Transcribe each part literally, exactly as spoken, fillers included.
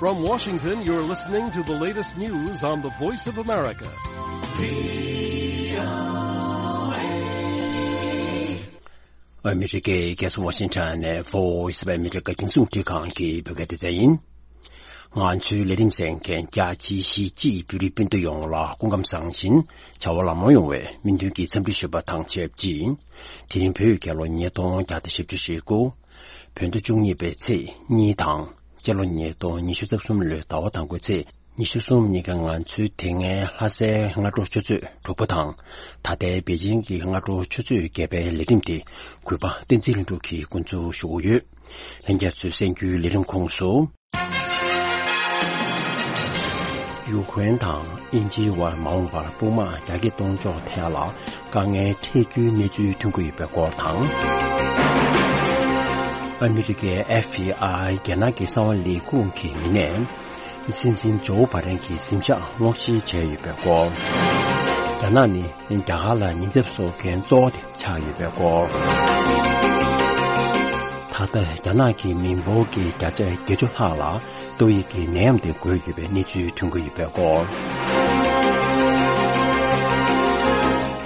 From Washington, you're listening to the latest news on the Voice of America. ཨ་མི་རི་ཀའི་རྒྱལ་ས་ཝ་ཤིང་ཊོན་ནས་Voice of America རྒྱང་སྲིང་རླུང་འཕྲིན་ཁང་གི་བོད་སྐད་སྡེ་ཚན་ཡིན། ང་ཚོའི་ལས་རིམ་གསན་མཁན་རྒྱ་ཆེའི་གཞིས་བྱེས་བོད་རིགས་སྤུན་ཟླ་ཡོངས་ལ་སྐུ་ཁམས་བཟང་ཞིང་བྱ་བ་ལམ་ལྷོང་ཡོང་བའི་སྨོན་འདུན་གྱི་འཚམས་འདྲི་ཞུ་བ་དང་ཆབས་ཅིག་དེ་རིང་བོད་རྒྱལ་ལོ་ཉིས་སྟོང་བརྒྱ་དང་བཞི་བཅུ་ཞེ་དགུ། བོད་ཟླ་བཅུ་གཉིས་པའི་ཚེས་གཉིས་དང་། སྤྱི་ལོ་ཉིས་སྟོང་ཉི་ཤུ་རྩ་གསུམ་ལོའི་ཟླ་བ་དང་པོའི་ཚེས་ཉི་ཤུ་གསུམ་ཉིན་གྱི་ང་ཚོའི་དེ་སྔའི་ལྷ་སའི་སྔ་དྲོ་ཆུ་ཚོད་དྲུག་པ་དང་། ད་ལྟའི་པེ་ཅིང་གི་སྔ་དྲོ་ཆུ་ཚོད་བརྒྱད་པའི་ལས་རིམ་དེ་གུས་པ་བསྟན་འཛིན་ལྷུན་གྲུབ་ཀྱིས་འགོ་འཛུགས་ཞུ་གི་ཡོད། ལྷན་རྒྱས་ཚོས་གསན་རྒྱུའི་ལས་རིམ་ཁོངས་སུ། ཡུ་ཀེ་རེན་དང་དབྱིན་ཇིའི་དབར་མ་འོངས་པར་དཔུང་དམག་རྒྱ་སྐྱེད་གཏོང་ཕྱོགས་ཐད་ལ་དཀའ་ངལ་འཕྲད་རྒྱུའི་གནས་ཚུལ་ཐོན་གྱི་ཡོད་པའི་སྐོར་དང་། ཨ་མི་རི་ཀའི་ཨེཕ་བི་ཨའི་རྒྱ་ནག་གི་གསང་བ་ལས་ཁུངས་ཀྱི་མི་སྣས་སྲིད་འཛིན་ཇོ་བྷ་དན་གྱི་གཟིམ་ཤག་སྔོག་བཤེར་བྱས་ཡོད་པའི་སྐོར། རྒྱ་ནག་ནི་རྒྱ་གར་ལ་ཉེན་ཚབས་བཟོ་མཁན་གཙོ་བོ་དེ་ཆགས་ཡོད་པའི་སྐོར། ད་ལྟ་རྒྱ་ནག་གི་མི་འབོར་གྱི་བརྒྱ་ཆ་བརྒྱད་ཅུ་ལྷག་ལ་ཏོག་དབྱིབས་ཀྱི་ནད་ཡམས་དེ་འགོས་ཡོད་པའི་གནས་ཚུལ་ཐོན་གྱི་ཡོད་པའི་སྐོར།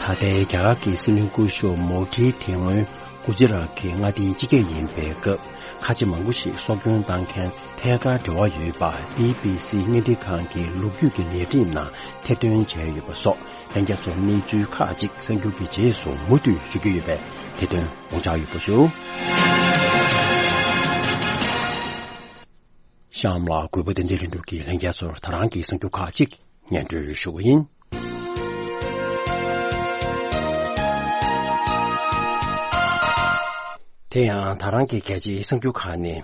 ད་ལྟའི་རྒྱ་གར་གྱི་སྲིད་བློན་སྐུ་ཞབས་མོ་དྷི་དེ་སྔོན་གུ་ཇི་རཱཏ་གི་མངའ་སྡེའི་སྤྱི་ཁྱབ་ཡིན་པའི་སྐབས། ཁ་ཆེ་མང་པོ་ཞིག་སྲོག་སྐྱོན་བཏང་མཁན་ཐད་ཀར་འབྲེལ་བ་ཡོད་པ་བི་བི་སི་བརྙན་འཕྲིན་ཁང་གི་ལོ་རྒྱུས་ཀྱི་ལས་རིམ་ནང་ཐེར་འདོན་བྱས་ཡོད་པ་སོགས་ལྷན་རྒྱས་ཚོར་གནས་ཚུལ་ཁག་ཅིག་གསར་འགྱུར་གྱི་རྗེས་སུ་མུ་མཐུད་ཞུ་རྒྱུ་ཡོད་པས་དེ་དོན་དགོངས་འཇགས་ཡོད་པ་ཞུ། གཤམ་ལ་གུས་པ་བསྟན་འཛིན་ལྷུན་གྲུབ་ཀྱིས་ལྷན་རྒྱས་ཚོར་ད་རང་གི་གསར་འགྱུར་ཁག་ཅིག་སྙན་སྒྲོན་ཞུ་གི་ཡིན། དེ་ཡང་ད་རང་གི་གལ་ཆེའི་གསར་འགྱུར་ཁག་ནི།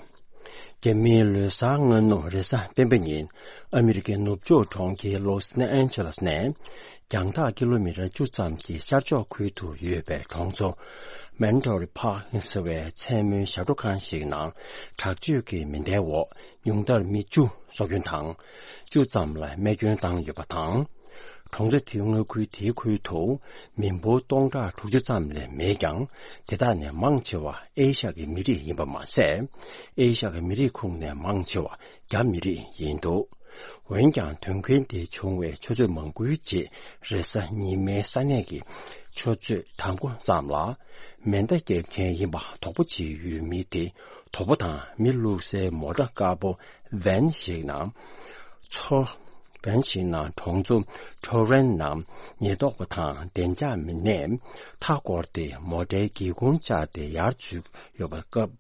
རྒྱ་མིའི་ལོ་གསར་སྔ་ནུབ་རེས་གཟའ་སྤེན་པ་ཉིན་ཨ་མི་རི་ཀའི་ནུབ་ཕྱོགས་གྲོང་ཁྱེར་ལོ་སན་ཨན་ཇེ་ལེ་སི་ནས་རྒྱང་ཐག་ཀི་ལོ་མི་ཊར་བཅུ་ཙམ་གྱི་ཤར་ཕྱོགས་ཁུལ་དུ་ཡོད་པའི་གྲོང་ཚོ་མན་ཊོ་རི་ཕཱརྐ་ཟེར་བའི་མཚན་མོའི་ཞབས་བྲོ་ཁང་ཞིག་ནང་དྲག་སྤྱོད་ཀྱི་མེ་མདའི་འོག་ཉུང་མཐར་མི་བཅུ་སྲོག་སྐྱོན་དང་། བཅུ་ཙམ་ལ་རྨས་སྐྱོན་བཏང་ཡོད་པ་དང་། གྲོང་ཚོ་དེའི་མངའ་ཁུལ་དེའི་ཁུལ་དུ་མི་འབོར་སྟོང་ཕྲག་དྲུག་ཅུ་ཙམ་ལས་མེད་ཀྱང་། དེ་དག་ནས་མང་ཆེ་བ་ཨེ་ཤ་ཡའི་མི་རིགས་ཡིན་པ་མ་ཟད། ཨེ་ཤ་ཡའི་མི་རིགས་ཁོངས་ནས་མང་ཆེ་བ་རྒྱ་མི་རིགས་ཡིན་འདུག་འོན་ཀྱང་དོན་རྐྱེན་དེ་བྱུང་བའི་ཆུ་ཚོད་མང་པོའི་རྗེས་རེས་གཟའ་ཉི་མའི་ས་གནས་ཀྱི་ཆུ་ཚོད་དང་པོ་ཙམ་ལ་མེ་མདའ་རྒྱག་མཁན་ཡིན་པ་དོགས་པ་བྱེད་ཡུལ་མི་དེ་དོ་པོ་དང་མི་བླུགས་སའི་མོ་ཊ་དཀར་པོ་ཝན་ཞིག་ནང་ཚོ་ཝན་ཞིག་ནང་གྲོང་ཚོ་ཁྲོ་རན་ནང་ཉེན་རྟོག་པ་དང་བདེ་འཇགས་མི་སྣས་མཐའ་བསྐོར་ཏེ་མོ་ཊའི་སྒེའུ་ཁུང་བཅག་སྟེ་ཡར་འཛུལ་ཡོད་པའི་སྐབས།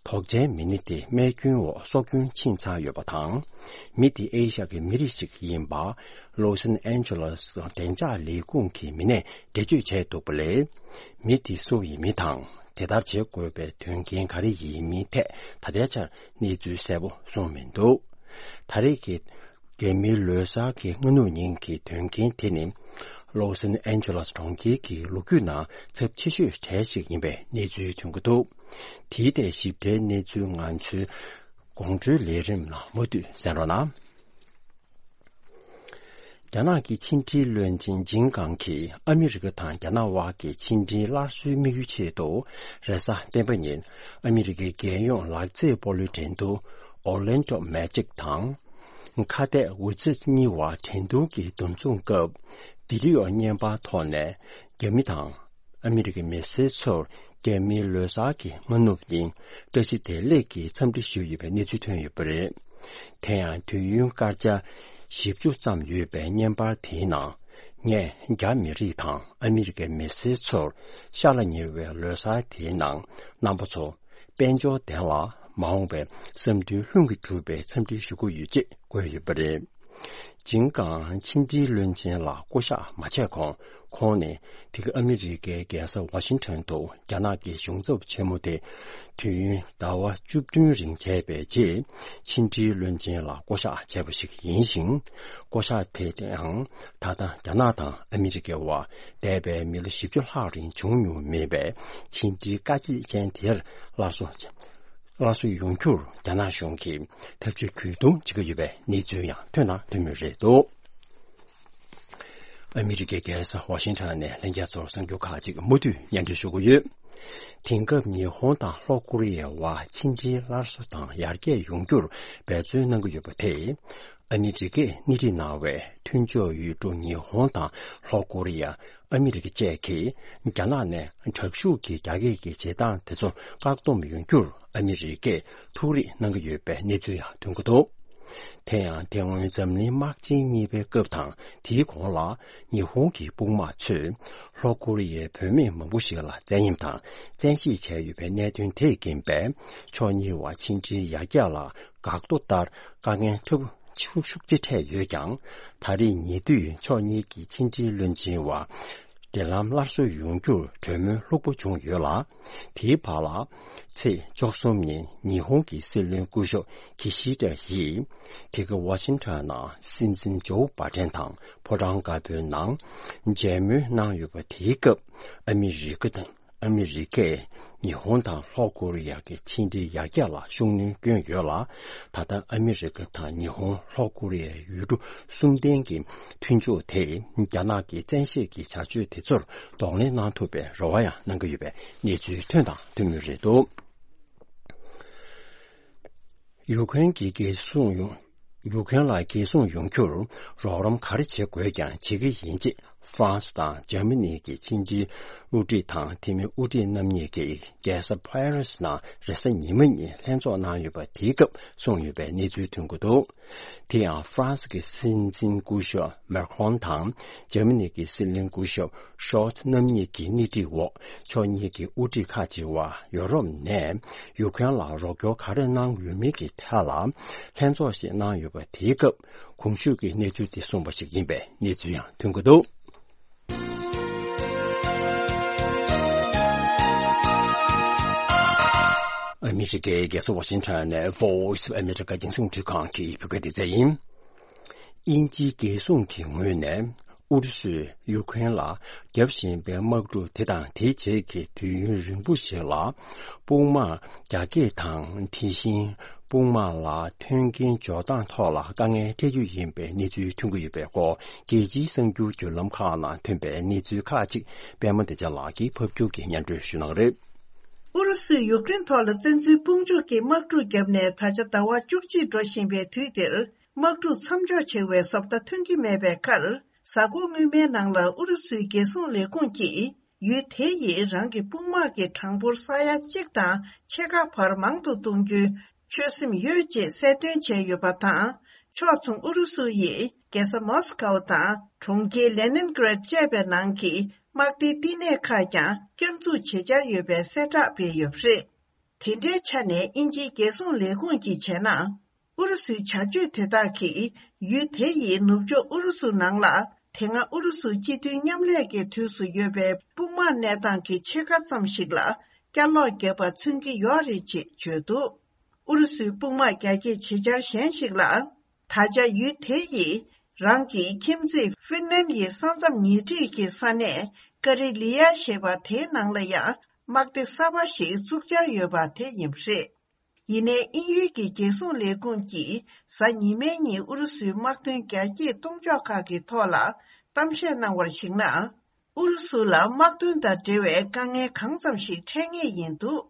དོགས་ཅན་མི་སྣ་དེ་རྨས་སྐྱོན་འོག་སྲོག་སྐྱོན་ཕྱིན་ཚར་ཡོད་པ་དང་། མི་དེ་ཨེ་ཤ་ཡའི་མི་རིགས་ཤིག་ཡིན་པ་ལོ་སན་ཨན་ཇེ་ལེ་སི་བདེ་འཇགས་ལས་ཁུངས་ཀྱི་མི་སྣས་འགྲེལ་བརྗོད་བྱས་འདུག་པ་ལས། མི་དེ་སུ་ཡིན་མིན་དང་དེ་ལྟར་བྱེད་དགོས་པའི་དོན་རྐྱེན་ག་རེ་ཡིན་མིན་ཐད་ད་ལྟའི་ཆར་གནས་ཚུལ་གསལ་པོ་གསུངས་མི་འདུག་ད་རེས་ཀྱི་རྒྱ་མིའི་ལོ་གསར་གྱི་སྔ་ནུབ་ཉིན་གྱི་དོན་རྐྱེན་དེ་ནི་ལོ་སན་ཨན་ཇེ་ལེ་སི་གྲོང་ཁྱེར་གྱི་ལོ་རྒྱུས་ནང་ཚབས་ཆེ་ཤོས་གྲས་ཤིག་ཡིན་པའི་གནས་ཚུལ་ཐོན་གྱི་འདུག་དེའི་ཐད་ཞིབ་ཕྲའི་གནས་ཚུལ་ང་ཚོའི་དགོང་དྲོའི་ལས་རིམ་ནང་མུ་མཐུད་གསན་རོགས་གནང་། རྒྱ་ནག་གི་ཕྱི་འབྲེལ་བློན་ཆེན་ཇིང་ཀང་གིས་ཨ་མི་རི་ཀ་དང་རྒྱ་ནག་དབར་གྱི་ཕྱི་འབྲེལ་སླར་གསོའི་དམིགས་ཡུལ་ཆེད་དུ་རེས་གཟའ་སྤེན་པ་ཉིན་ཨ་མི་རི་ཀའི་རྒྱལ་ཡོངས་ལག་རྩེད་སྤོ་ལོའི་འགྲན་བསྡུར་Orlando Magic དང་། ཁ་གཏད་ཝི་ཛེ་གཉིས་དབར་འགྲན་བསྡུར་གྱི་འདུ་འཛོམས་སྐབས་བི་ཌི་ཡོ་བརྙན་པར་ཐོག་ནས་རྒྱ་མི་དང་ཨ་མི་རི་ཀའི་མི་སེར་ཚོར་རྒྱ་མིའི་ལོ་གསར་གྱི་སྔ་ནུབ་ཉིན་བཀྲ་ཤིས་བདེ་ལེགས་ཀྱི་འཚམས་འདྲི་ཞུས་ཡོད་པའི་གནས་ཚུལ་ཐོན་ཡོད་པ་རེད། དེ་ཡང་དུས་ཡུན་སྐར་ཆ་བཞི་བཅུ་ཙམ་ཡོད་པའི་བརྙན་པར་དེའི་ནང་ངས་རྒྱ་མི་རིགས་དང་ཨ་མི་རི་ཀའི་མི་སེར་ཚོར་ཤར་ལ་ཉེ་བའི་ལོ་གསར་དེའི་ནང་རྣམ་པ་ཚོ་དཔལ་འབྱོར་ལྡན་ལ་མ་འོངས་པའི་བསམ་འདུན་ལྷུན་གྱིས་གྲུབ་པའི་འཚམས་འདྲི་ཞུ་གི་ཡོད་ཅེས་བཀོད་ཡོད་པ་རེད། ཇིང་ཀང་ཕྱི་འབྲེལ་བློན་ཆེན་ལ་བསྐོ་གཞག་མ་བྱས་གོང་ཁོང་ནི་དེ་ག་ཨ་མི་རི་ཀའི་རྒྱལ་ས་ཝ་ཤིང་ཊོན་དུ་རྒྱ་ནག་གི་གཞུང་ཚབ་ཆེན་མོ་དེ་དུས་ཡུན་ཟླ་བ་བཅུ་བདུན་རིང་བྱས་པའི་རྗེས་ཕྱི་འབྲེལ་བློན་ཆེན་ལ་བསྐོ་གཞག་བྱས་པ་ཞིག་ཡིན་ཞིང་། བསྐོ་གཞག་དེ་ཡང་ད་ལྟ་རྒྱ་ནག་དང་ཨ་མི་རི་ཀའི་དབར་འདས་པའི་མི་ལོ་བཞི་བཅུ་ལྷག་རིང་བྱུང་མྱོང་མེད་པའི་ཕྱི་འབྲེལ་དཀའ་སྤྱད་ཅན་དེར་སླར་གསོ་སླར་གསོ་ཡོང་རྒྱུར་རྒྱ་ནག་གཞུང་གིས་ཐབས་ཇུས་གུས་གདུང་བྱེད་ཀྱི་ཡོད་པའི་གནས་ཚུལ་ཡང་ཐོན་དང་ཐོན་མུས་རེད་འདུག་ཨ་མི་རི་ཀའི་རྒྱལ་ས་ཝ་ཤིང་ཊོན་ནས་ལྷན་རྒྱས་ཚོར་གསར་འགྱུར་ཁག་ཅིག་མུ་མཐུད་སྙན་སྒྲོན་ཞུ་གི་ཡོད། དེང་སྐབས་ཉི་ཧོང་དང་ལྷོ་ཀོ་རི་ཡའི་བར་ཕྱི་འབྲེལ་སླར་གསོ་དང་ཡར་རྒྱས་ཡོང་རྒྱུར་འབད་བརྩོན་གནང་གི་ཡོད་པ་དེས། ཨ་མི་རི་ཀས་སྣེ་ཁྲིད་གནང་བའི་མཐུན་ཕྱོགས་ཡུལ་གྲུ་ཉི་ཧོང་དང་ལྷོ་ཀོ་རི་ཡ། ཨ་མི་རི་ཀ་བཅས་ཀྱིས་རྒྱ་ནག་ནས་དྲག་ཤུགས་ཀྱི་རྒྱ་སྐྱེད་ཀྱི་བྱེད་སྟངས་དེ་ཚོར་བཀག་སྡོམ་ཡོང་རྒྱུར་ཨ་མི་རི་ཀས་ཐུགས་རེ་གནང་གི་ཡོད་པའི་གནས་ཚུལ་ཡང་ཐོན་གྱི་འདུག་དེ་ཡང་དེ་སྔོན་འཛམ་གླིང་དམག་ཆེན་གཉིས་པའི་སྐབས་དང་དེའི་གོང་ལ་ཉི་ཧོང་གི་དཔུང་དམག་ཚོས་ལྷོ་ཀོ་རི་ཡའི་བུད་མེད་མང་པོ་ཞིག་ལ་བཙན་གཡེམ་དང་བཙན་ཤེད་བྱས་ཡོད་པའི་གནད་དོན་དེས་རྐྱེན་པས་ཕྱོགས་གཉིས་བར་ཕྱི་འབྲེལ་ཡར་རྒྱས་ལ་འགག་རྡོ་ལྟར་དཀའ་ངལ་ཐུབ་ཤུགས་ཤུགས་ཆེ་འཕྲད་ཡོད་ཀྱང་། ད་རེས་ཉེ་དུས་ཕྱོགས་གཉིས་ཀྱི་ཕྱི་འབྲེལ་བློན་ཆེན་བར་འབྲེལ་ལམ་སླར་གསོ་ཡོང་རྒྱུར་གྲོས་མོལ་ལྷུག་པོ་བྱུང་ཡོད་ལ། དེའི་བར་ལ། ཚེས་བཅུ་གསུམ་ཉིན་ཉི་ཧོང་གི་སྲིད་བློན་སྐུ་ཞབས་ཁི་ཤི་ད་ཡིས། དེ་ག་ཝ་ཤིང་ཊོན་ནང་སྲིད་འཛིན་ཇོ་བྷ་ཏན་དང་ཕོ་བྲང་དཀར་པོའི་ནང་མཇལ་མོལ་གནང་ཡོད་པ། དེའི་སྐབས་ཨ་མི་རི་ཀ་དང་། ཨ་མི་རི་ཀས་ཉི་ཧོང་དང་ལྷོ་ཀོ་རི་ཡ་གི་ཕྱི་འབྲེལ་ཡར་རྒྱས་ལ་ཤུགས་སྣོན་བསྐྱོན་ཡོད་ལ། ད་ལྟ་ཨ་མི་རི་ཀ་དང་ཉི་ཧོང་ལྷོ་ཀོ་རི་ཡའི་ཡུལ་གྲུ་གསུམ་ལྡན་གྱི་མཐུན་ཕྱོགས་དེས་རྒྱ་ནག་གི་བཙན་ཤེད་ཀྱི་བྱ་སྤྱོད་དེ་ཚོར་གདོང་ལེན་གནང་ཐུབ་པའི་རེ་བ་ཡང་གནང་གི་ཡོད་པའི་གནས་ཚུལ་ཐོན་དང་ཐོན་མུས་རེད་འདུག་ཡུ་ཁུ་རེན་གྱི་རྒྱལ་སྲུང་ཡོང་། ཡུ་ཁུ་རེན་ལ་རྒྱལ་སྲུང་ཡོང་རྒྱུར་རོགས་རམ་ག་རེ་བྱེད་དགོས་ཀྱང་བྱེད་ཀྱི་ཡིན་ཅེས་ཧྥ་རན་སི་དང་འཇར་མ་ནི་གི་ཕྱི་འབྲེལ་དབུ་ཁྲིད་དང་འཐུས་མི་དབུ་ཁྲིད་རྣམ་གཉིས་ཀྱིས་རྒྱལ་ས་ཕ་རི་སི་ནང་རེས་གཟའ་ཉི་མ་ཉིན་ལྷན་ཚོགས་གནང་ཡོད་པ། དེའི་སྐབས་གསུངས་ཡོད་པའི་གནས་ཚུལ་ཐོན་གྱི་འདུག་དེ་ཡང་ཧྥ་རན་སི་གི་སྲིད་འཛིན་སྐུ་ཞབས་མེག་རོན་དང་འཇར་མ་ནི་གི་སྲིད་བློན་སྐུ་ཞབས་ཤོལ་ཚ་རྣམ་གཉིས་ཀྱི་སྣེ་ཁྲིད་འོག་ཕྱོགས་གཉིས་ཀྱི་དབུ་ཁྲིད་ཁག་ཅིག་བར་ཡོ་རོབ་ནས་ཡུ་ཁུ་རེན་ལ་རོགས་སྐྱོར་ག་རེ་གནང་ཡོད་མེད་ཀྱི་ཐད་ལ་ལྷན་ཚོགས་ཤིག་གནང་ཡོད་པ། དེའི་སྐབས་གོང་ཞུས་ཀྱི་གནས་ཚུལ་དེ་གསུངས་པ་ཞིག་ཡིན་པའི་གནས་ཚུལ་ཡང་ཐོན་གྱི་འདུག་ཨ་མི་རི་ཀའི་རྒྱལ་ས་ཝ་ཤིང་ཊོན་ནས་Voice of America་རྒྱང་སྲིང་རླུང་འཕྲིན་ཁང་གི་བོད་སྐད་སྡེ་ཚན་ཡིན། དབྱིན་ཇིའི་རྒྱལ་སྲུང་གི་ངོས་ནས་ཨུ་རུ་སུས་ཡུ་ཁུ་རེན་ལ་བརྒྱབ་བཞིན་པའི་དམག་འཁྲུག་དེ་དང་དེའི་རྗེས་ཀྱི་དུས་ཡུན་རིང་པོ་ཞིག་ལ་དཔུང་དམག་རྒྱ་སྐྱེད་དང་། དེ་བཞིན་དཔུང་དམག་ལ་མཐུན་རྐྱེན་སྦྱོར་སྟངས་ཐོག་ལ་དཀའ་ངལ་འཕྲད་རྒྱུ་ཡིན་པའི་གནས་ཚུལ་ཐོན་གྱི་ཡོད་པའི་སྐོར། རྒྱལ་སྤྱིའི་གསར་འགྱུར་བརྒྱུད་ལམ་ཁག་ནང་ཐོན་པའི་གནས་ཚུལ་ཁག་ཅིག་པད་མ་བདེ་ཆེན་ལགས་ཀྱིས་ཕབ་སྒྱུར་གྱིས་སྙན་སྒྲོན་ཞུ་གནང་གི་རེད། ཨུ་རུ་སུས་ཡུཀ་རེན་ཐོག་ལ་བཙན་འཛུལ་དཔུང་འཇུག་གི་དམག་འཁྲུག་བརྒྱབ་ནས་ད་ཆ་ཟླ་བ་བཅུ་གཅིག་འགྲོ་བཞིན་པའི་དུས་འདིར། དམག་འཁྲུག་མཚམས་འཇོག་བྱེད་པའི་བཟོ་ལྟ་ཐོན་གྱི་མེད་པའི་ཁར། གཟའ་འཁོར་སྔོན་མའི་ནང་ལ་ཨུ་རུ་སུའི་རྒྱལ་སྲུང་ལས་ཁུངས་ཀྱིས། ཡུལ་དེ་ཡིས་རང་གི་དཔུང་དམག་གི་གྲངས་འབོར་ས་ཡ་གཅིག་དང་ཕྱེད་ཀ་བར་མང་དུ་གཏོང་རྒྱུའི་ཆོད་སེམས་ཡོད་ཅེས་གསལ་སྟོན་བྱས་ཡོད་པ་དང་། ཕྱོགས་མཚུངས་ཨུ་རུ་སུ་ཡིས་རྒྱལ་ས་མོ་སི་ཀའོ་དང་གྲོང་ཁྱེར་ལེ་ནིན་གྷ་རད་བཅས་པའི་ནང་གི་དམག་སྡེའི་བསྟི་གནས་ཁག་ཀྱང་བསྐྱར་འཛུགས་བྱེད་འཆར་ཡོད་པའི་གསལ་བསྒྲགས་སྤེལ་ཡོད་པ་རེད། དེ་འདྲའི་ཆ་ནས་དབྱིན་ཇིའི་རྒྱལ་སྲུང་ལས་ཁུངས་ཀྱིས་བྱས་ན། ཨུ་རུ་སུའི་བྱ་སྤྱོད་དེ་དག་གིས་ཡུལ་དེ་ཡི་ནུབ་ཕྱོགས་ཨུ་རུ་སུ་ནང་ལ་དེ་སྔ་ཨུ་རུ་སུ་སྤྱི་མཐུན་མཉམ་ལས་ཀྱི་དུས་སུ་ཡོད་པའི་དཔུང་དམག་གནས་སྟངས་ཀྱི་ཕྱེད་ཀ་ཙམ་ཞིག་ལ་བསྐྱར་ལོག་བརྒྱབ་པ་མཚོན་གྱི་ཡོད་རེད་ཅེས་བརྗོད་འདུག་ཨུ་རུ་སུའི་དཔུང་དམག་རྒྱ་སྐྱེད་བྱེད་འཆར་གཞན་ཞིག་ལ། ད་ཆ་ཡུལ་དེ་ཡི་རང་གི་ཁྱིམ་མཚེས་ཧྥིན་ལན་ཡི་ས་མཚམས་ཉེ་འཁྲིས་ཀྱི་ས་གནས་ཀ་རི་ལི་ཡ་ཞེས་པ་དེའི་ནང་ལ་ཡང་དམག་སྡེ་གསར་པ་ཞིག་བཙུགས་འཆར་ཡོད་པ་དེ་ཡིན་པ་རེད། ཡིན་ནའི་དབྱིན་ཡུལ་གྱི་རྒྱལ་སྲུང་ལས་ཁུངས་ཀྱིས་གཟའ་ཉི་མའི་ཉིན་ཨུ་རུ་སུའི་དམག་དོན་རྒྱ་སྐྱེད་གཏོང་ཕྱོགས་ཁག་གི་ཐོག་ལ་གཏམ་བཤད་གནང་བར་གཞིགས་ན། ཨུ་རུ་སུ་ལ་དམག་དོན་དང་འབྲེལ་བའི་དཀའ་ངལ་གང་ཙམ་ཞིག་འཕྲད་ངེས་ཡིན་འདུག་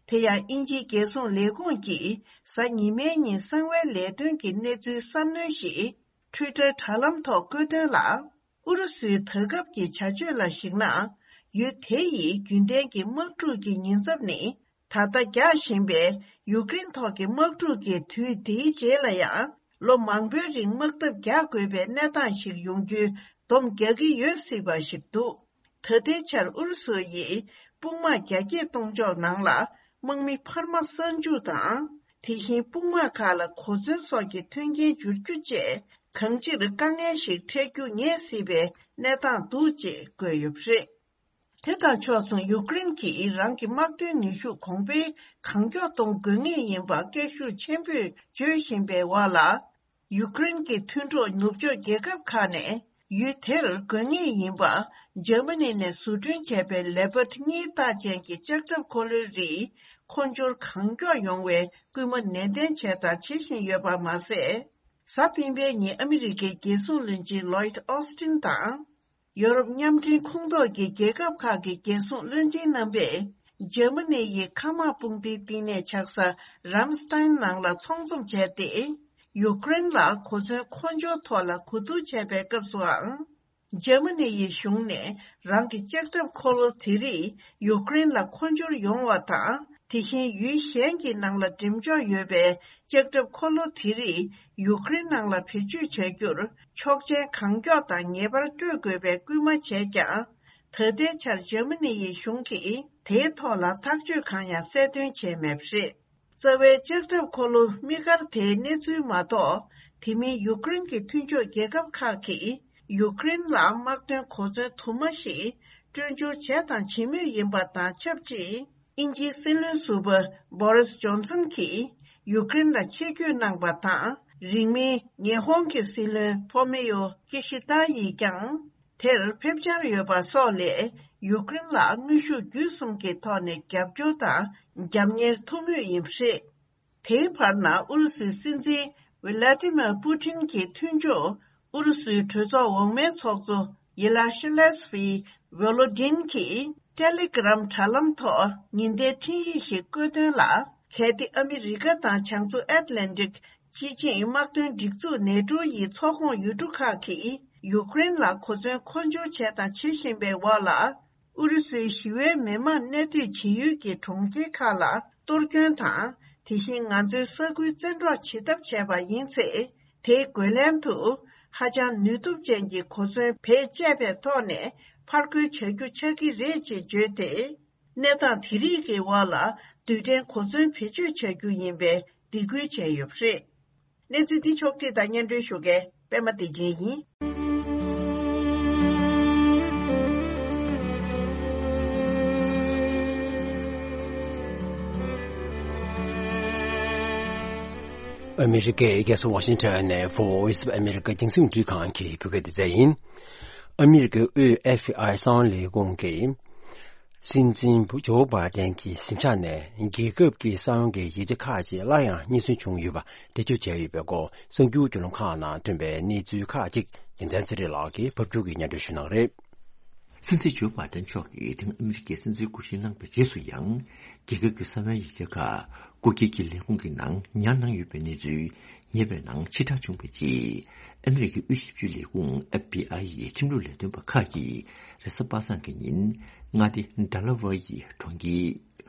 དེ་ཡང་དབྱིན་ཇིའི་རྒྱལ་སྲུང་ལས་ཁུངས་ཀྱིས་གཟའ་ཉི་མའི་ཉིན་གསང་བའི་ལས་དོན་གྱི་གནས་ཚུལ་གསར་སྣོན་ཞིག་ཊུའི་ཊར་དྲ་ལམ་ཐོག་བཀོད་དོན་ལ། ཨུ་རུ་སུའི་ད་སྐབས་ཀྱི་བྱ་སྤྱོད་ལ་གཞིགས་ན། ཡུལ་དེ་ཡི་རྒྱུན་ལྡན་གྱི་དམག་འཁྲུག་གི་ཉེན་ཚབས་ནི། ད་ལྟ་རྒྱག་བཞིན་པའི་ཡུཀ་རེན་ཐོག་གི་དམག་འཁྲུག་གི་དུས་འདིའི་རྗེས་ལ་ཡང་ལོ་མང་པོའི་རིང་དམག་འཐབ་རྒྱག་དགོས་པའི་གནས་སྟངས་ཤིག་ཡོང་རྒྱུའི་སྡོམ་རྒྱག་གི་ཡོད་སྲིད་པ་ཞིག་འདུག་ད་ལྟའི་ཆར་ཨུ་རུ་སུ་ཡིས་དཔུང་དམག་རྒྱ་སྐྱེད་གཏོང་ཕྱོགས་ནང་ལ་དམག་མི་འཕར་མ་གསར་འཇུག་དང་། དེ་བཞིན་དཔུང་དམག་ཁག་ལ་གོ་མཚོན་སོགས་ཀྱི་མཐུན་རྐྱེན་འབྱོར་རྒྱུ་བཅས་གང་ཅིར་དཀའ་ངལ་ཞིག་འཕྲད་རྒྱུ་ངེས་སྲིད་པའི་གནས་སྟངས་འདུག་ཅེས་བཀོད་ཡོད་པ་རེད། དེ་དང་ཕྱོགས་མཚུངས་ཡུཀ་རེན་གྱིས་རང་གི་དམག་དོན་ནུས་ཤུགས་གོང་འཕེལ་གང་མགྱོགས་གཏོང་དགོས་ངེས་ཡིན་པ་སྐད་ཤུགས་ཆེན་པོས་བརྗོད་བཞིན་པའི་འོག་ལ། ཡུཀ་རེན་གྱི་མཐུན་གྲོགས་ནུབ་ཕྱོགས་རྒྱལ་ཁབ་ཁག་ནས་ཡུལ་དེར་དགོས་ངེས་ཡིན་པ། འཇར་མ་ནི་ནས་བཟོ་སྐྲུན་བྱས་པའི་ལེ་པར་ཌི་གཉིས་རྟགས་ཅན་གྱི་ལྕགས་ཁྲབ་འཁོར་ལོའི་རིགས་མཁོ་སྦྱོར་གང་མགྱོགས་ཡོང་བའི་སྐུལ་མ་ནན་ཏན་བྱས་དང་བྱེད་བཞིན་ཡོད་པ་མ་ཟད། གཟའ་སྤེན་པའི་ཉིན་ཨ་མི་རི་ཀའི་རྒྱལ་སྲུང་བློན་ཆེན་ལོའིད་ཨོ་སི་ཏིན་དང་། ཡོ་རོབ་མཉམ་འབྲེལ་ཁོངས་གཏོགས་ཀྱི་རྒྱལ་ཁབ་ཁག་གི་རྒྱལ་སྲུང་བློན་ཆེན་རྣམ་པས། འཇར་མ་ནི་ཡི་མཁའ་དམག་དཔུང་སྡེའི་བསྟི་གནས་ཆགས་ས་རམ་སི་ཏཱན་ནང་ལ་ཚོགས་འཛོམས་བྱས་ཏེ། ཡུཀ་རེན་ལ་གོ་མཚོན་མཁོ་སྦྱོར་ཐོག་ལ་གོ་བསྡུར་བྱས་པའི་སྐབས་སུའང་། འཇར་མ་ནི་ཡི་གཞུང་ནས་རང་གི་ལྕགས་ཁྲབ་འཁོར་ལོ་དེ་རིགས་ཡུཀ་རེན་ལ་མཁོ་སྦྱོར་ཡོང་བ་དང་། དེ་བཞིན་ཡུལ་གཞན་གྱི་ནང་ལ་འགྲེམས་འཇོག་ཡོད་པའི་ལྕགས་ཁྲབ་འཁོར་ལོ་དེ་རིགས་ཡུཀ་རེན་ནང་ལ་བེད་སྤྱོད་བྱ་རྒྱུར་ཆོག་མཆན་གང་མགྱོགས་དང་ངེས་པར་སྤྲོད་དགོས་པའི་སྐུལ་མ་བྱས་ཀྱང་། ད་ལྟའི་ཆར་འཇར་མ་ནི་ཡི་གཞུང་གིས་དེའི་ཐོག་ལ་ཐག་གཅོད་གང་ཡང་གསལ་སྟོན་བྱས་མེད་པ་རེད། རྩ་བའི་ལྕགས་ཁྲབ་འཁོར་ལོ་དམིགས་བཀར་དེའི་གནས་ཚུལ་མ་གཏོགས། དེ་མིན་ཡུཀ་རེན་གྱི་མཐུན་ཕྱོགས་རྒྱལ་ཁབ་ཁག་གིས་ཡུཀ་རེན་ལ་དམག་དོན་གོ་མཚོན་དུ་མ་ཞིག་སྤྲོད་འབྱོར་བྱས་དང་བྱེད་མུས་ཡིན་པ་དང་ཆབས་ཅིག་དབྱིན་ཇིའི་སྲིད་བློན་ཟུར་པ་བྷོ་རིས་ཇོན་སན་གྱིས་ཡུཀ་རེན་ལ་ཆེད་བསྐྱོད་གནང་པ་དང་། རིང་མིན་ཉི་ཧོང་གི་སྲིད་བློན་ཕོ་མེ་ཡོ་ཀི་ཤི་ཏཱ་ཡིས་ཀྱང་། དེར་ཕེབས་འཆར་ཡོད་པ་སོགས་ལས་ཡུཀ་རེན་ལ་དངོས་ཤུགས་བརྒྱུད་གསུམ་གྱི་ཐོག་ནས་རྒྱབ་སྐྱོར་དང་རྒྱབ་གཉེར་ཐུབ་མུས་ཡིན་པ་རེད། དེའི་བར་ན་ཨུ་རུ་སུའི་སྲིད་འཛིན་ཝི་ལ་ཏི་མེར་པུ་ཏིན་གྱི་མཐུན་ཕྱོགས་ཨུ་རུ་སུའི་གྲོས་ཚོགས་འོག་མའི་ཚོགས་གཙོ་ཡེ་ལ་ཤི་ལེ་སི་ཝི་ཝོ་ལོ་ཏིན་གྱིས་ཏེ་ལེ་གྷི་རམ་དྲ་ལམ་ཐོག་ཉེན་བརྡའི་འཕྲིན་ཡིག་ཞིག་བཀོད་དོན་ལ། གལ་ཏེ་ཨ་མི་རི་ཀ་དང་བྱང་མཚོ་ཨེཊ་ལན་ཏིག་སྤྱི་ཆིངས་དམག་དོན་སྒྲིག་འཛུགས་ནེ་ཏྲོ་ཡི་ཚོགས་ཁོངས་ཡུལ་གྲུ་ཁག་གིས་ཡུཀ་རེན་ལ་གོ་མཚོན་མཁོ་སྦྱོར་བྱས་དང་བྱེད་བཞིན་པའི་འོག་ལ། ཨུ་རུ་སུའི་ཞི་བའི་མི་མང་གནས་སྡོད་བྱེད་ཡུལ་གྱི་གྲོང་ཁྱེར་ཁག་ལ་གཏོར་སྐྱོན་དང་། དེ་བཞིན་ང་ཚོའི་ས་ཁུལ་བཙན་འཕྲོག་བྱེད་ཐབས་བྱས་པ་ཡིན་ཚེ། དེའི་རྒོལ་ལན་དུ་ཧ་ཅང་ནུས་སྟོབས་ཅན་གྱི་གོ་མཚོན་བེད་སྤྱད་པའི་ཐོག་ནས་ཕར་རྒོལ་བྱ་རྒྱུ་ཆགས་ཀྱི་རེད་ཅེས་བརྗོད་དེ། གནས་སྟངས་དེ་རིགས་ཀྱི་འོག་ལ་རྡུལ་ཕྲན་གོ་མཚོན་བེད་སྤྱོད་བྱ་རྒྱུ་ཡིན་པའི་སྡིགས་སྐུལ་བྱས་ཡོད་པ་རེད། གནས་ཚུལ་འདི་ཕྱོགས་བསྒྲིགས་དང་སྙན་སྒྲོན་ཞུ་མཁན་པད་མ་བདེ་ཆེན་ཡིན། ཨ་མི་རི་ཀའི་རྒྱལ་ས་ཝ་ཤིང་ཊོན་ནས་Voice of America་རྒྱང་སྲིང་རླུང་འཕྲིན་ཁང་གི་བོད་སྐད་སྡེ་ཚན་ཡིན། ཨ་མི་རི་ཀའི་དབུས་ཨེཕ་བི་ཨའི་གསང་བའི་ལས་ཁུངས་ཀྱིས། སྲིད་འཛིན་ཇོ་བྷའི་ཏན་གྱི་གཟིམ་ཤག་ནས་རྒྱལ་ཁབ་ཀྱི་གསང་བའི་ཡིག་ཆ་ཁག་ཅིག་སླར་ཡང་རྙེད་སོན་བྱུང་ཡོད་པ་འགྲེལ་བརྗོད་བྱས་ཡོད་པའི་སྐོར་གསར་འགྱུར་བརྒྱུད་ལམ་ཁག་ནང་ཐོན་པའི་གནས་ཚུལ་ཁག་ཅིག་རྒྱལ་མཚན་ཚེ་རིང་ལགས་ཀྱིས་ཕབ་སྒྱུར་གྱིས་སྙན་སྒྲོན་ཞུ་གནང་གི་རེད། སྲིད་འཛིན་ཇོ་བྷའི་ཏན་མཆོག་གིས་དེ་སྔ་ཨ་མི་རི་ཀའི་སྲིད་འཛིན་སྐུ་བཞེངས་གནང་བའི་རྗེས་སུ་ཡང་། རྒྱལ་ཁབ་ཀྱི་གསང་བའི་ཡིག་ཆ་ཁག་སྐུ་སྒེར་གྱི་ལས་ཁུངས་ཀྱི་ནང་ཉར་གནང་ཡོད་པའི་གནས་ཚུལ་ཉེ་བའི་ནང་ཕྱིར་བསྒྲགས་བྱུང་བའི་རྗེས། ཨ་མི་རི་ཀའི་དབུས་ཞིབ་དཔྱོད་ལས་ཁུངས་ཨེཕ་བི་ཨའི་ཡི་ཁྲིམས་ལུགས་ལས་དོན་པ་ཁག་གིས་རེས་གཟའ་པ་སངས་ཀྱི་ཉིན་མངའ་སྡེ་ཌེ་ལ་ཝེ་ཡི་གྲོང་ཁྱེར་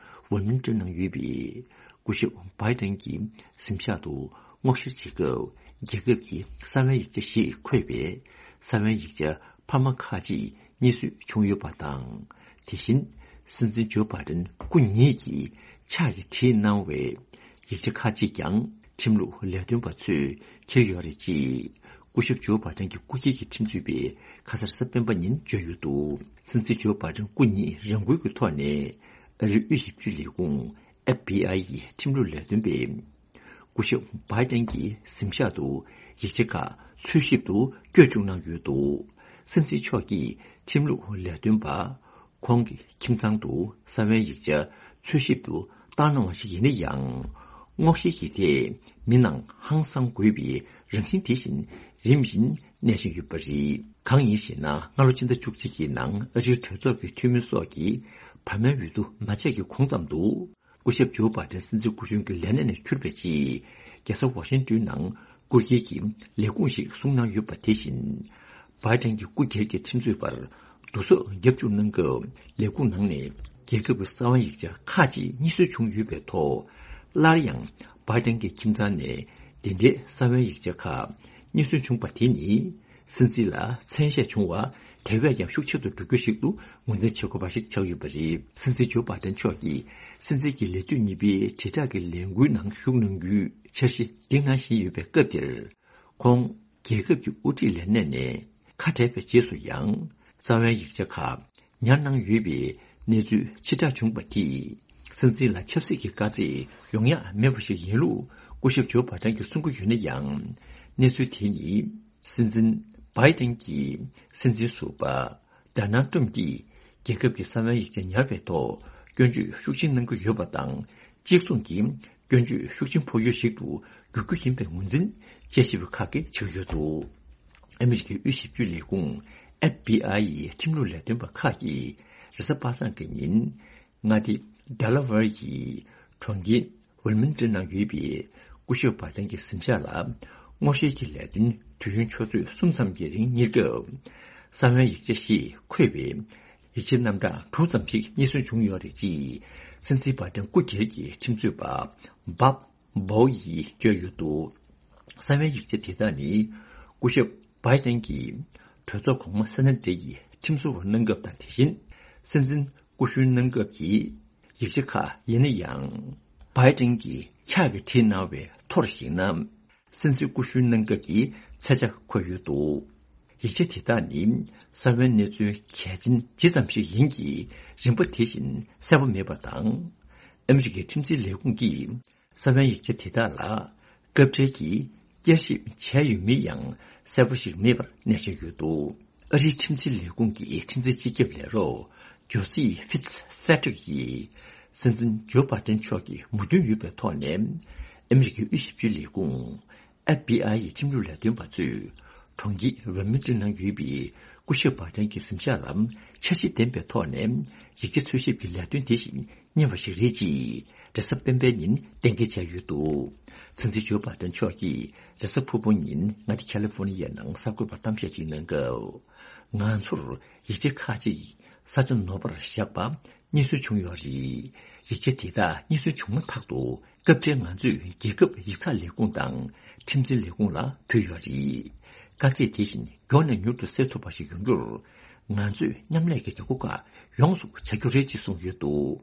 ཝོལ་མིང་ཊོན་ནང་ཡོད་པའི་སྐུ་ཞབས་བྷའི་ཏན་གྱི་གཟིམ་ཤག་ཏུ་སྔོག་བཤེར་བྱེད་སྐབས། རྒྱལ་ཁབ་ཀྱི་གསང་བའི་ཡིག་ཆ་ཞེས་འཁོད་པའི་གསང་བའི་ཡིག་ཆ་འཕར་མ་ཁག་ཅིག་རྙེད་སོན་བྱུང་ཡོད་པ་དང་། དེ་བཞིན་སྲིད་འཛིན་ཇོ་བྷའི་ཏན་སྐུ་ཉིད་ཀྱིས་ཕྱག་གིས་བྲིས་གནང་བའི་ཡིག་ཆ་ཁག་ཅིག་ཀྱང་ཁྲིམས་ལུགས་ལས་དོན་པ་ཚོས་འཁྱེར་ཡོད་རེད་ཅེས། སྐུ་ཞབས་ཇོ་བྷའི་ཏན་གྱི་སྐུ་སྒེར་གྱི་ཁྲིམས་རྩོད་པས་ཁ་སང་རེས་གཟའ་སྤེན་པ་ཉིན་བརྗོད་ཡོད་འདུག་སྲིད་འཛིན་ཇོ་བྷའི་ཏན་སྐུ་ཉིད་རང་འགུལ་གྱི་ཐོག་ནས་ཨ་རིའི་དབུས་ཞིབ་དཔྱོད་ལས་ཁུངས་ཨེཕ་བི་ཨའི་ཡི་ཁྲིམས་ལུགས་ལས་དོན་པས། སྐུ་ཞབས་བྷའི་ཏན་གྱི་གཟིམ་ཤག་ཏུ་ཡིག་ཆ་ཁག་འཚོལ་ཞིབ་ཏུ་བསྐྱོད་བཅུག་གནང་ཡོད་འདུག་སྲིད་འཛིན་མཆོག་གིས་ཁྲིམས་ལུགས་ལས་དོན་པ་ཁོང་གི་ཁྱིམ་ཚང་དུ་གསང་བའི་ཡིག་ཆ་འཚོལ་ཞིབ་ཏུ་བཏང་གནང་བ་ཞིག་ཡིན་ན་ཡང་། སྔོག་བཤེར་གྱི་ཐད་མི་ནང་ཧང་སང་དགོས་པའི་རང་བཞིན་དེ་བཞིན་རིམ་བཞིན་གནས་བཞིན་ཡོད་པ་རེད། གང་ཡིན་ཞེ་ན། སྔ་ལོ་ཕྱི་ཟླ་བཅུ་གཅིག་གི་ནང་ཨ་རིའི་གྲོས་ཚོགས་ཀྱི་འཐུས་མི་སོགས་ཀྱིས་བར་མའི་འོས་བསྡུ་མ་བྱས་ཀྱི་གོང་ཙམ་དུ། སྐུ་ཞབས་ཇོ་བྷའི་ཏན་སྲིད་འཛིན་སྐུ་གཞོན་གྱི་ལས་གནས་ནས་ཁྱུར་བའི་རྗེས། རྒྱལ་ས་ཝ་ཤིང་ཏོན་ནང་སྐུ་སྒེར་གྱི་ལས་ཁུངས་ཤིག་བཟུང་གནང་ཡོད་པ་དེ་བཞིན། བྷའི་ཏན་གྱི་སྐུ་སྒེར་གྱི་ཁྲིམས་རྩོད་པར་བསྡུ་གསོག་རྒྱབ་བཅུག་གནང་སྐབས། ལས་ཁུངས་ནང་ནས་རྒྱལ་ཁབ་ཀྱི་གསང་བའི་ཡིག་ཆ་ཁག་ཅིག་རྙེད་སོན་བྱུང་ཡོད་པའི་ཐོག་སླར་ཡང་བྷའི་ཏན་གྱི་ཁྱིམ་ཚང་ནས་དེ་འདྲའི་གསང་བའི་ཡིག་ཆ་ཁག་རྙེད་སོན་བྱུང་པ་དེ་ནི། སྲིད་འཛིན་ལ་མཚན་ཤས་བྱུང་བ་དེ་བས་ཀྱང་ཤུགས་ཆེ་དུ་འགྲོ་རྒྱུ་ཞིག་ཏུ་ངོས་འཛིན་བྱེད་དགོས་པ་ཞིག་ཆགས་ཡོད་པ་རེད། སྲིད་འཛིན་ཇོ་བྷའི་ཏན་མཆོག་གིས་སྲིད་འཛིན་གྱི་ལས་དུས་གཉིས་པའི་དྲིལ་བསྒྲགས་ཀྱི་ལས་འགུལ་ནང་ཞུགས་གནང་རྒྱུའི་འཆར་གཞི་འདིང་གནང་བཞིན་ཡོད་པའི་སྐབས་འདིར། ཁོང་རྒྱལ་ཁབ་ཀྱི་དབུ་ཁྲིད་ལས་གནས་ནས་ཁ་བྲལ་བའི་རྗེས་སུ་ཡང་། གསང་བའི་ཡིག་ཆ་ཁག་ཉར་གནང་ཡོད་པའི་གནས་ཚུལ་ཕྱིར་བསྒྲགས་བྱུང་བ་དེས། སྲིད་འཛིན་ལ་ཆབ་སྲིད་ཀྱི་དཀའ་ཚེགས་ཡོང་ཡ་མེད་པ་ཞིག་ཡིན་ལུགས་སྐུ་ཞབས་ཇོ་བྷའི་ཏན་གྱིས་གསུང་གི་ཡོད་ན་ཡང་། གནས་ཚུལ་དེ་ནི། སྲིད་འཛིན་བྷའི་ཏན་གྱིས་སྲིད་འཛིན་ཟུར་པ་ཌོ་ནལ་ཏྲམ་གྱིས་རྒྱལ་ཁབ་ཀྱི་གསང་བའི་ཡིག་ཆ་ཉར་བའི་ཐོག་སྐྱོན་བརྗོད་ཤུགས་ཆེན་གནང་གི་ཡོད་པ་དང་། གཅིག་མཚུངས་ཀྱིས་སྐྱོན་བརྗོད་ཤུགས་ཆེན་ཕོག་ཡུལ་ཞིག་ཏུ་འགྱུར་རྒྱུ་ཡིན་པའི་ངོས་འཛིན་དཔྱད་ཞིབ་པ་ཁག་གིས་བྱེད་ཀྱི་ཡོད་འདུག་ཨ་མི་རི་ཀའི་དབུས་ཞིབ་དཔྱོད་ལས་ཁུངས་ཨེཕ་བི་ཨའི་ཡི་ཁྲིམས་ལུགས་ལས་དོན་པ་ཁག་གིས་རེས་གཟའ་པ་སངས་ཀྱི་ཉིན། མངའ་སྡེ་ ཌེ་ལ་ཝེར་གྱི་གྲོང་ཁྱེར་ཝིལ་མིང་ཏོན་ནང་ཡོད་པའི་སྐུ་ཞབས་བྷའི་ཏན་གྱི་གཟིམ་ཤག་ལ་སྔོག་བཤེར་གྱི་ལས་དོན་དུས་ཡུན་ཆུ་ཚོད་གསུམ་ཙམ་གྱི་རིང་གཉེར་སྐབས། ས་བོན་ཡིག་ཆ་ཞེས་འཁོད་པའི་ཡིག་ཆའི་རྣམ་གྲངས་དྲུག་ཙམ་ཞིག་རྙེད་སོན་བྱུང་ཡོད་རེད་ཅེས་སྲིད་འཛིན་བྷའི་ཏན་སྐུ་སྒེར་གྱི་ཁྲིམས་རྩོད་པ་བྷབ་བྷོ་ཡིས་བརྗོད་ཡོད་འདུག་ས་བོན་ཡིག་ཆ་དེ་དག་ནི་སྐུ་ཞབས་བྷའི་ཏན་གྱིས་གྲོས་ཚོགས་གོང་མ་སེ་ན་ཏྲེ་ཡི་ཁྲིམས་བཟོ་བ་གནང་སྐབས་དང་། དེ་བཞིན་སྲིད་འཛིན་སྐུ་གཞོན་གནང་སྐབས་ཀྱི་ཡིག་ཆ་ཁག་ཡིན་ན་ཡང་། བྷའི་ཏན་གྱིས་ཕྱག་གིས་བྲིས་གནང་བའི་ཐོར་ཞིག་ན། སྲིད་འཛིན་སྐུ་གཞོན་གནང་སྐབས་ཀྱི་ཚད་ཆ་འཁོད་ཡོད་འདུག་ཡིག་ཆ་དེ་དག་ནི་ས་བོན་གནས་ཚུལ་གལ་ཆེན་ཇི་ཙམ་ཞིག་ཡིན་གྱི་རིམ་པ་དེ་བཞིན་གསལ་པོ་མེད་པ་དང་། ཨ་མི་རི་ཀའི་ཁྲིམས་འཛིན་ལས་ཁུངས་ཀྱིས་ས་བོན་ཡིག་ཆ་དེ་དག་ལ་སྐབས་འཕྲལ་གྱི་བསྐྱར་ཞིབ་བྱས་ཡོད་མེད་ཡང་གསལ་པོ་ཞིག་མེད་པར་གནས་བཞག་ཡོད་འདུག་ཨ་རིའི་ཁྲིམས་འཛིན་ལས་ཁུངས་ཀྱི་ཁྲིམས་འཛིན་སྤྱི་ཁྱབ་ལས་རོགས་ཇོ་སི་ཧྥིཊ་ཕེ་ཏྲིག་ཡིས་སྲིད་འཛིན་ཇོ་བྷའི་ཏན་མཆོག་གི་མོས་མཐུན་ཡོད་པའི་ཐོག་ནས། ཨ་མི་རི་ཀའི་དབུས་ཞིབ་དཔྱོད་ལས་ཁུངས་ཨེཕ་བྷི་ཨའི་ཡི་ཁྲིམས་ལུགས་ལས་དོན་པ་ཚོས་གྲོང་ཁྱེར་ཝིལ་མིང་ཏོན་ནང་ཡོད་པའི་སྐུ་ཞབས་བྷའི་ཏན་གྱི་གཟིམ་ཤག་ལ་འཆར་གཞི་ལྡན་པའི་ཐོག་ནས་ཡིག་ཆ་འཚོལ་ཞིབ་ཀྱི་ལས་དོན་དེ་བཞིན་གཉེར་བ་ཞིག་རེད་ཅེས་རེས་གཟའ་སྤེན་པའི་ཉིན་གཏན་འཁེལ་བྱས་ཡོད་འདུག་སྲིད་འཛིན་ཇོ་བྷའི་ཏན་མཆོག་གིས་རེས་གཟའ་ཕུར་བུ་ཉིན་མངའ་སྡེ་ཁ་ལི་ཧྥོ་ནི་ཡའི་ནང་གསར་འགོད་པར་གཏམ་བཤད་ཅིག་གནང་སྐབས། ང་ཚོར་ཡིག་ཆ་ཁག་ཅིག་ས་ཆ་ནོར་བར་བཞག་པ་རྙེད་སོན་བྱུང་ཡོད་རེད། ཡིག་ཆ་དེ་དག་རྙེད་སོན་བྱུང་མ་ཐག་ཏུ་སྐབས་འཕྲལ་ང་ཚོས་རྒྱལ་ཁབ་ཡིག་ཚགས་ལས་ཁུངས་དང་ཁྲིམས་འཛིན་ལས་ཁུངས་ལ་ཕུལ་ཡོད་རེད། དཀའ་ཚེགས་དེ་བཞིན་མགྱོགས་ནས་མྱུར་དུ་སེལ་ཐུབ་པ་ཞིག་ཡོང་རྒྱུར། ང་ཚོས་མཉམ་ལས་ཀྱི་བྱ་སྒོ་ཁག་ཡོངས་སུ་བྱ་རྒྱུ་རེད་ཅེས་གསུངས་ཡོད་འདུག་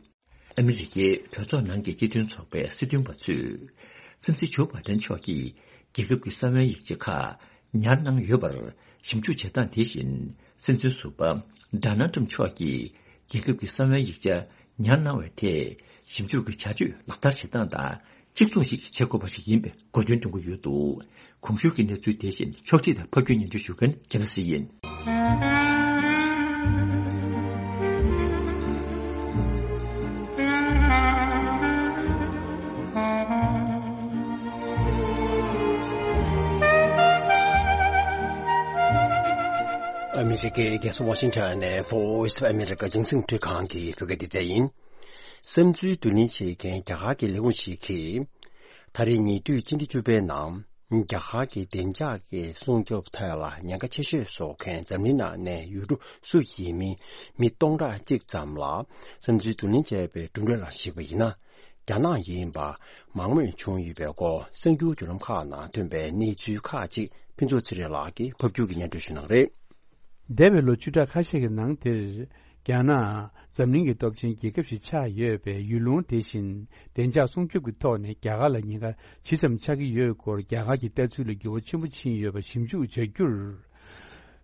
ཨ་མི་རི་ཀའི་གྲོས་ཚོགས་ནང་གི་སྤྱི་མཐུན་ཚོགས་པའི་སྲིད་དོན་པ་ཚོས། སྲིད་འཛིན་ཇོ་བྷའི་ཏན་མཆོག་གིས་རྒྱལ་ཁབ་ཀྱི་ས་བོན་ཡིག་ཆ་ཁག་ཉར་གནང་ཡོད་པར་ཞིབ་འཇུག་བྱེད་སྟངས་དེ་བཞིན། སྲིད་འཛིན་ཟུར་པ་ཌོ་ནལ་ཏྲམ་མཆོག་གིས་རྒྱལ་ཁབ་ཀྱི་ས་བོན་ཡིག་ཆ་ཉར་གནང་བའི་ཐད་ཞིབ་འཇུག་གི་བྱ་སྤྱོད་ལག་བསྟར་བྱེད་སྟངས་དང་། གཅིག་མཚུངས་ཤིག་བྱེད་དགོས་པ་ཞིག་ཡིན་པའི་གོ་སྐོན་གཏོང་གི་ཡོད་འདུག་གོང་ཞུས་ཀྱི་གནས་ཚུལ་དེ་བཞིན་ཕྱོགས་སྒྲིག་དང་ཕབ་སྒྱུར་སྙན་སྒྲོན་ཞུ་མཁན་རྒྱལ་ལ་སྲས་ཡིན། ཨ་མི་རི་ཀའི་རྒྱལ་ས་ཝ་ཤིང་ཊོན་ནས་Voice of America་རྒྱང་སྲིང་འཕྲིན་ཁང་གི་བོད་སྐད་སྡེ་ཚན་ཡིན། བསམ་ཚུལ་བསྡུ་ལེན་བྱེད་མཁན་རྒྱ་གར་གྱི་ལས་ཁུངས་ཤིག་གིས། ད་རེས་ཉེ་དུས་སྤྱི་ཟླ་བཅུ་པའི་ནང་རྒྱ་གར་གྱི་བདེ་འཇགས་ཀྱི་སྲུང་སྐྱོབ་ཐད་ལ་ཉེན་ཁ་ཆེ་ཤོས་བཟོ་མཁན་འཛམ་གླིང་ནང་ནས་ཡུལ་གྲུ་སུ་ཡིན་མིན་མི་སྟོང་ཕྲག་གཅིག་ཙམ་ལ་བསམ་ཚུལ་བསྡུ་ལེན་བྱས་པའི་གྲུབ་འབྲས་ལ་གཞིགས་པ་ཡིན་ན། རྒྱ་ནག་ཡིན་པ་མང་མོས་བྱུང་ཡོད་པའི་སྐོར་གསར་འགྱུར་བརྒྱུད་ལམ་ཁག་ནང་ཐོན་པའི་གནས་ཚུལ་ཁག་ཅིག་ཕུན་ཚོགས་ཚེ་རིང་ལགས་ཀྱིས་ཕབ་སྒྱུར་གྱིས་སྙན་སྒྲོན་ཞུ་གནང་རེད། འདས་པའི་ལོ་བཅུ་ཕྲག་ཁ་ཤས་ཀྱི་ནང་དེར། རྒྱ་ནག་འཛམ་གླིང་གི་སྟོབས་ཆེན་རྒྱལ་ཁབ་ཞིག་ཆགས་ཡོད་པའི་ཡུལ་ལུང་དེ་བཞིན་བདེ་འཇགས་སྲུང་སྐྱོབ་ཀྱི་ཐོག་ནས་རྒྱ་གར་ལ་ཉེན་ཁ་ཇི་ཙམ་ཆགས་ཀྱི་ཡོད་སྐོར་རྒྱ་གར་གྱི་ལྟ་ཚུལ་ལ་འགྱུར་བ་ཆེན་པོ་ཕྱིན་ཡོད་པ་ཞིབ་འཇུག་བྱ་རྒྱུར།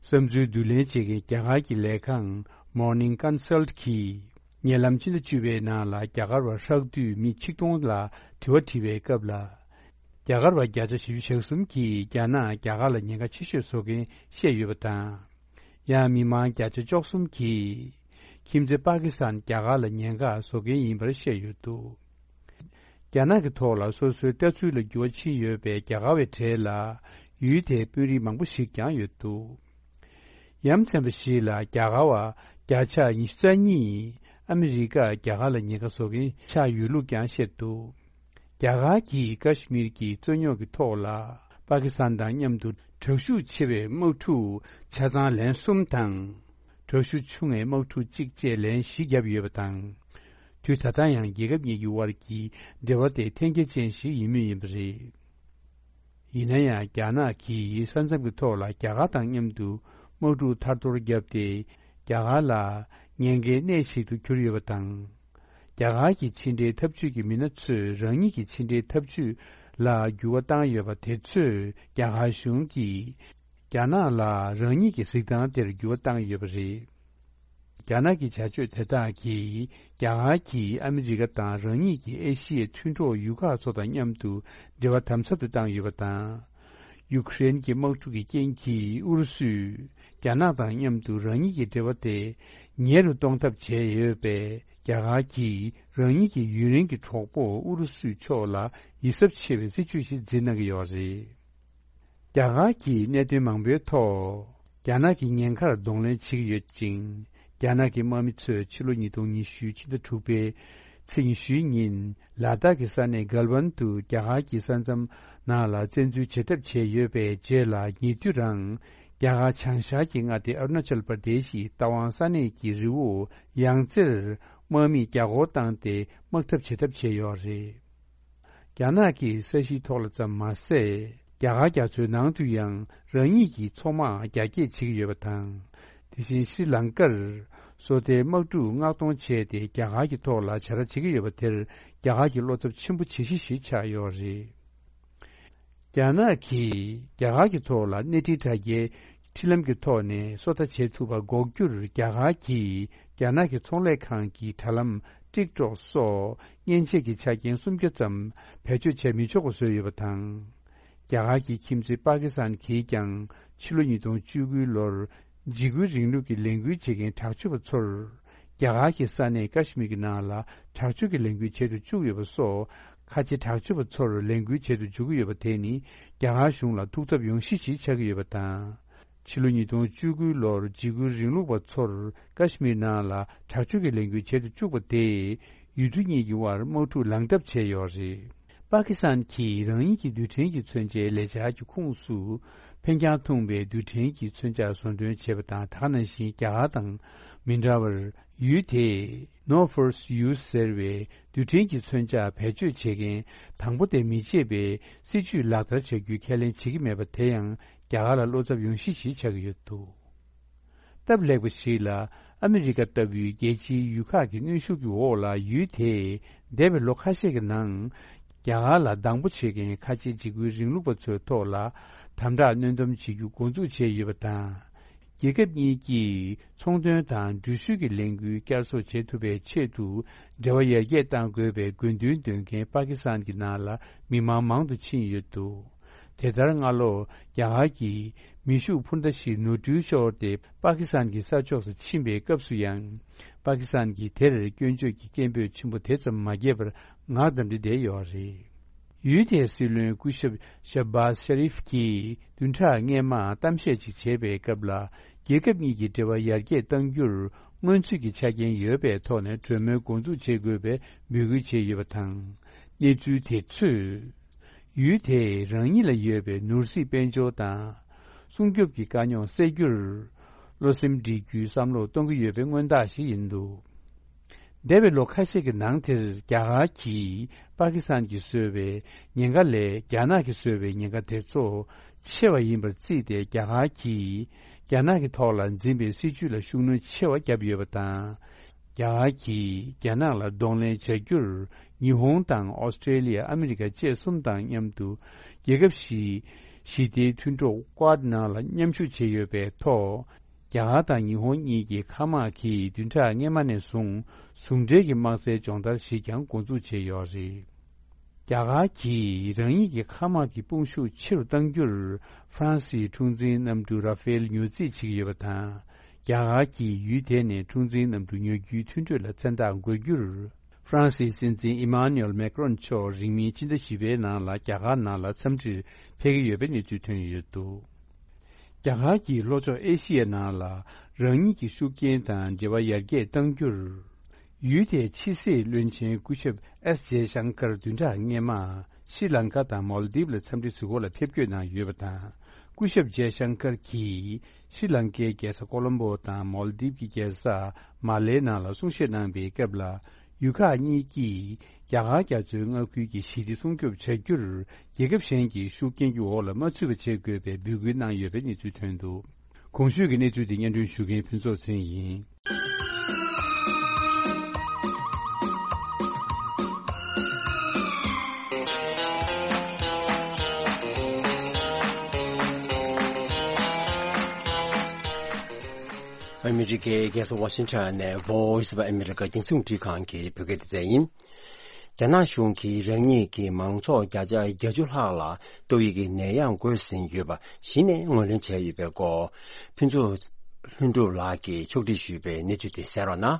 བསམ་ཚུལ་བསྡུ་ལེན་བྱེད་མཁན་རྒྱ་གར་གྱི་ལས་ཁང་Morning Consult་གིས་ཉེ་ལམ་སྤྱི་ཟླ་བཅུ་པའི་ནང་ལ་རྒྱ་གར་བ་ཧྲག་བསྡུས་མི་ཆིག་སྟོང་ལ་དྲི་བ་དྲིས་པའི་སྐབས་ལ། རྒྱ་གར་བ་བརྒྱ་ཆ་བཞི་བཅུ་ཞེ་གསུམ་གྱིས་རྒྱ་ནག་རྒྱ་གར་ལ་ཉེན་ཁ་ཆེ་ཤོས་བཟོ་མཁན་བཤད་ཡོད་པ་དང་། ཡང་མི་མང་བརྒྱ་ཆ་བཅུ་གསུམ་གྱིས་ཁྱིམ་མཚེས་པ་ཀི་སི་ཐན་རྒྱ་གར་ལ་ཉེན་ཁ་བཟོ་མཁན་ཡིན་པར་བཤད་ཡོད་འདུག་རྒྱ་ནག་གི་ཐོག་ལ་སོ་སོའི་ལྟ་ཚུལ་ལ་འགྱུར་བ་ཕྱིན་ཡོད་པའི་རྒྱ་གར་བའི་གྲས་ལ་ཡུལ་དེའི་དཔོན་རིགས་མང་པོ་ཞིག་ཀྱང་ཡོད་འདུག་ཡ་མཚན་པ་ཞིག་ལ་རྒྱ་གར་བ་བརྒྱ་ཆ་ཉི་ཤུ་རྩ་གཉིས་ཨ་མི་རི་ཀ་རྒྱ་གར་ལ་ཉེན་ཁ་བཟོ་མཁན་ཆགས་ཡོད་ལུགས་ཀྱང་བཤད་འདུག་རྒྱ་གར་གྱིས་ཀ་ཤི་མིར་གྱི་རྩོད་རྙོག་གི་ཐོག་ལ་པ་ཀི་སི་ཐན་དང་མཉམ་དུ་དྲག་ཤུགས་ཆེ་བའི་དམག་འཁྲུག་ཆ་ཚང་ལན་གསུམ་དང་། དྲག་ཤུགས་ཆུང་བའི་དམག་འཁྲུག་གཅིག་བཅས་ལན་བཞི་བརྒྱབ་ཡོད་པ་དང་། དུས་ད་ལྟ་ཡང་རྒྱལ་ཁབ་གཉིས་ཀྱི་དབར་གྱི་འབྲེལ་བ་དེ་འཐེན་འཁྱེར་ཅན་ཞིག་ཡིན་མུས་ཡིན་པ་རེད། ཡིན་ན་ཡང་རྒྱ་ནག་གིས་ས་མཚམས་ཀྱི་ཐོག་ལ་རྒྱ་གར་དང་མཉམ་དུ་དམག་འཁྲུག་ཐར་ཐོར་བརྒྱབ་སྟེ་རྒྱ་གར་ལ་ཉེན་ཁའི་གནས་ཤིག་ཏུ་གྱུར་ཡོད་པ་དང་། རྒྱ་གར་གྱི་ཕྱི་འབྲེལ་འཐབ་ཇུས་ཀྱི་མི་སྣ་ཚོས་རང་ཉིད་ཀྱི་ཕྱི་འབྲེལ་འཐབ་ཇུས་ལ་འགྱུར་བ་བཏང་ཡོད་པ་དེ་ཚོས་རྒྱ་གར་གཞུང་གིས་རྒྱ་ནག་ལ་རང་ཉིད་ཀྱི་གཟིགས་སྟངས་དེར་འགྱུར་བ་བཏང་ཡོད་པ་རེད། རྒྱ་ནག་གི་བྱ་སྤྱོད་དེ་དག་གིས་རྒྱ་གར་གྱིས་ཨ་མི་རི་ཀ་དང་རང་ཉིད་ཀྱི་ཨེ་ཤི་ཡའི་མཐུན་གྲོགས་ཡུལ་ཁག་ཚོ་དང་མཉམ་དུ་འབྲེལ་བ་དམ་ཟབ་ཏུ་བཏང་ཡོད་པ་དང་། ཡུ་ཀེ་རེན་གྱི་དམག་འཁྲུག་གི་རྐྱེན་གྱིས་ཨུ་རུ་སུས་རྒྱ་ནག་དང་མཉམ་དུ་རང་ཉིད་ཀྱི་འབྲེལ་བ་དེ་ཉེ་རུ་གཏོང་ཐབས་བྱས་ཡོད་པས། རྒྱ་གར་གྱིས་རང་ཉིད་ཀྱི་ཡུན་རིང་གི་གྲོགས་པོ་ཨུ་རུ་སུའི་ཕྱོགས་ལ་ཡིད་གཟབ་ཆེ་བའི་སྲིད་ཇུས་ཤིག་འཛིན་གནང་གི་ཡོད་རེད། རྒྱ་གར་གྱིས་གནད་དོན་མང་པོའི་ཐོག་རྒྱ་ནག་གི་ཉེན་ཁར་གདོང་ལེན་བྱེད་ཀྱི་ཡོད་ཅིང་། རྒྱ་ནག་གི་དམག་མི་ཚོས་ཕྱི་ལོ་ཉིས་སྟོང་ཉི་ཤུ་ཕྱི་ཟླ་དྲུག་པའི་ ཚེས་ཉི་ཤུའི་ཉིན་ལ་དྭགས་ཀྱི་ས་གནས་སྒལ་ཝན་དུ་རྒྱ་གར་གྱི་ས་མཚམས་ནང་ལ་བཙན་འཛུལ་བྱེད་ཐབས་བྱས་ཡོད་པའི་རྗེས་ལ། ཉེ་དུས་རང་རྒྱ་གར་བྱང་ཤར་གྱི་མངའ་སྡེ་ཨ་རུ་ན་ཅལ་པར་དེ་ཤི་རྟ་དབང་ས་གནས་ཀྱི་རི་བོ་ཡང་རྩེར་དམག་མིས་རྒྱ་སྒོར་བཏང་སྟེ་དམག་འཐབ་བྱེད་ཐབས་བྱས་ཡོད་རེད། རྒྱ་ནག་གིས་ས་གཞིའི་ཐོག་ལ་ཙམ་མ་ཟད། རྒྱ་གར་རྒྱ་མཚོའི་ནང་དུ་ཡང་རང་ཉིད་ཀྱི་མཚོ་དམག་རྒྱ་སྐྱེད་བྱེད་ཀྱི་ཡོད་པ་དང་། དེ་བཞིན་ཤྲི་ལང་ཀར་སོ་ལྟའི་དམག་འཁྲུག་མངགས་གཏོང་བྱས་ཏེ། རྒྱ་གར་གྱི་ཐོག་ལ་བྱ་ར་བྱེད་ཀྱི་ཡོད་པ་དེར་རྒྱ་གར་གྱི་བློ་འཚབ་ཆེན་པོ་བྱེད་གཞི་ཞིག་ཆགས་ཡོད་རེད། རྒྱ་ནག་གིས་རྒྱ་གར་གྱི་ཐོག་ལ་གནས་འཕྲིན་དྲ་རྒྱའི་འཕྲིན་ལམ་གྱི་ཐོག་ནས་སོ་ལྟ་བྱེད་ཐུབ་པར་འགོག་རྒྱུར། རྒྱ་གར་གྱིས་རྒྱ་ནག་གི་ཚོང་ལས་ཁང་གི་དྲ་ལམ་ཊིག་ཊོག་སོགས་མཉེན་ཆས་ཀྱི་ཆ་རྐྱེན་སུམ་བརྒྱ་ཙམ་བེད་སྤྱོད་བྱས་མི་ཆོག་པ་བཟོས་ཡོད་པ་དང་། རྒྱ་གར་གྱི་ཁྱིམ་མཚེས་པ་ཀི་སི་ཐན་གྱིས་ཀྱང་ཕྱི་ལོ་ཉིས་སྟོང་བཅུ་དགུ་ལོར་འཇིགས་སྐུལ་རིང་ལུགས་ཀྱི་ལས་འགུལ་བྱེད་མཁན་དྲག་སྤྱོད་པ་ཚོར། རྒྱ་གར་གྱི་ས་གནས་ཀ་ཤི་མིར་གྱི་ནང་ལ་དྲག་སྤྱོད་ཀྱི་ལས་འགུལ་བྱེད་དུ་བཅུག་ཡོད་པ་སོགས། ཁ་ཆེ་དྲག་སྤྱོད་པ་ཚོར་ལས་འགུལ་བྱེད་དུ་འཇུག་གི་ཡོད་པ་དེ་ནི། རྒྱ་གར་གཞུང་ལ་ཐུགས་འཚབ་ཡོང་གཞི་ཞིག་ཆགས་ཀྱི་ཡོད་པ་དང་། ཕྱི་ལོ་ཉིས་སྟོང་བཅུ་དགུ་ལོར་འཇིགས་སྐུལ་རིང་ལུགས་པ་ཚོར་ཀ་ཤི་མིར་ནང་ལ་དྲག་སྤྱོད་ཀྱི་ལས་འགུལ་བྱེད་དུ་བཅུག་པ་དེས། ཡུལ་གྲུ་གཉིས་ཀྱི་དབར་དམག་འཁྲུག་ལངས་གྲབས་བྱས་ཡོད་རེད། པ་ཀི་སི་ཐན་གྱིས་རང་ཉིད་ཀྱི་རྡུལ་ཕྲན་གྱི་མཚོན་ཆའི་ལས་འཆར་གྱི་ཁོངས་སུ། འཕེན་རྒྱང་ཐུང་བའི་རྡུལ་ཕྲན་གྱི་མཚོན་ཆ་བཟོ་སྐྲུན་བྱས་པ་དང་། དེ་ག་ནང་བཞིན་རྒྱ་གར་དང་མི་འདྲ་བར། ཡུལ་དེས་No First Use ཟེར་བའི་རྡུལ་ཕྲན་གྱི་མཚོན་ཆ་བེད་སྤྱོད་བྱེད་མཁན་དང་པོ་དེ་མི་བྱེད་པའི་སྲིད་ཇུས་ལག་བསྟར་བྱ་རྒྱུའི་ཁས་ལེན་བྱེད་ཀྱི་མེད་པ་དེ་ཡང་རྒྱ་གར་ལ་བློ་འཚབ་ཡོང་གཞི་ཞིག་ཆགས་ཀྱི་ཡོད་འདུག་སྟབས་ལེགས་པ་ཞིག་ལ། ཨ་མི་རི་ཀ་ལྟ་བུའི་རྒྱལ་སྤྱིའི་ཡུལ་ཁག་གི་གནོན་ཤུགས་ཀྱི་འོག་ལ། ཡུལ་དེས་འདས་པའི་ལོ་ཁ་ཤས་ཀྱི་ནང་རྒྱ་གར་ལ་སྡང་པོ་བྱེད་མཁན་ཁ་ཆེ་འཇིགས་སྐུལ་རིང་ལུགས་པ་ཚོའི་ཐོག་ལ་དམ་དྲག་གནོན་སྡོམ་བྱེད་རྒྱུ་འགོ་འཛུགས་བྱས་ཡོད་པ་དང་། རྒྱལ་ཁབ་གཉིས་ཀྱིས་ཚོང་དོན་དང་འགྲུལ་བཞུད་ཀྱི་ལས་འགུལ་བསྐྱར་གསོ་བྱེད་ཐུབ་པའི་ཆེད་དུ། འབྲེལ་བ་ཡར་རྒྱས་གཏང་དགོས་པའི་དགོས་འདུན་འདོན་མཁན་པ་ཀི་སི་ཐན་གྱི་ནང་ལ་མི་མང་མང་དུ་ཕྱིན་ཡོད་འདུག་དེ་ལྟར་སྔ་ལོ་རྒྱ་གར་གྱི་མེ་ཤུགས་འཕུར་མདའ་ཞིག་ནོར་འཁྲུལ་ཤོར་ཏེ། པ་ཀི་སི་ཐན་གྱི་ས་ཕྱོགས་སུ་ཕྱིན་པའི་སྐབས་སུ་ཡང་། པ་ཀི་སི་ཐན་གྱིས་དེར་སྐྱོན་བརྗོད་ཀྱི་སྐད་འབོད་ཆེན་པོ་དེ་ཙམ་མ་བརྒྱབ་པར་ངག་བདངས་ཏེ་བསྡད་ཡོད་རེད། ཡུལ་དེའི་སྲིད་བློན་སྐུ་ཞབས་ཤ་བྷ་ཤ་རིཕ་གྱིས་བདུན་ཕྲག་སྔོན་མ་གཏམ་བཤད་ཅིག་བྱེད་པའི་སྐབས་ལ། རྒྱལ་ཁབ་གཉིས་ཀྱི་འབྲེལ་བ་ཡར་རྒྱས་གཏང་རྒྱུར་སྔོན་ཚུད་ཀྱི་ཆ་རྐྱེན་ཡོད་པའི་ཐོག་ནས་གྲོས་མོལ་འགོ་འཛུགས་བྱེད་དགོས་པའི་འབོད་སྐུལ་བྱས་ཡོད་པ་དང་། གནས་ཚུལ་དེ་ཚོས། ཡུལ་དེས་རང་ཉིད་ལ་ཡོད་པའི་ནོར་སྲིད་དཔལ་འབྱོར་དང་། སྲུང་སྐྱོབ་ཀྱི་དཀའ་རྙོག་སེལ་རྒྱུར། བློ་སེམས་སྒྲིལ་རྒྱུའི་བསམ་བློ་གཏོང་གི་ཡོད་པའི་མངོན་རྟགས་ཤིག་ཡིན་འདུག་འདས་པའི་ལོ་ཁ་ཤས་ཀྱི་ནང་དེར་རྒྱ་གར་གྱིས་པ་ཀི་སི་ཐན་གྱིས་བཟོས་པའི་ཉེན་ཁ་ལས་རྒྱ་ནག་གིས་བཟོས་པའི་ཉེན་ཁ་དེ་ཚོ་ཆེ་བ་ཡིན་པར་བརྩིས་ཏེ། རྒྱ་གར་གྱིས་རྒྱ་ནག་གི་ཐོག་ལ་འཛིན་པའི་སྲིད་ཇུས་ལ་ཤུགས་སྣོན་ཆེ་བ་བརྒྱབ་ཡོད་པ་དང་། རྒྱ་གར་གྱིས་རྒྱ་ནག་ལ་གདོང་ལེན་བྱ་རྒྱུར། ཉི་ཧོང་དང་ཨོ་སི་ཀྲེ་ལི་ཡ། ཨ་མི་རི་ཀ་བཅས་གསུམ་དང་མཉམ་དུ་རྒྱལ་ཁབ་བཞིའི་ཞི་བདེའི་མཐུན་གྲོགས་ཀོཌ་ནང་ལ་མཉམ་ཞུགས་བྱས་ཡོད་པའི་ཐོག་རྒྱ་གར་དང་ཉི་ཧོང་གཉིས་ཀྱི་མཁའ་དམག་གིས་བདུན་ཕྲག་སྔོན་མ་ནས་བཟུང་ཟུང་འབྲེལ་གྱི་དམག་རྩལ་སྦྱོང་བརྡར་ཞིག་ཀྱང་འགོ་འཛུགས་བྱས་ཡོད་རེད། རྒྱ་གར་གྱིས་རང་ཉིད་ཀྱི་མཁའ་དམག་གི་དཔུང་ཤུགས་ཆེ་རུ་གཏང་རྒྱུར། ཧྥ་རན་སིའི་འཁྲུག་འཛིང་གནམ་གྲུ་ར་ཧྥེལ་ཉོ་རྩིས་བྱེད་ཀྱི་ཡོད་པ་དང་། རྒྱ་གར་གྱིས་ཡུལ་དེ་ནས་འཁྲུག་འཛིང་གནམ་གྲུ་ཉོ་རྒྱུའི་མཐུན་གྲོས་ལ་མཚན་རྟགས་འགོད་རྒྱུར། ཧྥ་རན་སིའི་སྲིད་འཛིན་ཨི་མཱ་ནུ་ཨེལ་མེག་རོན་མཆོག་རིང་མིན་ཕྱི་ཟླ་བཞི་པའི་ནང་ལ་རྒྱ་གར་ནང་ལ་འཚམས་འདྲིར་ཕེབས་ཀྱི་ཡོད་པའི་གནས་ཚུལ་ཐོན་ཡོད་འདུག་རྒྱ་གར་གྱིས་ལྷོ་ཕྱོགས་ཨེ་ཤི་ཡའི་ནང་ལ་རང་ཉིད་ཀྱི་ཤུགས་རྐྱེན་དང་འབྲེལ་བ་ཡར་རྒྱས་གཏང་རྒྱུར། ཡུལ་དེའི་ཕྱི་སྲིད་བློན་ཆེན་སྐུ་ཞབས་ཨེས་ཇེ་ཤང་ཀར་བདུན་ཕྲག་སྔོན་མ་ཤྲི་ལང་ཀ་དང་མོལ་དིབ་ལ་འཚམས་འདྲི་བྱེད་སྒོ་ལ་ཕེབས་སྐྱོད་གནང་ཡོད་པ་དང་། སྐུ་ཞབས་ཇེ་ཤང་ཀར་གྱིས་ཤྲི་ལང་ཀའི་རྒྱལ་ས་ཀོ་ལོམ་པོ་དང་མོལ་དིབ་ཀྱི་རྒྱལ་ས་མ་ལེ་ནང་ལ་གསུང་བཤད་གནང་པའི་སྐབས་ལ། ཡུལ་ཁག་གཉིས་ཀྱིས་རྒྱ་གར་རྒྱ་མཚོའི་མངའ་ཁུལ་གྱི་ཞི་བདེ་སྲུང་སྐྱོབ་བྱ་རྒྱུར། རྒྱལ་ཁབ་གཞན་གྱི་ཤུགས་རྐྱེན་གྱི་འོག་ལ་མ་ཚུད་པ་བྱེད་དགོས་པའི་འབོད་སྐུལ་གནང་ཡོད་པའི་གནས་ཚུལ་ཐོན་འདུག་གོང་ཞུས་ཀྱི་གནས་ཚུལ་དེ་སྙན་སྒྲོན་ཞུ་མཁན་ཕུན་ཚོགས་ཚེ་རིང་ཡིན། ཨ་མི་རི་ཀའི་རྒྱལ་ས་ཝ་ཤིང་ཊོན་ནས་Voice of America རྒྱང་སྲིང་རླུང་འཕྲིན་ཁང་གི་བོད་སྐད་སྡེ་ཚན་ཡིན། རྒྱ་ནག་གཞུང་གིས་རང་ཉིད་ཀྱི་མང་ཚོགས་བརྒྱ་ཆ་བརྒྱད་ཅུ་ལྷག་ལ་ཏོག་དབྱིབས་ཀྱི་ནད་ཡམས་འགོས་ཟིན་ཡོད་པ་གཞི་ནས་ངོས་ལེན་བྱས་ཡོད་པའི་སྐོར། ཕུན་ཚོགས་ལྷུན་གྲུབ་ལགས་ཀྱིས་ཕྱོགས་སྒྲིག་ཞུས་པའི་གནས་ཚུལ་དེ་གསན་རོགས་གནང་།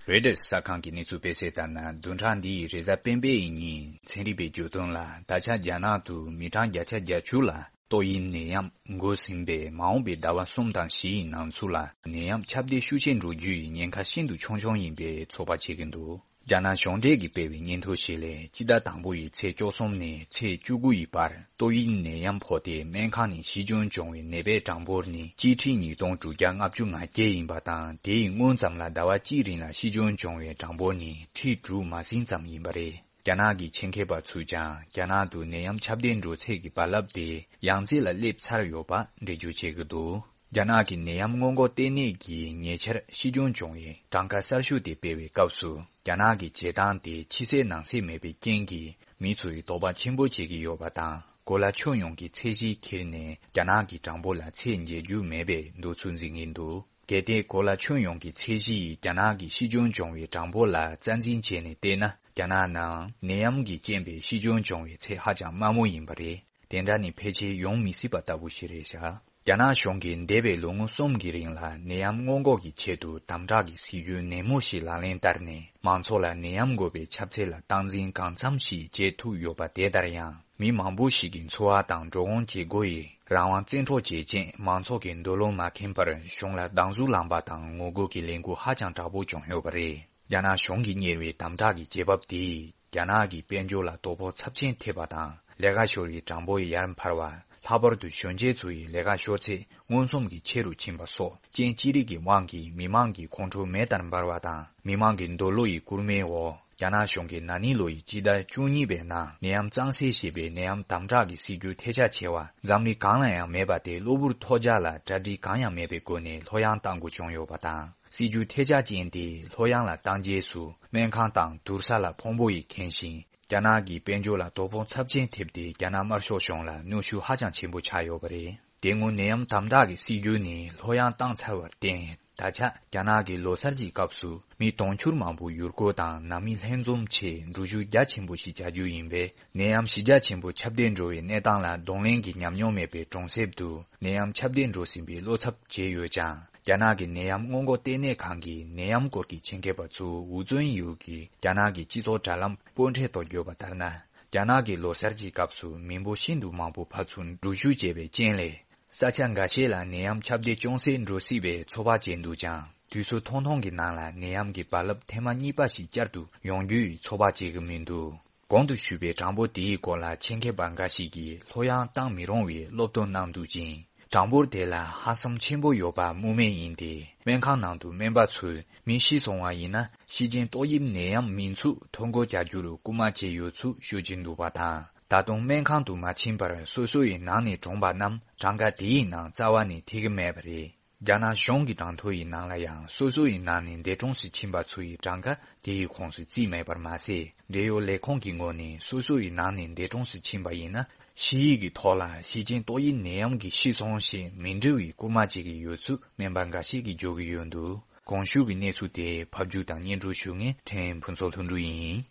རོའི་ཊར་གསར་ཁང་གི་གནས་ཚུལ་སྤེལ་གསལ་ལྟར་ན། བདུན་ཕྲག་འདིའི་རེས་གཟའ་སྤེན་པའི་ཉིན་ཚན་རིག་པས་བརྗོད་དོན་ལ། ད་ཆ་རྒྱ་ནག་ཏུ་མི་གྲངས་བརྒྱ་ཆ་བརྒྱད་ཅུ་ལ་ཏོག་དབྱིབས་ནད་ཡམས་འགོས་ཟིན་པས། མ་འོངས་པའི་ཟླ་བ་གསུམ་དང་བཞི་ཡི་ནང་ཚུད་ལ་ནད་ཡམས་ཁྱབ་གདལ་ཤུགས་ཆེན་འགྲོ་རྒྱུ་ཡི་ཉེན་ཁ་ཤིན་ཏུ་ཆུང་ཆུང་ཡིན་པའི་ཚོད་དཔག་བྱེད་ཀྱིན་འདུག་རྒྱ་ནག་གཞུང་འབྲེལ་གྱིས་སྤེལ་བའི་སྙན་ཐོ་ཞིག་ལས། སྤྱི་ཟླ་དང་པོ་ཡི་ཚེས་བཅུ་གསུམ་ནས་ཚེས་བཅུ་དགུ་ཡི་བར་ཏོག་དབྱིབས་ནད་ཡམས་ཕོག་སྟེ་སྨན་ཁང་ནས་ཤི་སྐྱོན་བྱུང་བའི་ནད་པའི་གྲངས་འབོར་ནི་གཅིག་ཁྲི་ཉིས་སྟོང་དྲུག་བརྒྱ་ལྔ་བཅུ་ང་བརྒྱད་ཡིན་པ་དང་། དེ་ཡི་སྔོན་ཙམ་ལ་ཟླ་བ་གཅིག་རིང་ལ་ཤི་སྐྱོན་བྱུང་བའི་གྲངས་འབོར་ནི་ཁྲི་དྲུག་མ་ཟིན་ཙམ་ཡིན་པ་རེད། རྒྱ་ནག་གི་ཆེད་མཁས་པ་ཚོས་ཀྱང་རྒྱ་ནག་ཏུ་ནད་ཡམས་ཁྱབ་གདལ་འགྲོ་ཚད་ཀྱི་རྦ་རླབས་དེ་ཡང་རྩེ་ལ་སླེབས་ཚར་ཡོད་པ་འགྲེལ་བརྗོད་བྱེད་ཀྱི་འདུག་རྒྱ་ནག་གི་ནད་ཡམས་སྔོན་འགོག་ལྟེ་གནས་ཀྱིས་ཉེ་ཆར་ཤི་སྐྱོན་བྱུང་བའི་གྲངས་ཀ་གསར་ཤོས་དེ་སྤེལ་བའི་སྐབས་སུ། རྒྱ་ནག་གི་བྱེད་སྟངས་དེ་ཕྱི་གསལ་ནང་གསལ་མེད་པའི་རྐྱེན་གྱིས། མི་ཚོས་དོགས་པ་ཆེན་པོ་བྱེད་ཀྱི་ཡོད་པ་དང་། གོ་ལ་ཁྱོན་ཡོངས་ཀྱི་ཚད་གཞི་ཁྱེར་ནས། རྒྱ་ནག་གི་གྲངས་འབོར་ལ་ཚད་འཇལ་རྒྱུ་མེད་པའི་འདོད་ཚུལ་འཛིན་གྱི་འདུག་གལ་ཏེ་གོ་ལ་ཁྱོན་ཡོངས་ཀྱི་ཚད་གཞི་ཡིས་རྒྱ་ནག་གི་ཤི་སྐྱོན་བྱུང་བའི་གྲངས་འབོར་ལ་རྩ་འཛིན་བྱས་ནས་བལྟས་ན། རྒྱ་ནག་ནང་ནད་ཡམས་ཀྱི་རྐྱེན་པས་ཤི་སྐྱོན་བྱུང་བའི་ཚད་ཧ་ཅང་དམའ་མོ་ཡིན་པ་རེད། དེ་འདྲ་ནི་ཕལ་ཆེར་ཡོང་མི་སྲིད་པ་ལྟ་བུ་ཞིག་རེད་ཤག་རྒྱ་ནག་གཞུང་གིས་འདས་པའི་ལོ་ངོ་གསུམ་གྱི་རིང་ལ་ནད་ཡམས་སྔོན་འགོག་གི་ཆེད་དུ་དམ་དྲག་གི་སྲིད་ཇུས་ནན་མོ་ཞིག་ལག་ལེན་བསྟར་ནས། མང་ཚོགས་ལ་ནད་ཡམས་འགོས་པའི་ཁྱབ་ཚད་ལ་སྟངས་འཛིན་གང་འཚམ་ཞིག་བྱེད་ཐུབ་ཡོད་པ། དེ་ལྟར་ཡང་། མི་མང་པོ་ཞིག་གི་འཚོ་བ་དང་འགྲོ་འོང་བྱེད་སྒོ་ཡི་རང་དབང་བཙན་འཕྲོག་བྱེད་ཆེད། མང་ཚོགས་ཀྱི་འདོད་བློ་མ་ཁེངས་པར་གཞུང་ལ་སྡང་ཟུག་ལངས་པ་དང་ངོ་རྒོལ་གྱི་ལས་འགུལ་ཧ་ཅང་དྲག་པོ་བྱུང་ཡོད་པ་རེད། རྒྱ་ནག་གཞུང་གིས་གཉེར་བའི་དམ་དྲག་གི་བྱེད་བབ་དེས་རྒྱ་ནག་གི་དཔལ་འབྱོར་ལ་དོ་ཕོག་ཚབས་ཆེན་ཐེབས་པ་དང་། ལས་ཀ་ཤོར་བའི་གྲངས་འབོར་ཡར་འཕར་བ། ལྷག་པར་དུ་གཞོན་སྐྱེས་ཚོ་ཡི་ལས་ཀ་ཤོར་ཚད་མངོན་སུམ་གྱིས་ཆེ་རུ་ཕྱིན་པ་སོགས། རྐྱེན་ཅི་རིགས་ཀྱི་དབང་གིས་མི་མང་གི་ཁོང་ཁྲོ་མེ་ལྟར་འབར་བ་དང་། མི་མང་གི་འདོད་བློ་ཡི་སྐུལ་མའི་འོག་རྒྱ་ནག་གཞུང་གིས་ན་ནིང་ལོ་ཡི་སྤྱི་ཟླ་བཅུ་གཉིས་པའི་ནང་ནད་ཡམས་གཙང་སེལ་ཞེས་པའི་ནད་ཡམས་དམ་དྲག་གི་སྲིད་ཇུས་ཐལ་ཆ་ཆེ་བ་འཛམ་གླིང་གང་ལ་ཡང་མེད་པ་དེ་གློ་བུར་ཐོལ་རྒྱག་ལ་གྲ་སྒྲིག་གང་ཡང་མེད་པའི་སྒོ་ནས་ལྷོད་ཡངས་གཏང་དགོས་བྱུང་ཡོད་པ་དང་། སྲིད་ཇུས་ཐལ་ཆ་ཅན་དེ་ལྷོད་ཡངས་ལ་བཏང་རྗེས་སུ། སྨན་ཁང་དང་དུར་ས་ལ་ཕུང་པོ་ཡིས་ཁེངས་ཤིང་། རྒྱ་ནག་གི་དཔལ་འབྱོར་ལ་དོ་ཕོག་ཚབས་ཆེན་ཐེབས་ཏེ། རྒྱ་ནག་དམར་ཤོག་གཞུང་ལ་གནོན་ཤུགས་ཧ་ཅང་ཆེན་པོ་ཆགས་ཡོད་པ་རེད། དེ་སྔོན་ནད་ཡམས་དམ་དྲག་གི་སྲིད་ཇུས་ནི་ལྷོད་ཡངས་བཏང་ཚར་བར་བརྟེན། ད་ཆ་རྒྱ་ནག་གི་ལོ་གསར་གྱི་སྐབས་སུ་མི་དུང་ཕྱུར་མང་པོ་ཡུལ་སྐོར་དང་ནང་མི་ལྷན་འཛོམས་ཆེད་འགྲུལ་བཞུད་རྒྱ་ཆེན་པོ་ཞིག་བྱ་རྒྱུ་ཡིན་པས། ནད་ཡམས་གཞི་རྒྱ་ཆེན་པོ་ཁྱབ་གདལ་འགྲོ་བའི་གནས་སྟངས་ལ་གདོང་ལེན་གྱི་ཉམས་མྱོང་མེད་པའི་གྲོང་གསེབ་ཏུ་ནད་ཡམས་ཁྱབ་གདལ་འགྲོ་ཟིན་པའི་བློ་འཚབ་བྱས་ཡོད་ཀྱང་། རྒྱ་ནག་གི་ནད་ཡམས་སྔོན་འགོག་ལྟེ་གནས་ཁང་གི་ནད་ཡམས་སྐོར་གྱི་ཆེད་མཁས་པ་ཚོ་ཝུ་ཙུན་ཡུའུ་གིས་རྒྱ་ནག་གི་སྤྱི་ཚོགས་དྲ་ལམ་པོར་ཊལ་ཐོག་བརྗོད་པ་ལྟར་ན། རྒྱ་ནག་གི་ལོ་གསར་གྱི་སྐབས་སུ་མི་འབོར་ཤིན་ཏུ་མང་པོ་ཕར་ཚུར་འགྲུལ་བཞུད་བྱས་པའི་རྐྱེན་ལས། ས་ཆ་འགའ་ཤས་ལ་ནད་ཡམས་ཁྱབ་གདལ་ཅུང་ཟད་འགྲོ་སྲིད་པའི་ཚོད་དཔག་བྱས་འདུག་ཀྱང་། དུས་ཚོད་ཐུང་ཐུང་གི་ནང་ལ་ནད་ཡམས་ཀྱི་རྦ་རླབས་ཐེངས་མ་གཉིས་པ་ཞིག་བསྐྱར་དུ་ཡོང་རྒྱུའི་ཚོད་དཔག་བྱེད་ཀྱི་མི་འདུག་གོང་དུ་ཞུས་པའི་གྲངས་འབོར་དེའི་སྐོར་ལ་ཆེད་མཁས་པ་འགའ་ཞིག་གིས་ལྷོད་ཡངས་བཏང་མི་རུང་བའི་སློབ་སྟོན་གནང་འདུག་ཅིང་། གྲངས་འབོར་དེ་ལ་ཧ་སམ་ཆེན་པོ་ཡོད་པ་སྨོས་མེད་ཡིན་ཏེ། སྨན་ཁང་ནང་དུ་སྨན་པ་ཚོས་མི་ཤི་སོང་བ་ཡིན་ན། ཤི་རྐྱེན་ཏོག་དབྱིབས་ནད་ཡམས་མིན་ཚུལ་ཐོ་འགོད་བྱ་རྒྱུར་སྐུལ་མ་བྱས་ཡོད་ཚུལ་ཤོད་ཀྱིན་འདུག་པ་དང་། ད་དུང་སྨན་ཁང་དུ་མ་ཕྱིན་པར་སོ་སོ་ཡི་ནང་ནས་གྲོངས་པ་རྣམས་གྲངས་ཀ་དེའི་ནང་རྩ་བ་ནས་ཐེ་གི་མེད་པ་རེད། རྒྱ་ནག་གཞུང་གི་གྲངས་ཐོ་ཡི་ནང་ལ་ཡང་སོ་སོ་ཡི་ནང་ནས་འདས་གྲོངས་སུ་ཕྱིན་པ་ཚོ་ཡི་གྲངས་ཀ་དེ་ཡི་ཁོངས་སུ་བརྩིས་མེད་པར་མ་ཟད། འབྲེལ་ཡོད་ལས་ཁུངས་ཀྱི་ངོས་ནས་སོ་སོ་ཡི་ནང་ནས་འདས་གྲོངས་སུ་ཕྱིན་པ་ཡིན་ན། ཞི་ཡིག་གི་ཐོག་ལ་ཤི་རྐྱེན་ཏོག་དབྱིབས་ནད་ཡམས་ཀྱིས་ཤི་སོང་ཞེས་མི་འབྲི་བའི་སྐུལ་མ་བྱེད་ཀྱི་ཡོད་ཚུལ་སྨན་པ་འགའ་ཞིག་གིས་བརྗོད་ཀྱི་ཡོད་འདུག་གོང་ཞུས་ཀྱི་གནས་ཚུལ་དེ་ཕབ་སྒྱུར་དང་སྙན་སྒྲོན་ཞུ་མཁན་ཕྲན་ཕུན་ཚོགས་ལྷུན་གྲུབ་ཡིན།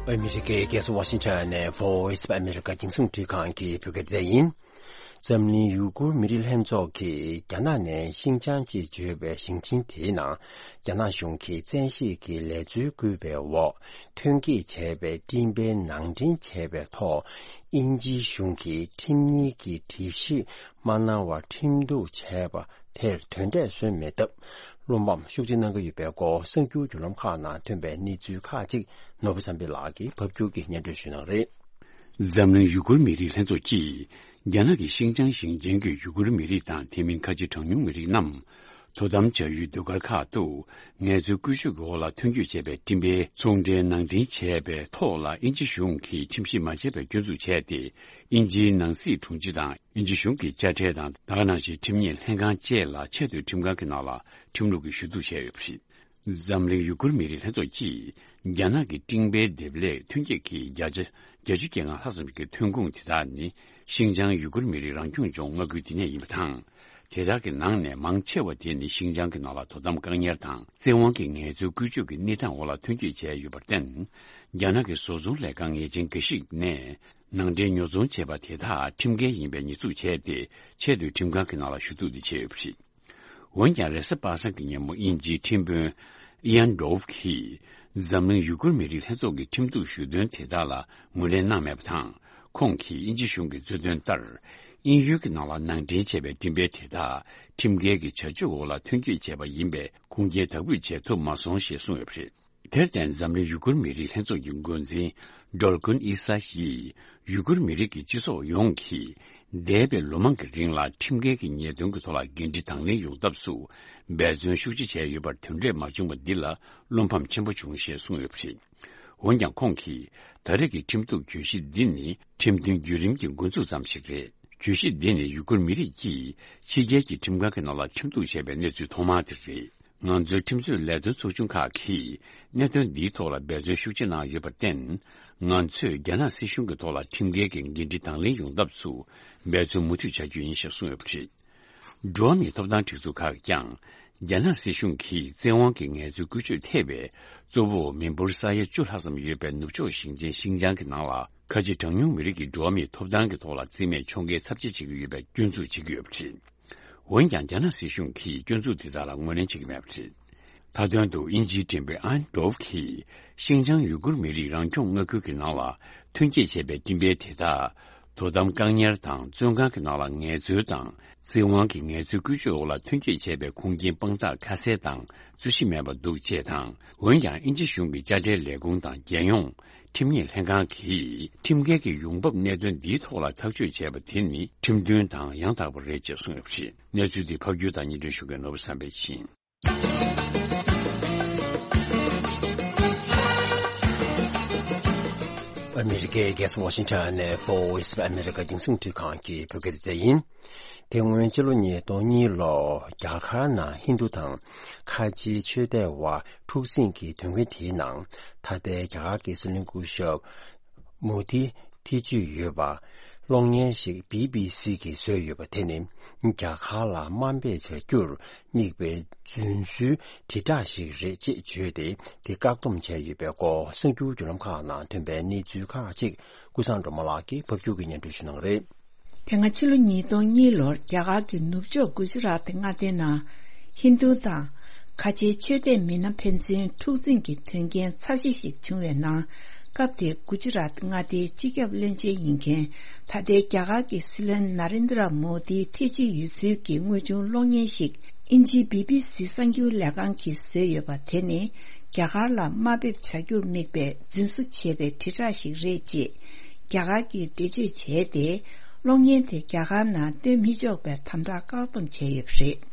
ཨ་མི་རི་ཀའི་རྒྱལ་ས་ཝ་ཤིང་ཊོན་ནས་Voice of America རྒྱང་སྲིང་འཕྲིན་ཁང་གི་བོད་སྐད་སྡེ་ཡིན། འཛམ་གླིང་ཡུ་གུར་མི་རིགས་ལྷན་ཚོགས་ཀྱིས་རྒྱ་ནག་ནས་ཤིན་ཅང་ཅེས་བརྗོད་པའི་ཞིང་ཆེན་དེའི་ནང་། རྒྱ་ནག་གཞུང་གིས་བཙན་ཤེད་ཀྱིས་ལས་འཛུལ་བསྐུལ་བའི་འོག་ཐོན་སྐྱེད་བྱས་པའི་སྤྲིན་པའི་ནང་འདྲེན་བྱས་པའི་ཐོག་དབྱིན་ཇིའི་གཞུང་གིས་ཁྲིམས་གཉེར་གྱི་སྒྲིག་གཞི་མ་གནང་བར་ཁྲིམས་གཏུག་བྱས་པ་དེར་དོན་འབྲས་སོན་མེད་སྟབས། བློ་ཕམ་ཤུགས་ཆེ་གནང་གི་ཡོད་པའི་སྐོར་གསར་འགྱུར་བརྒྱུད་ལམ་ཁག་ནང་ཐོན་པའི་གནས་ཚུལ་ཁག་ཅིག་ནོར་བུ་བསམ་འཕེལ་ལགས་ཀྱིས་ཕབ་སྒྱུར་གྱིས་སྙན་སྒྲོན་ཞུ་གནང་རེད། འཛམ་གླིང་ཡུ་གུར་མི་རིགས་ལྷན་ཚོགས་ཀྱིས། རྒྱ་ནག་གི་ཤིན་ཅང་ཞིང་ཆེན་གྱི་ཡུ་གུར་མི་རིགས་དང་དེ་མིན་ཁ་ཆེ་གྲངས་ཉུང་མི་རིགས་རྣམས། དོ་དམ་བྱ་ཡུལ་ཟློས་གར་ཁག་ཏུ། ངལ་རྩོལ་བཀོལ་སྤྱོད་ཀྱི་འོག་ལ་ཐོན་སྐྱེད་བྱས་པའི་སྤྲིན་པའི་ཚོང་འབྲེལ་ནང་འདྲེན་བྱས་པའི་ཐོག་ལ་དབྱིན་ཇི་གཞུང་གིས་ཁྲིམས་ཞིབ་མ་བྱས་པའི་སྐྱོན་འཛུགས་བྱས་ཏེ། དབྱིན་ཇིའི་ནང་སྲིད་དྲུང་ཆེ་དང་། དབྱིན་ཇི་གཞུང་གི་དཔྱ་ཁྲལ་དང་ད་ག་ནང་བཞིན་ཁྲིམས་ཉེས་ལྷན་ཁང་བཅས་ལ་ཆེས་མཐོའི་ཁྲིམས་ཁང་གི་ནང་ལ་ཁྲིམས་ལུགས་ཀྱི་ཞུ་གཏུག་བྱས་ཡོད་པ་རེད། འཛམ་གླིང་ཡུ་གུར་མི་རིགས་ལྷན་ཚོགས་ཀྱིས་རྒྱ་ནག་གི་སྤྲིན་པའི་འདེབས་ལས་ཐོན་སྐྱེད་ཀྱི་བརྒྱ་ཆ་བརྒྱད་ཅུ་གྱ་ལྔ་ལྷག་ཙམ་གྱི་ཐོན་ཁུངས་དེ་དག་ནི་ཤིན་ཅང་ཡུ་གུར་མི་རིགས་རང་སྐྱོང་ལྗོངས་མངའ་ཁུལ་དེ་ནས་ཡིན་པ་དང་། དེ་དག་གི་ནང་ནས་མང་ཆེ་བ་དེ་ནི་ཤིན་ཅང་གི་ནང་ལ་དོ་དམ་བཀག་ཉར་དང་བཙན་དབང་གིས་ངལ་རྩོལ་བཀོལ་སྤྱོད་ཀྱི་གནས་སྟངས་འོག་ལ་ཐོན་སྐྱེད་བྱས་ཡོད་པར་བརྟེན། རྒྱ་ནག་གི་བཟོ་ཚོང་ལས་ཁང་ངེས་ཅན་འགའ་ཞིག་ནས་ནང་འདྲེན་ཉོ་ཚོང་བྱས་པ་དེ་དག་ཁྲིམས་འགལ་ཡིན་པའི་ཉེས་འཛུགས་བྱས་ཏེ་ཆེས་མཐོའི་ཁྲིམས་ཁང་གི་ནང་ལ་ཞུ་གཏུག་དེ་བྱས་ཡོད་པ་རེད། འོན་ཀྱང་རེས་གཟའ་པ་སངས་ཀྱི་ཉིན་མོ་དབྱིན་ཇིའི་ཁྲིམས་དཔོན་ཨི་ཡན་ཌོབ་ཀྱིས་འཛམ་གླིང་ཡུ་གུར་མི་རིགས་ལྷན་ཚོགས་ཀྱི་ཁྲིམས་གཏུག་ཞུ་དོན་དེ་དག་ལ་ངོས་ལེན་གནང་མེད་པ་དང་། ཁོང་གིས་དབྱིན་ཇི་གཞུང་གིས་རྩོད་དོན་ལྟར། དབྱིན་ཡུལ་གྱི་ནང་ལ་ནང་འདྲེན་བྱས་པའི་སྤྲིན་པའི་དེ་དག་ ཁྲིམས་འགལ་གྱི་བྱ་སྤྱོད་འོག་ལ་ཐོན་སྐྱེད་བྱས་པ་ཡིན་པས་ཁུངས་སྐྱེལ་དག་འབུད་བྱེད་ཐུབ་མ་སོང་ཞེས་གསུངས་ཡོད་པ་རེད། དེར་བརྟེན་འཛམ་གླིང་ཡུ་གུར་མི་རིགས་ལྷན་ཚོགས་ཀྱི་འགོ་འཛིན་ཌོལ་ཀུན་ཨི་ས་ཡིས་ཡུ་གུར་མི་རིགས་ཀྱི་སྤྱི་ཚོགས་ཡོངས་ཀྱིས་འདས་པའི་ལོ་མང་གི་རིང་ལ་ཁྲིམས་འགལ་གྱི་ཉེས་དོན་གྱི་ཐོག་ལ་འགན་འཁྲི་དང་ལེན་ཡོང་ཐབས་སུ་འབད་བརྩོན་ཤུགས་ཆེ་བྱས་ཡོད་པར་དོན་འབྲས་མ་བྱུང་བ་འདི་ལ་བློ་ཕམ་ཆེན་པོ་བྱུང་ཞེས་གསུངས་ཡོད་པ་རེད། འོན་ཀྱང་ཁོང་གིས་ད་རེས་ཀྱི་ཁྲིམས་གཏུག་གྱོད་གཞི་འདི་ནི་ཁྲིམས་མཐུན་བརྒྱུད་རིམ་གྱི་འགོ་འཛུགས་ཙམ་ཞིག་རེད། གྱོད་གཞི་འདི་ནི་ཡུ་གུར་མི་རིགས་ཀྱིས་ཕྱི་རྒྱལ་གྱི་ཁྲིམས་ཁང་གི་ནང་ལ་ཁྲིམས་གཏུག་བྱས་པའི་གནས་ཚུལ་ཐོག་མ་དེ་རེད། ང་ཚོའི་ཁྲིམས་རྩོད་ལས་དོན་ཚོགས་ཆུང་ཁག་གིས་གནད་དོན་འདིའི་ཐོག་ལ་འབད་བརྩོན་ཤུགས་ཆེ་གནང་ཡོད་པར་བརྟེན། ང་ཚོས་རྒྱ་ནག་སྲིད་གཞུང་གི་ཐོག་ལ་ཁྲིམས་འགལ་གྱི་འགན་འཁྲི་དང་ལེན་ཡོང་ཐབས་སུ་འབད་བརྩོན་མུ་མཐུད་བྱ་རྒྱུ་ཡིན་ཞེས་གསུངས་ཡོད་པ་རེད། འགྲོ་བ་མིའི་ཐོབ་ཐང་སྒྲིག་འཛུགས་ཁག་གིས་ཀྱང་རྒྱ་ནག་སྲིད་གཞུང་གིས་བཙན་དབང་གི་ངལ་རྩོལ་བཀོལ་སྤྱོད་ཐེབས་པའི་གཙོ་བོ་མི་འབོར་ས་ཡ་བཅུ་ལྷག་ཙམ་ཡོད་པའི་ནུབ་ཕྱོགས་ཞིང་ཆེན་ཤིན་ཅང་གི་ནང་ལ་ཁ་ཆེ་གྲངས་ཉུང་མི་རིགས་ཀྱི་འགྲོ་བ་མིའི་ཐོབ་ཐང་གི་ཐོག་ལ་རྩིས་མེད་ཕྱོགས་འགལ་ཚབས་ཆེ་བྱེད་ཀྱི་ཡོད་པའི་སྐྱོན་འཛུགས་བྱེད་ཀྱི་ཡོད་པ་རེད། འོན་ཀྱང་རྒྱ་ནག་སྲིད་གཞུང་གིས་སྐྱོན་འཛུགས་དེ་དག་ལ་ངོས་ལེན་བྱེད་ཀྱི་མེད་པ་རེད། མཐའ་དོན་དུ་དབྱིན་ཇིའི་འགྲེམས་སྤེལ་ཨན་ཌོབ་ཀྱིས་ཤིན་ཅང་ཡུ་གུར་མི་རིགས་རང་སྐྱོང་མངའ་ཁུལ་གྱི་ནང་ལ་ཐོན་སྐྱེད་བྱས་པའི་སྐྱེ་འཕེལ་དེ་དག་དོ་དམ་བཀག་ཉར་དང་བཙོན་ཁང་གི་ནང་ལ་ངལ་རྩོལ་དང་བཙན་དབང་གི་ངལ་རྩོལ་བཀོལ་སྤྱོད་འོག་ལ་ཐོན་སྐྱེད་བྱས་པའི་ཁུངས་སྐྱེལ་དཔང་རྟགས་ཁ་གསལ་དང་རྩོད་གཞི་མེད་པ་འདུག་ཅེས་དང་། འོན་ཀྱང་དབྱིན་ཇི་གཞུང་གི་དཔྱ་ཁྲལ་ལས་ཁུངས་དང་རྒྱལ་ཡོངས་ཁྲིམས་ཉེས་ལྷན་ཁང་གིས་ཁྲིམས་འགལ་གྱི་ཡོང་འབབ་གནད་དོན་འདིའི་ཐོག་ལ་ཐག་གཅོད་བྱས་པ་དེ་ནི་ཁྲིམས་མཐུན་དང་ཡང་དག་པ་རེད་ཅེས་གསུངས་ཡོད་པ་རེད། གནས་ཚུལ་འདི་ཕབ་སྒྱུར་དང་སྙན་སྒྲོན་ཞུ་མཁན་ནོར་བུ་བསམ་འཕེལ་ཡིན། ཨ་མི་རི་ཀའི་རྒྱལ་ས་ཝ་ཤིང་ཊོན་ནས་Voice of America་རྒྱང་སྲིང་རླུང་འཕྲིན་ཁང་གི་བོད་སྐད་སྡེ་ཚན་ཡིན། དེ་སྔོན་ཕྱི་ལོ་ཉིས་སྟོང་གཉིས་ལོར་རྒྱ་གར་ནང་ཧིན་རྡུ་དང་ཁ་ཆེའི་ཆོས་དད་བར་འཁྲུག་ཟིང་གི་དོན་རྐྱེན་དེའི་ནང་ད་ལྟའི་རྒྱ་གར་གྱི་སྲིད་བློན་སྐུ་ཞབས་མོ་དི་ཐེ་བྱུས་ཡོད་པ་གློག་བརྙན་ཞིག་བི་བི་སི་གིས་བཟོས་ཡོད་པ་དེ་ནི་རྒྱ་གར་ལ་དམའ་འབེབས་བྱ་རྒྱུར་དམིགས་པའི་རྫུན་བཟོའི་དྲིལ་བསྒྲགས་ཤིག་རེད་ཅེས་བརྗོད་དེ་དེ་བཀག་སྡོམ་བྱས་ཡོད་པའི་སྐོར་གསར་འགྱུར་བརྒྱུད་ལམ་ཁག་ནང་ཐོན་པའི་གནས་ཚུལ་ཁག་ཅིག་ཀུན་བཟང་སྒྲོལ་མ་ལགས་ཀྱིས་ཕབ་སྒྱུར་གྱིས་སྙན་སྒྲོན་ཞུ་གནང་གི་རེད། དེ་སྔ་ཕྱི་ལོ་ཉིས་སྟོང་གཉིས་ལོར་རྒྱ་གར་གྱི་ནུབ་ཕྱོགས་གུ་ཇི་རཱཏ་མངའ་སྡེའི་ནང་ཧིན་རྡུ་དང་ཁ་ཆེའི་ཆོས་དད་མི་སྣ་ཕན་ཚུན་འཁྲུག་འཛིང་གི་དོན་རྐྱེན་ཚབས་ཆེ་ཞིག་བྱུང་བའི་ནང་། སྐབས་དེར་གུ་ཇི་རཱཏ་མངའ་སྡེའི་སྤྱི་ཁྱབ་བློན་ཆེན་ཡིན་མཁན་ད་ལྟའི་རྒྱ་གར་གྱི་སྲིད་བློན་ན་རེན་དྲ་མོ་དི་ཐེ་ཅི་ཡོད་ཚུལ་གྱི་དངོས་བྱུང་གློག་བརྙན་ཞིག་དབྱིན་ཇིའི་བི་བི་སི་གསར་འགྱུར་ལས་ཁང་གིས་བཟོས་ཡོད་པ་དེ་ནི་རྒྱ་གར་ལ་དམའ་འབེབས་བྱ་རྒྱུར་དམིགས་པའི་རྫུན་བཟོ་བྱས་པའི་དྲིལ་བསྒྲགས་ཤིག་རེད་ཅེས་རྒྱ་གར་གྱིས་འགྲེལ་བརྗོད་བྱས་ཏེ། གློག་བརྙན་དེ་རྒྱ་གར་ནང་སྟོན་མི་ཆོག་པའི་དམ་དྲག་བཀག་སྡོམ་བྱས་ཡོད་པ་རེད།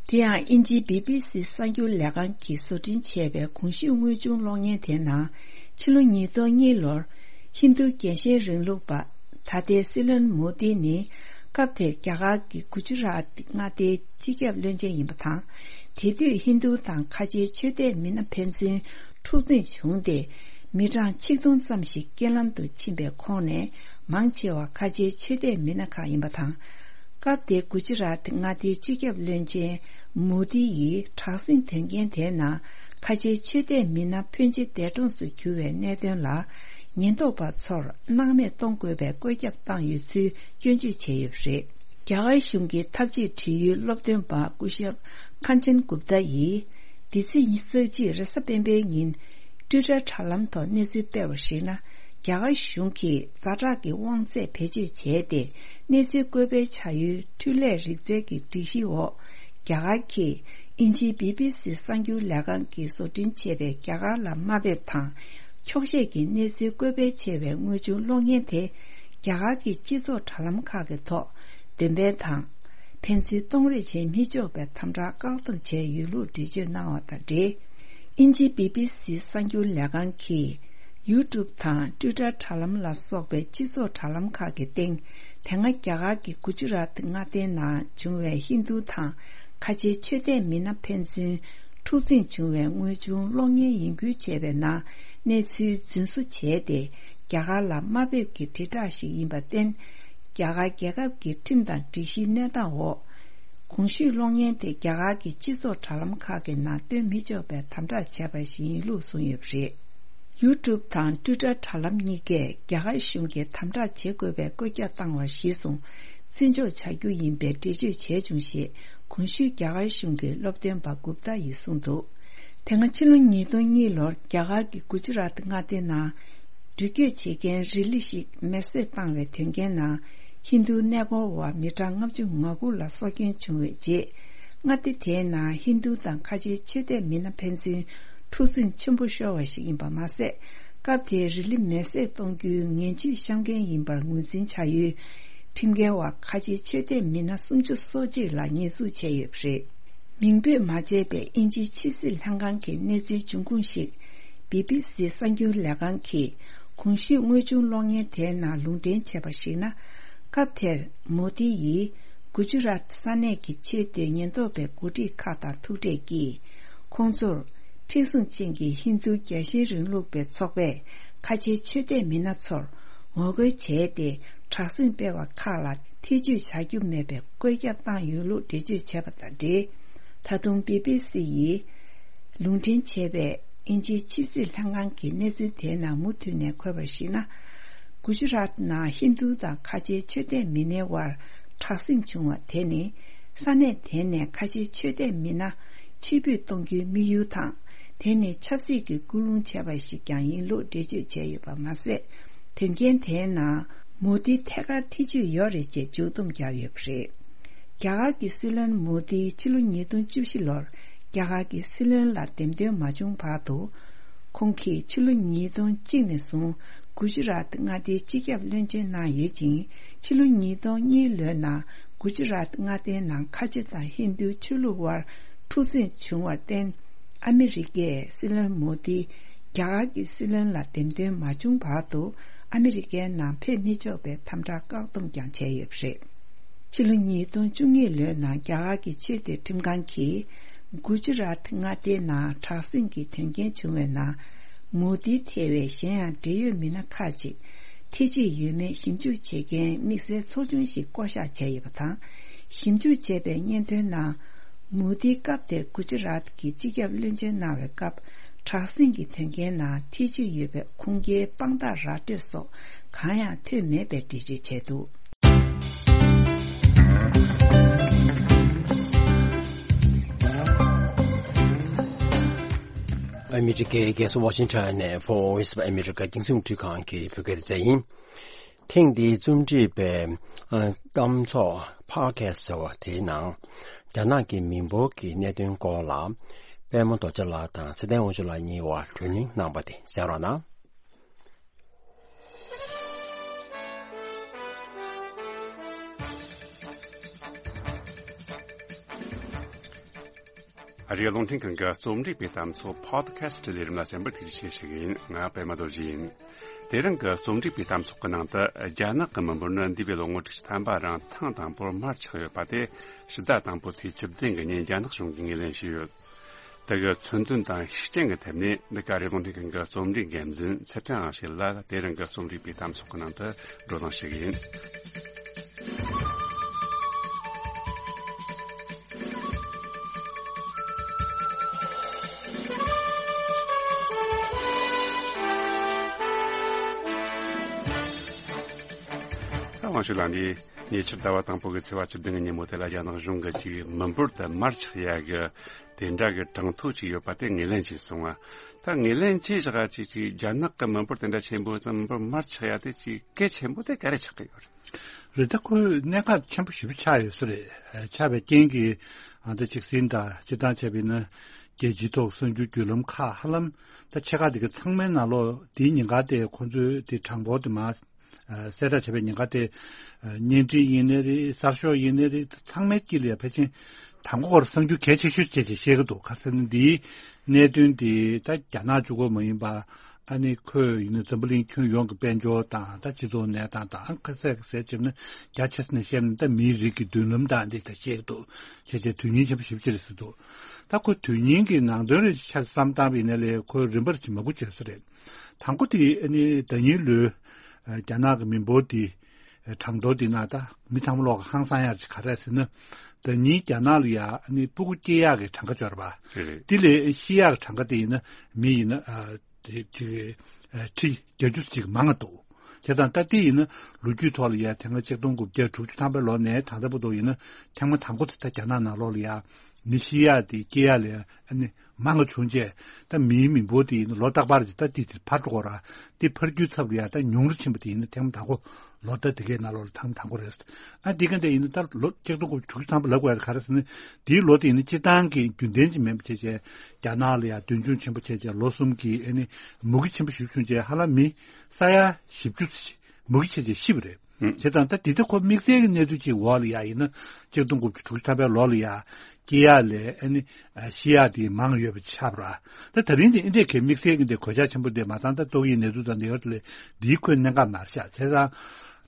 དེ་ཡང་དབྱིན་ཇིའི་བི་བི་སི་གསར་འགྱུར་ལས་ཁང་གིས་བཟོ་སྐྲུན་བྱས་པའི་གོང་ཞུས་དངོས་བྱུང་གློག་བརྙན་དེའི་ནང་ཕྱི་ལོ་ཉིས་སྟོང་གཉིས་ལོར་ཧིན་རྡུ་རྒྱལ་ཞེན་རིང་ལུགས་པ་ད་ལྟའི་སྲིད་བློན་མོ་དི་ནི་སྐབས་དེར་རྒྱ་གར་གྱི་གུ་ཇི་རཱཏ་མངའ་སྡེའི་སྤྱི་ཁྱབ་བློན་ཆེན་ཡིན་པ་དང་། དེ་དུས་ཧིན་རྡུ་དང་ཁ་ཆེའི་ཆོས་དད་མི་སྣ་ཕན་ཚུན་འཁྲུག་འཛིང་བྱུང་སྟེ། མི་གྲངས་ཆིག་སྟོང་ཙམ་ཞིག་རྐྱེན་ལམ་དུ་ཕྱིན་པའི་ཁོངས་ནས་མང་ཆེ་བ་ཁ་ཆེའི་ཆོས་དད་མི་སྣ་ཁག་ཡིན་པ་དང་། སྐབས་དེའི་གུ་ཇི་རཱཏ་མངའ་སྡེའི་སྤྱི་ཁྱབ་བློན་ཆེན་མོ་དི་ཡིས་དྲག་ཟིང་དོན་རྐྱེན་དེའི་ནང་ཁ་ཆེའི་ཆོས་དད་མི་སྣ་ཕོན་ཆེ་འདས་གྲོངས་སུ་གྱུར་བའི་གནད་དོན་ལ་ཉེན་རྟོག་པ་ཚོར་སྣང་མེད་གཏོང་དགོས་པའི་བཀོད་ཁྱབ་བཏང་ཡོད་ཚུལ་སྐྱོན་བརྗོད་བྱས་ཡོད་པ་རེད། རྒྱ་གར་གཞུང་གི་ཐབས་ཇུས་འབྲེལ་ཡོད་སློབ་སྟོན་པ་སྐུ་ཞབས་ཁན་ཅན་གུབ་ཏཱ་ཡིས་འདི་ཚེས་ཉི་ཤུ་རྩ་གཅིག་རེས་གཟའ་སྤེན་པའི་ཉིན་ཊུའི་ཊར་དྲ་ལམ་ཐོག་གནས་ཚུལ་སྤེལ་བར་གཞིགས་ན། རྒྱ་གར་གཞུང་གིས་ཛ་དྲག་གི་དབང་ཚད་བེད་སྤྱོད་བྱས་ཏེ་གནས་ཚུལ་བཀོད་སྤེལ་བྱ་ཡུལ་འཕྲུལ་ལས་རིག་རྩལ་གྱི་སྒྲིག་གཞིའི་འོག་རྒྱ་གར་གྱིས་དབྱིན་ཇིའི་བི་བི་སི་གསར་འགྱུར་ལས་ཁང་གིས་བཟོ་སྐྲུན་བྱས་པའི་རྒྱ་གར་ལ་དམའ་འབེབས་དང་འཁྱོག་བཤད་ཀྱི་གནས་ཚུལ་བཀོད་སྤེལ་བྱས་པའི་དངོས་བྱུང་གློག་བརྙན་དེ་རྒྱ་གར་གྱི་སྤྱི་ཚོགས་དྲ་ལམ་ཁག་གི་ཐོག་འདོན་སྤེལ་དང་། ཕན་ཚུན་གཏོང་རེས་བྱེད་མི་ཆོག་པའི་དམ་དྲག་བཀག་སྡོམ་བྱས་ཡོད་ལུགས་འགྲེལ་བརྗོད་གནང་བ་དང་འབྲེལ། དབྱིན་ཇིའི་བི་བི་སི་གསར་འགྱུར་ལས་ཁང་གིས་ཡུ་ཊུབ་དང་ཊུའི་ཊར་དྲ་ལམ་ལ་སོགས་པའི་སྤྱི་ཚོགས་དྲ་ལམ་ཁག་གི་སྟེང་དེ་སྔ་རྒྱ་གར་གྱི་གུ་ཇི་རཱཏ་མངའ་སྡེའི་ནང་བྱུང་བའི་ཧིན་རྡུ་དང་ཁ་ཆེའི་ཆོས་དད་མི་སྣ་ཕན་ཚུན་འཁྲུག་འཛིང་བྱུང་བའི་དངོས་བྱུང་གློག་བརྙན་ཡིན་ཁུལ་བྱས་པའི་ནང་གནས་ཚུལ་རྫུན་བཟོ་བྱས་ཏེ་རྒྱ་གར་ལ་དམའ་འབེབས་ཀྱི་དྲིལ་བསྒྲགས་ཤིག་ཡིན་པར་བརྟེན། རྒྱ་གར་རྒྱལ་ཁབ་ཀྱི་ཁྲིམས་དང་སྒྲིག་གཞིའི་གནས་སྟངས་འོག་གོང་ཞུས་གློག་བརྙན་དེ་རྒྱ་གར་གྱི་སྤྱི་ཚོགས་དྲ་ལམ་ཁག་གི་ནང་སྟོན་མི་ཆོག་པའི་དམ་དྲག་བྱས་པ་ཞིག་ཡིན་ལུགས་གསུངས་ཡོད་པ་རེད། ཡུ་ཊུབ་དང་ཊུའི་ཊར་དྲ་ལམ་གཉིས་ཀས་རྒྱ་གར་གཞུང་གིས་དམ་དྲག་བྱེད་དགོས་པའི་བཀོད་ཁྱབ་བཏང་བ་གཞིར་བཟུང་བརྩི་འཇོག་བྱ་རྒྱུ་ཡིན་པའི་འགྲེལ་བརྗོད་བྱས་བྱུང་ཞེས་གོང་ཞུས་རྒྱ་གར་གཞུང་གི་སློབ་སྟོན་པ་གུབ་ཏཱ་ཡིས་གསུངས་འདུག་དེ་སྔ་ཕྱི་ལོ་ཉིས་སྟོང་གཉིས་ལོར་རྒྱ་གར་གྱི་གུ་ཇི་རཱཏ་མངའ་སྡེའི་ནང་འགྲུལ་སྐྱོད་བྱེད་མཁན་རི་ལི་ཞིག་མེར་སྲེག་བཏང་བའི་དོན་རྐྱེན་ནང་ཧིན་རྡུ་གནས་སྐོར་བ་མི་གྲངས་ལྔ་བཅུ་ང་དགུ་ལ་སྲོག་སྐྱོན་བྱུང་བའི་རྗེས། མངའ་སྡེ་དེའི་ནང་ཧིན་རྡུ་དང་ཁ་ཆེའི་ཆོས་དད་མི་སྣ་ཕན་ཚུན་འཁྲུག་འཛིང་ཆེན་པོ་ཤོར་བ་ཞིག་ཡིན་པ་མ་ཟད། སྐབས་དེར་རི་ལི་མེ་བསྲེགས་གཏོང་རྒྱུའི་ངན་ཇུས་བཤམས་མཁན་ཡིན་པར་ངོས་འཛིན་བྱ་ཡུལ་ཁྲིམས་འགལ་བ་ཁ་ཆེའི་ཆོས་དད་མི་སྣ་སུམ་ཅུ་སོ་གཅིག་ལ་ཉེས་འཛུགས་བྱས་ཡོད་པ་རེད། མིང་འབོད་མ་བྱས་པའི་དབྱིན་ཇིའི་ཕྱི་སྲིད་ལྷན་ཁང་གི་གནས་ཚུལ་འབྱུང་ཁུངས་ཤིག་བི་བི་སི་གསར་འགྱུར་ལས་ཁང་གིས་གོང་ཞུས་དངོས་བྱུང་གློག་བརྙན་དེའི་ནང་ལུང་འདྲེན་བྱས་པར་གཞིགས་ན། སྐབས་དེར་མོ་དི་ཡིས་གུ་ཇུ་རཱཏ་ས་གནས་ཀྱི་ཆོས་དད་ཉེན་རྟོག་པའི་འགོ་ཁྲིད་ཁག་དང་ཐུག་འཕྲད་ཀྱིས། ཁོང་ཚོར་མཁྲེགས་བཟུང་ཅན་གྱི་ཧིན་རྡུ་རྒྱལ་ཞེན་རིང་ལུགས་པའི་ཚོགས་པས་ཁ་ཆེའི་ཆོས་དད་མི་སྣ་ཚོར་ངོ་རྒོལ་བྱས་ཏེ། དྲག་ཟིང་སྤེལ་བ་ཁག་ལ་ཐེ་ཇུས་བྱ་རྒྱུ་མེད་པའི་བཀོད་ཁྱབ་བཏང་ཡོད་ལུགས་འགྲེལ་བརྗོད་བྱས་པ་དང་འབྲེལ། ད་དུང་བི་བི་སི་ཡིས་ལུང་འདྲེན་བྱས་པའི་དབྱིན་ཇིའི་ཕྱི་སྲིད་ལྷན་ཁང་གི་གནས་ཚུལ་དེའི་ནང་མུ་མཐུད་ནས་འཁོད་པར་གཞིགས་ན། གུ་ཇུ་རཱཏ་ནང་ཧིན་རྡུ་དང་ཁ་ཆེའི་ཆོས་དད་མི་སྣའི་དབར་དྲག་ཟིང་བྱུང་བ་དེ་ནི། ས་གནས་དེ་ནས་ཁ་ཆེའི་ཆོས་དད་མི་སྣ་ཕྱིར་འབུད་གཏོང་རྒྱུའི་དམིགས་ཡུལ་དང་། དེ་ནི་ཆབ་སྲིད་ཀྱི་སྐུལ་སློང་བྱས་པ་ཞིག་ཀྱང་ཡིན་ལུགས་འགྲེལ་བརྗོད་བྱས་ཡོད་པ་མ་ཟད། དོན་རྐྱེན་དེའི་ནང་མོ་དི་ཐད་ཀར་ཐེ་ཇུས་ཡོད་རེད་ཅེས་མཇུག་བསྡོམས་བརྒྱབ་ཡོད་པ་རེད། རྒྱ་གར་གྱི་སྲིད་བློན་མོ་དི་ཕྱི་ལོ་ཉིས་སྟོང་བཅུ་བཞི་ལོར་རྒྱ་གར་གྱི་སྲིད་བློན་ལ་འདེམས་ཐོན་མ་བྱུང་བར་དུ། ཁོང་གིས་ཕྱི་ལོ་ཉིས་སྟོང་གཅིག་ནས་བཟུང་གུ་ཇུ་རཱཏ་མངའ་སྡེའི་སྤྱི་ཁྱབ་བློན་ཆེན་གནང་ཡོད་ཅིང་། ཕྱི་ལོ་ཉིས་སྟོང་གཉིས་ལོའི་ནང་གུ་ཇུ་རཱཏ་མངའ་སྡེའི་ནང་ཁ་ཆེ་དང་ཧིན་རྡུའི་ཆོས་ལུགས་དབར་འཁྲུག་འཛིང་བྱུང་བར་བརྟེན། ཨ་མི་རི་ཀས་སྲིད་བློན་མོ་དི་རྒྱ་གར་གྱི་སྲིད་བློན་ལ་འདེམས་ཐོན་མ་བྱུང་བར་དུ་ཨ་མི་རི་ཀའི་ནང་ཕེབས་མི་ཆོག་པའི་དམ་དྲག་བཀག་སྡོམ་ཀྱང་བྱས་ཡོད་པ་རེད། ཕྱི་ལོ་ཉིས་སྟོང་བཅུ་གཉིས་ལོའི་ནང་རྒྱ་གར་གྱི་ཆོས་དད་ཁྲིམས་ཁང་གིས་གུ་ཇུ་རཱཏ་མངའ་སྡེའི་ནང་དྲག་ཟིང་གི་དོན་རྐྱེན་བྱུང་བའི་ནང་མོ་དི་ཐེ་བའི་གཞན་ཡང་འབྲེལ་ཡོད་མི་སྣ་ཁག་ཅིག་ཐེ་ཇུས་ཡོད་མེད་ཞིབ་འཇུག་བྱེད་མཁན་དམིགས་བསལ་ཚོགས་ཆུང་ཞིག་བསྐོ་གཞག་བྱས་ཡོད་པ་དང་། ཞིབ་འཇུག་བྱས་པའི་སྙན་ཐོའི་ནང་། མོ་དིས་སྐབས་དེར་གུ་ཇི་རཱཏ་གི་སྤྱི་ཁྱབ་བློན་ཆེན་གནང་བའི་སྐབས། དྲག་ཟིང་གི་དོན་རྐྱེན་ནང་ཐེ་ཇུས་ཡོད་པའི་ཁུངས་སྐྱེལ་དཔང་རྟགས་ར་སྤྲོད་སོགས་གང་ཡང་ཐོན་མེད་པའི་འགྲེལ་བརྗོད་བྱས་འདུག། ཨ་མི་རི་ཀའི་རྒྱལ་ས་ཝ་ཤིང་ཊོན་ནས་Voice of America རྒྱང་སྲིང་རླུང་འཕྲིན་ཁང་གི་བོད་སྐད་སྡེ་ཚན་ཡིན། ཐེངས་འདིའི་རྩོམ་སྒྲིག་པའི་ཨ་གཏམ་ཚོགས་Podcast ཟེར་བ་དེའི་ནང་། རྒྱ་ནག་གི་མི་འབོར་གྱི་གནད་དོན་སྐོར་ལ། པད་མ་རྡོ་རྗེ་ལགས་དང་ཚེ་བརྟན་དབང་ཕྱུག་ལགས་གཉིས་བར་བགྲོ་གླེང་གནང་བ་དེ་གསན་རོགས་གནང་། ཨ་རིའི་རླུང་འཕྲིན་ཁང་གི་རྩོམ་སྒྲིག་པའི་གཏམ་ཚོགས་Podcast ལས་རིམ་ལ་གསན་པར་ཐུགས་རྗེ་ཆེ་ཞུ་གི་ཡིན། ང་པད་མ་རྡོ་རྗེ་ཡིན། དེ་རིང་གི་རྩོམ་སྒྲིག་པའི་གཏམ་ཚོགས་ཀྱི་ནང་དུ། རྒྱ་ནག་གི་མི་འབོར་ནི་འདས་པའི་ལོ་ངོ་དྲུག་ཅུ་ཐམ་པ་རིང་ཐེངས་དང་པོར་མར་ཆག་ཡོད་པ་དེ་ཕྱི་ཟླ་དང་པོའི་ཚེས་བཅུ་བདུན་གྱི་ཉིན་རྒྱ་ནག་གཞུང་གིས་ངོས་ལེན་བྱས་ཡོད། དེ་གི་མཚོན་དོན་དང་ཤུགས་རྐྱེན་གྱི་ཐད་ནས། འདི་ག་རེ་རླུང་འཕྲིན་ཁང་གི་རྩོམ་སྒྲིག་འགན་འཛིན་ཚེ་བརྟན་དབང་ཕྱུག་ལ་དེ་རིང་གི་རྩོམ་སྒྲིག་པའི་གཏམ་ཚོགས་ཀྱི་ནང་དུ་བགྲོ་གླེང་ཞུ་གི་ཡིན། ཚེ་བརྟན་དབང་ཕྱུག་ལགས་ནས། ཉེ་ཆར་ཟླ་བ་དང་པོ་གི་ཚེས་པ་བཅུ་བདུན་གྱི་ཉིན་མོ་དེ་ལ་རྒྱ་ནག་གཞུང་གིས་ཅིག་མི་འབོར་དུ་མར་ཆག་ཡ་གི་དེ་འདྲ་གི་གྲངས་ཐོ་ཅིག་ཡོད་པ་དེ་ངོས་ལེན་བྱས་སོང་ང་། ད་ངོས་ལེན་བྱས་བཞག་ཅིག་ཅིག་རྒྱ་ནག་གི་མི་འབོར་དེ་འདྲ་ཆེན་པོ་ཙམ་མི་འབོར་མར་ཆག་ཡ་དེ་ཅིག་གལ་ཆེན་པོ་དེ་ག་རེ་ཆགས་ཀྱི་ཡོད་རེད། རེད། ད་ཁོའི་གནད་འགག་ཆེན་པོ་ཞེ་པོ་ཆགས་ཡོད་ས་རེད། ཆགས་པའི་རྐྱེན་གྱིས་ཨ་ད་ཅིག་ཟིན་ད་སྤྱིར་བཏང་བྱས་པ་ཡིན་ན་རྒྱལ་སྤྱིའི་ཐོག་གསར་འགྱུར་བརྒྱུད་ལམ་ཁག་ཧ་ལམ་ད་ཆེ་ཁག་དེ་ག་ཚང་མའི་ནང་ལོགས་དེའི་ཉེན་ཁ་དེ་ཁོ་ཚོའི་དེ་གྲངས་འབོར་དེ་མར། ཨ་གསལ་བསྒྲགས་བྱས་པའི་ཉེན་ཁ་དེ། ཨ་བརྙན་འཕྲིན་ཡིན་ནའི་རེད། གསར་ཤོག་ཡིན་ནའི་རེད། ཚང་མའི་དཀྱིལ་ལ་ཡ་ཕལ་ཆེར་དང་པོ་ཁོ་རང་གསར་འགྱུར་གལ་ཆེ་ཤོས་བྱས་ཅིག་བཤད་ཀྱི་འདུག། ག་རེ་ཟེར་ན་འདིའི་གནད་དོན་འདི་ད་རྒྱ་ནག་གཅིག་པོ་མ་ཡིན་པ། ཨ་ནི་ཁོས་ཡིན་ན་འཛམ་བུ་གླིང་ཁྱོན་ཡོངས་ཀྱི་དཔལ་འབྱོར་དང་ད་སྤྱི་ཚོགས་གནས་སྟངས་དང་ཁ་གསལ་ག་ཟེར་བྱས་ན་རྒྱ་ཆེ་ས་ནས་བཤད་ན་ད་མིའི་རིགས་ཀྱི་མདུན་ལམ་དང་འདི་ད་བཤད་ཀྱི་འདུག། བྱས་བྱས་དོན་སྙིང་ཆེན་པོ་ཞེ་པོ་ཅིག་རེད་ཟེར་འདུག། ད་ཁོ་དོན་སྙིང་གི་ནང་དོན་རེ་ཆ་བསམ་བཏང་བ་ཡིན་ན་ལས་ཁོས་རིམ་པར་ཅིག་མ་འགོ་བྱས་ས་རེད། དང་པོ་དེ་ཨ་ནི་ཟླ་ཉིན་ལོའི་ཨ་རྒྱ་ནག་གི་མི་འབོར་དེ་ཨ་གྲངས་ཐོ་དེ་ན་ད་མི་ཚང་མ་ལོག་གི་ཧང་སང་ཡག་ཅིག་ག་རེ་རེད་ཟེར་ན། ཟླ་ཉིན་རྒྱ་ནག་ལ་ཡ་ཨ་ནི་ཕྲུ་གུ་སྐྱེ་ཡག་གི་གྲངས་ཀ་འབྱོར་བ། རེད་རེད། དེ་ལས་ཤི་ཡག་གི་གྲངས་ཀ་དེ་ཡིན་ན་མི་ཡིན་ན་ཨ་དེ་ཅིག་ཨ་ཁྲི་བརྒྱད་ཅུ་ཅིག་མང་ང་འདུག། བྱས་ཙང་ད་དེ་ཡིན་ན་ལོ་རྒྱུས་ཐོག་ལ་ཡ་ཐེངས་མ་ཆིག་སྟོང་དགུ་བརྒྱ་དྲུག་ཅུ་ཐམ་པའི་ལོ་ནས་ད་ལྟ་བར་དུ་ཡིན་ན་ཐེངས་མ་དང་པོ་དེ་ད་རྒྱ་ནག་ནང་ལོགས་ལ་ཡ་མི་ཤི་ཡག་དེ་སྐྱེ་ཡག་ལ་ཡ་ཨ་ནི། མང་ང་བྱུང་རྗེས་ད་མིའི་མི་འབོར་དེ་ཡིན་ན་ལོ་རྟག་པར་གྱི་ད་དེ་དེ་འཕར་འགྲོ་གི་ར། དེ་འཕར་རྒྱུའི་ཚབ་ལ་ཡ་ད་ཉུང་རུ་ཕྱིན་པ་དེ་ཡིན་ན་ཐེངས་མ་དང་པོ་ ལོ་ཟླ་དེ་གའི་ནང་ལོགས་ལ་ཐེངས་དང་པོ་རེད། ཨ་འདི་ག་འདྲ་ཡིན་ན་ད་ལོ་ཆིག་སྟོང་དགུ་བརྒྱ་དྲུག་ཅུ་ཐམ་པ་ལབ་དགོས་ཡ་ག་རེ་ཟེར་ན། དེའི་ལོ་དེ་ཡིན་ན་སྤྱིར་བཏང་གི་རྒྱུན་ལྡན་ཅིག་མིན་པ་བྱས་བྱས་རྒྱ་ནག་ལ་ཡ་མདུན་ལྗོངས་ཆེན་པོ་བྱས་བྱས་ལོ་གསུམ་གྱི་ཨ་ནི་མུ་གེ་ཆེན་པོ་ཞིག་བྱུང་བྱས་ཧ་ལམ་མི་ས་ཡ་བཞི་བཅུ་ཙམ་ཞིག་མུ་གེ་བྱས་བྱས་ཤི་བ་རེད། ཨུ། བྱས་ཙང་ད་དེ་དུས་ཁོ་དམིགས་བསལ་གྱི་གནས་ཚུལ་ཅིག་འོག་ལ་ཡ་ཡིན་ན་ཆིག་སྟོང་དགུ་བརྒྱ་དྲུག་ཅུ་ཐམ་པའི་ལོ་ལ་ཡ་སྐྱེ་ཡག་ལས་ཨ་ནི་ཤི་ཡག་དེ་མང་ཡོད་པ་ཆགས་པ་ར། ད་ད་རིང་དེ་ཨིན་དེ་གའི་དམིགས་བསལ་གྱི་འདི་གོད་ཆག་ཆེན་པོ་དེ་མ་ཚང་ད་ཏོག་དབྱིབས་ནད་དུག་དང་འདི་ཡོད་ལས་འདིའི་ཁོའི་གནད་འགག་མར་བཞག་བྱས་ཙང་།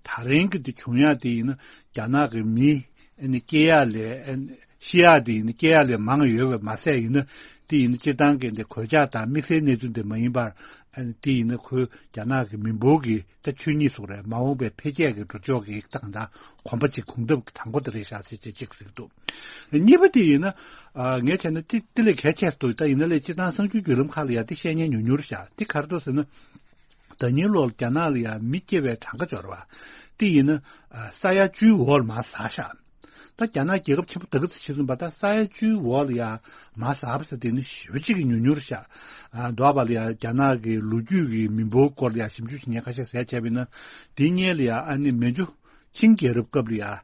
ད་རིང་གི་འདི་བྱུང་ཡག་དེ་ཡིན་ན་རྒྱ་ནག་གི་མི་ཨ་ནི་སྐྱེ་ཡག་ལས་ཨ་ནི་ཤི་ཡག་དེ་ཡིན་ན་སྐྱེ་ཡག་ལས་མང་ཡོད་པ་མ་ཟད་ཡིན་ན་དེ་ཡིན་ན་སྤྱིར་བཏང་གི་འདི་གོད་ཆག་དང་དམིགས་བསལ་གནས་ཚུལ་འདི་མ་ཡིན་པར་ཨ་ནི་དེ་ཡིན་ན་ཁོའི་རྒྱ་ནག་གི་མི་འབོར་གྱི་ད་ཆོས་ཉིད་སོགས་རེད། མ་འོངས་པའི་འཕེལ་རྒྱས་ཀྱི་འགྲོ་ཕྱོགས་ཀྱི་ད་གང་ལྟར་གོམ་པ་གཅིག་གུང་སྟབས་ཀྱི་དང་པོ་དེ་རེད་ཤག་ཟེར་བྱས་གཅིག་ཟེར་གྱི་འདུག་གཉིས་པ་དེ་ཡིན་ན། ཨ་ངས་བྱས་ན་དེ་དེ་ལས་གལ་ཆེ་སུ་འདུག་ད་ཡིན་ན་ལས་སྤྱིར་བཏང་གསར་འགྱུར་བརྒྱུད་ལམ་ཁག་ལ་ཡ་དེ་བཤད་མཁན་ཉུང་ཉུང་རེད་ཤག་དེ་ག་རེ་འདུག་ཟེར་ན། ཟླ་ཉིན་ལོར་རྒྱ་ནག་ལ་ཡ་མི་སྐྱེ་བའི་གྲངས་ཀ་འབྱོར་བ། དེ་ཡིན་ན། ཨ་ས་ཡ་བཅུའི་འོག་ལ་མར་ཟག་ཤག་ད་རྒྱ་ནག་རྒྱལ་ཁབ་ཆེན་པོ་ད་ག་ཚོད་ཆེ་སོང་བ་ད་ས་ཡ་བཅུའི་འོག་ལ་ཡ་མར་ཟག་པ་ཟེར་དེ་ནི་ཞེ་པོ་ཅིག་གི་ཉུང་ཉུང་རེད་ཤག་ཨ་འདུག་པ་ལ་ཡ་རྒྱ་ནག་གི་ལོ་རྒྱུས་ཀྱི་མི་འབོར་སྐོར་ལ་ཡ་ཞིབ་འཇུག་བྱེད་མཁན་ཁ་ཤས་ཟེར་བྱས་པ་ཡིན་ན། དེ་སྔོན་ལ་ཡ་ཨ་ནི་མན་ཇུ་ཆིང་རྒྱལ་རབས་སྐབས་ལ་ཡ།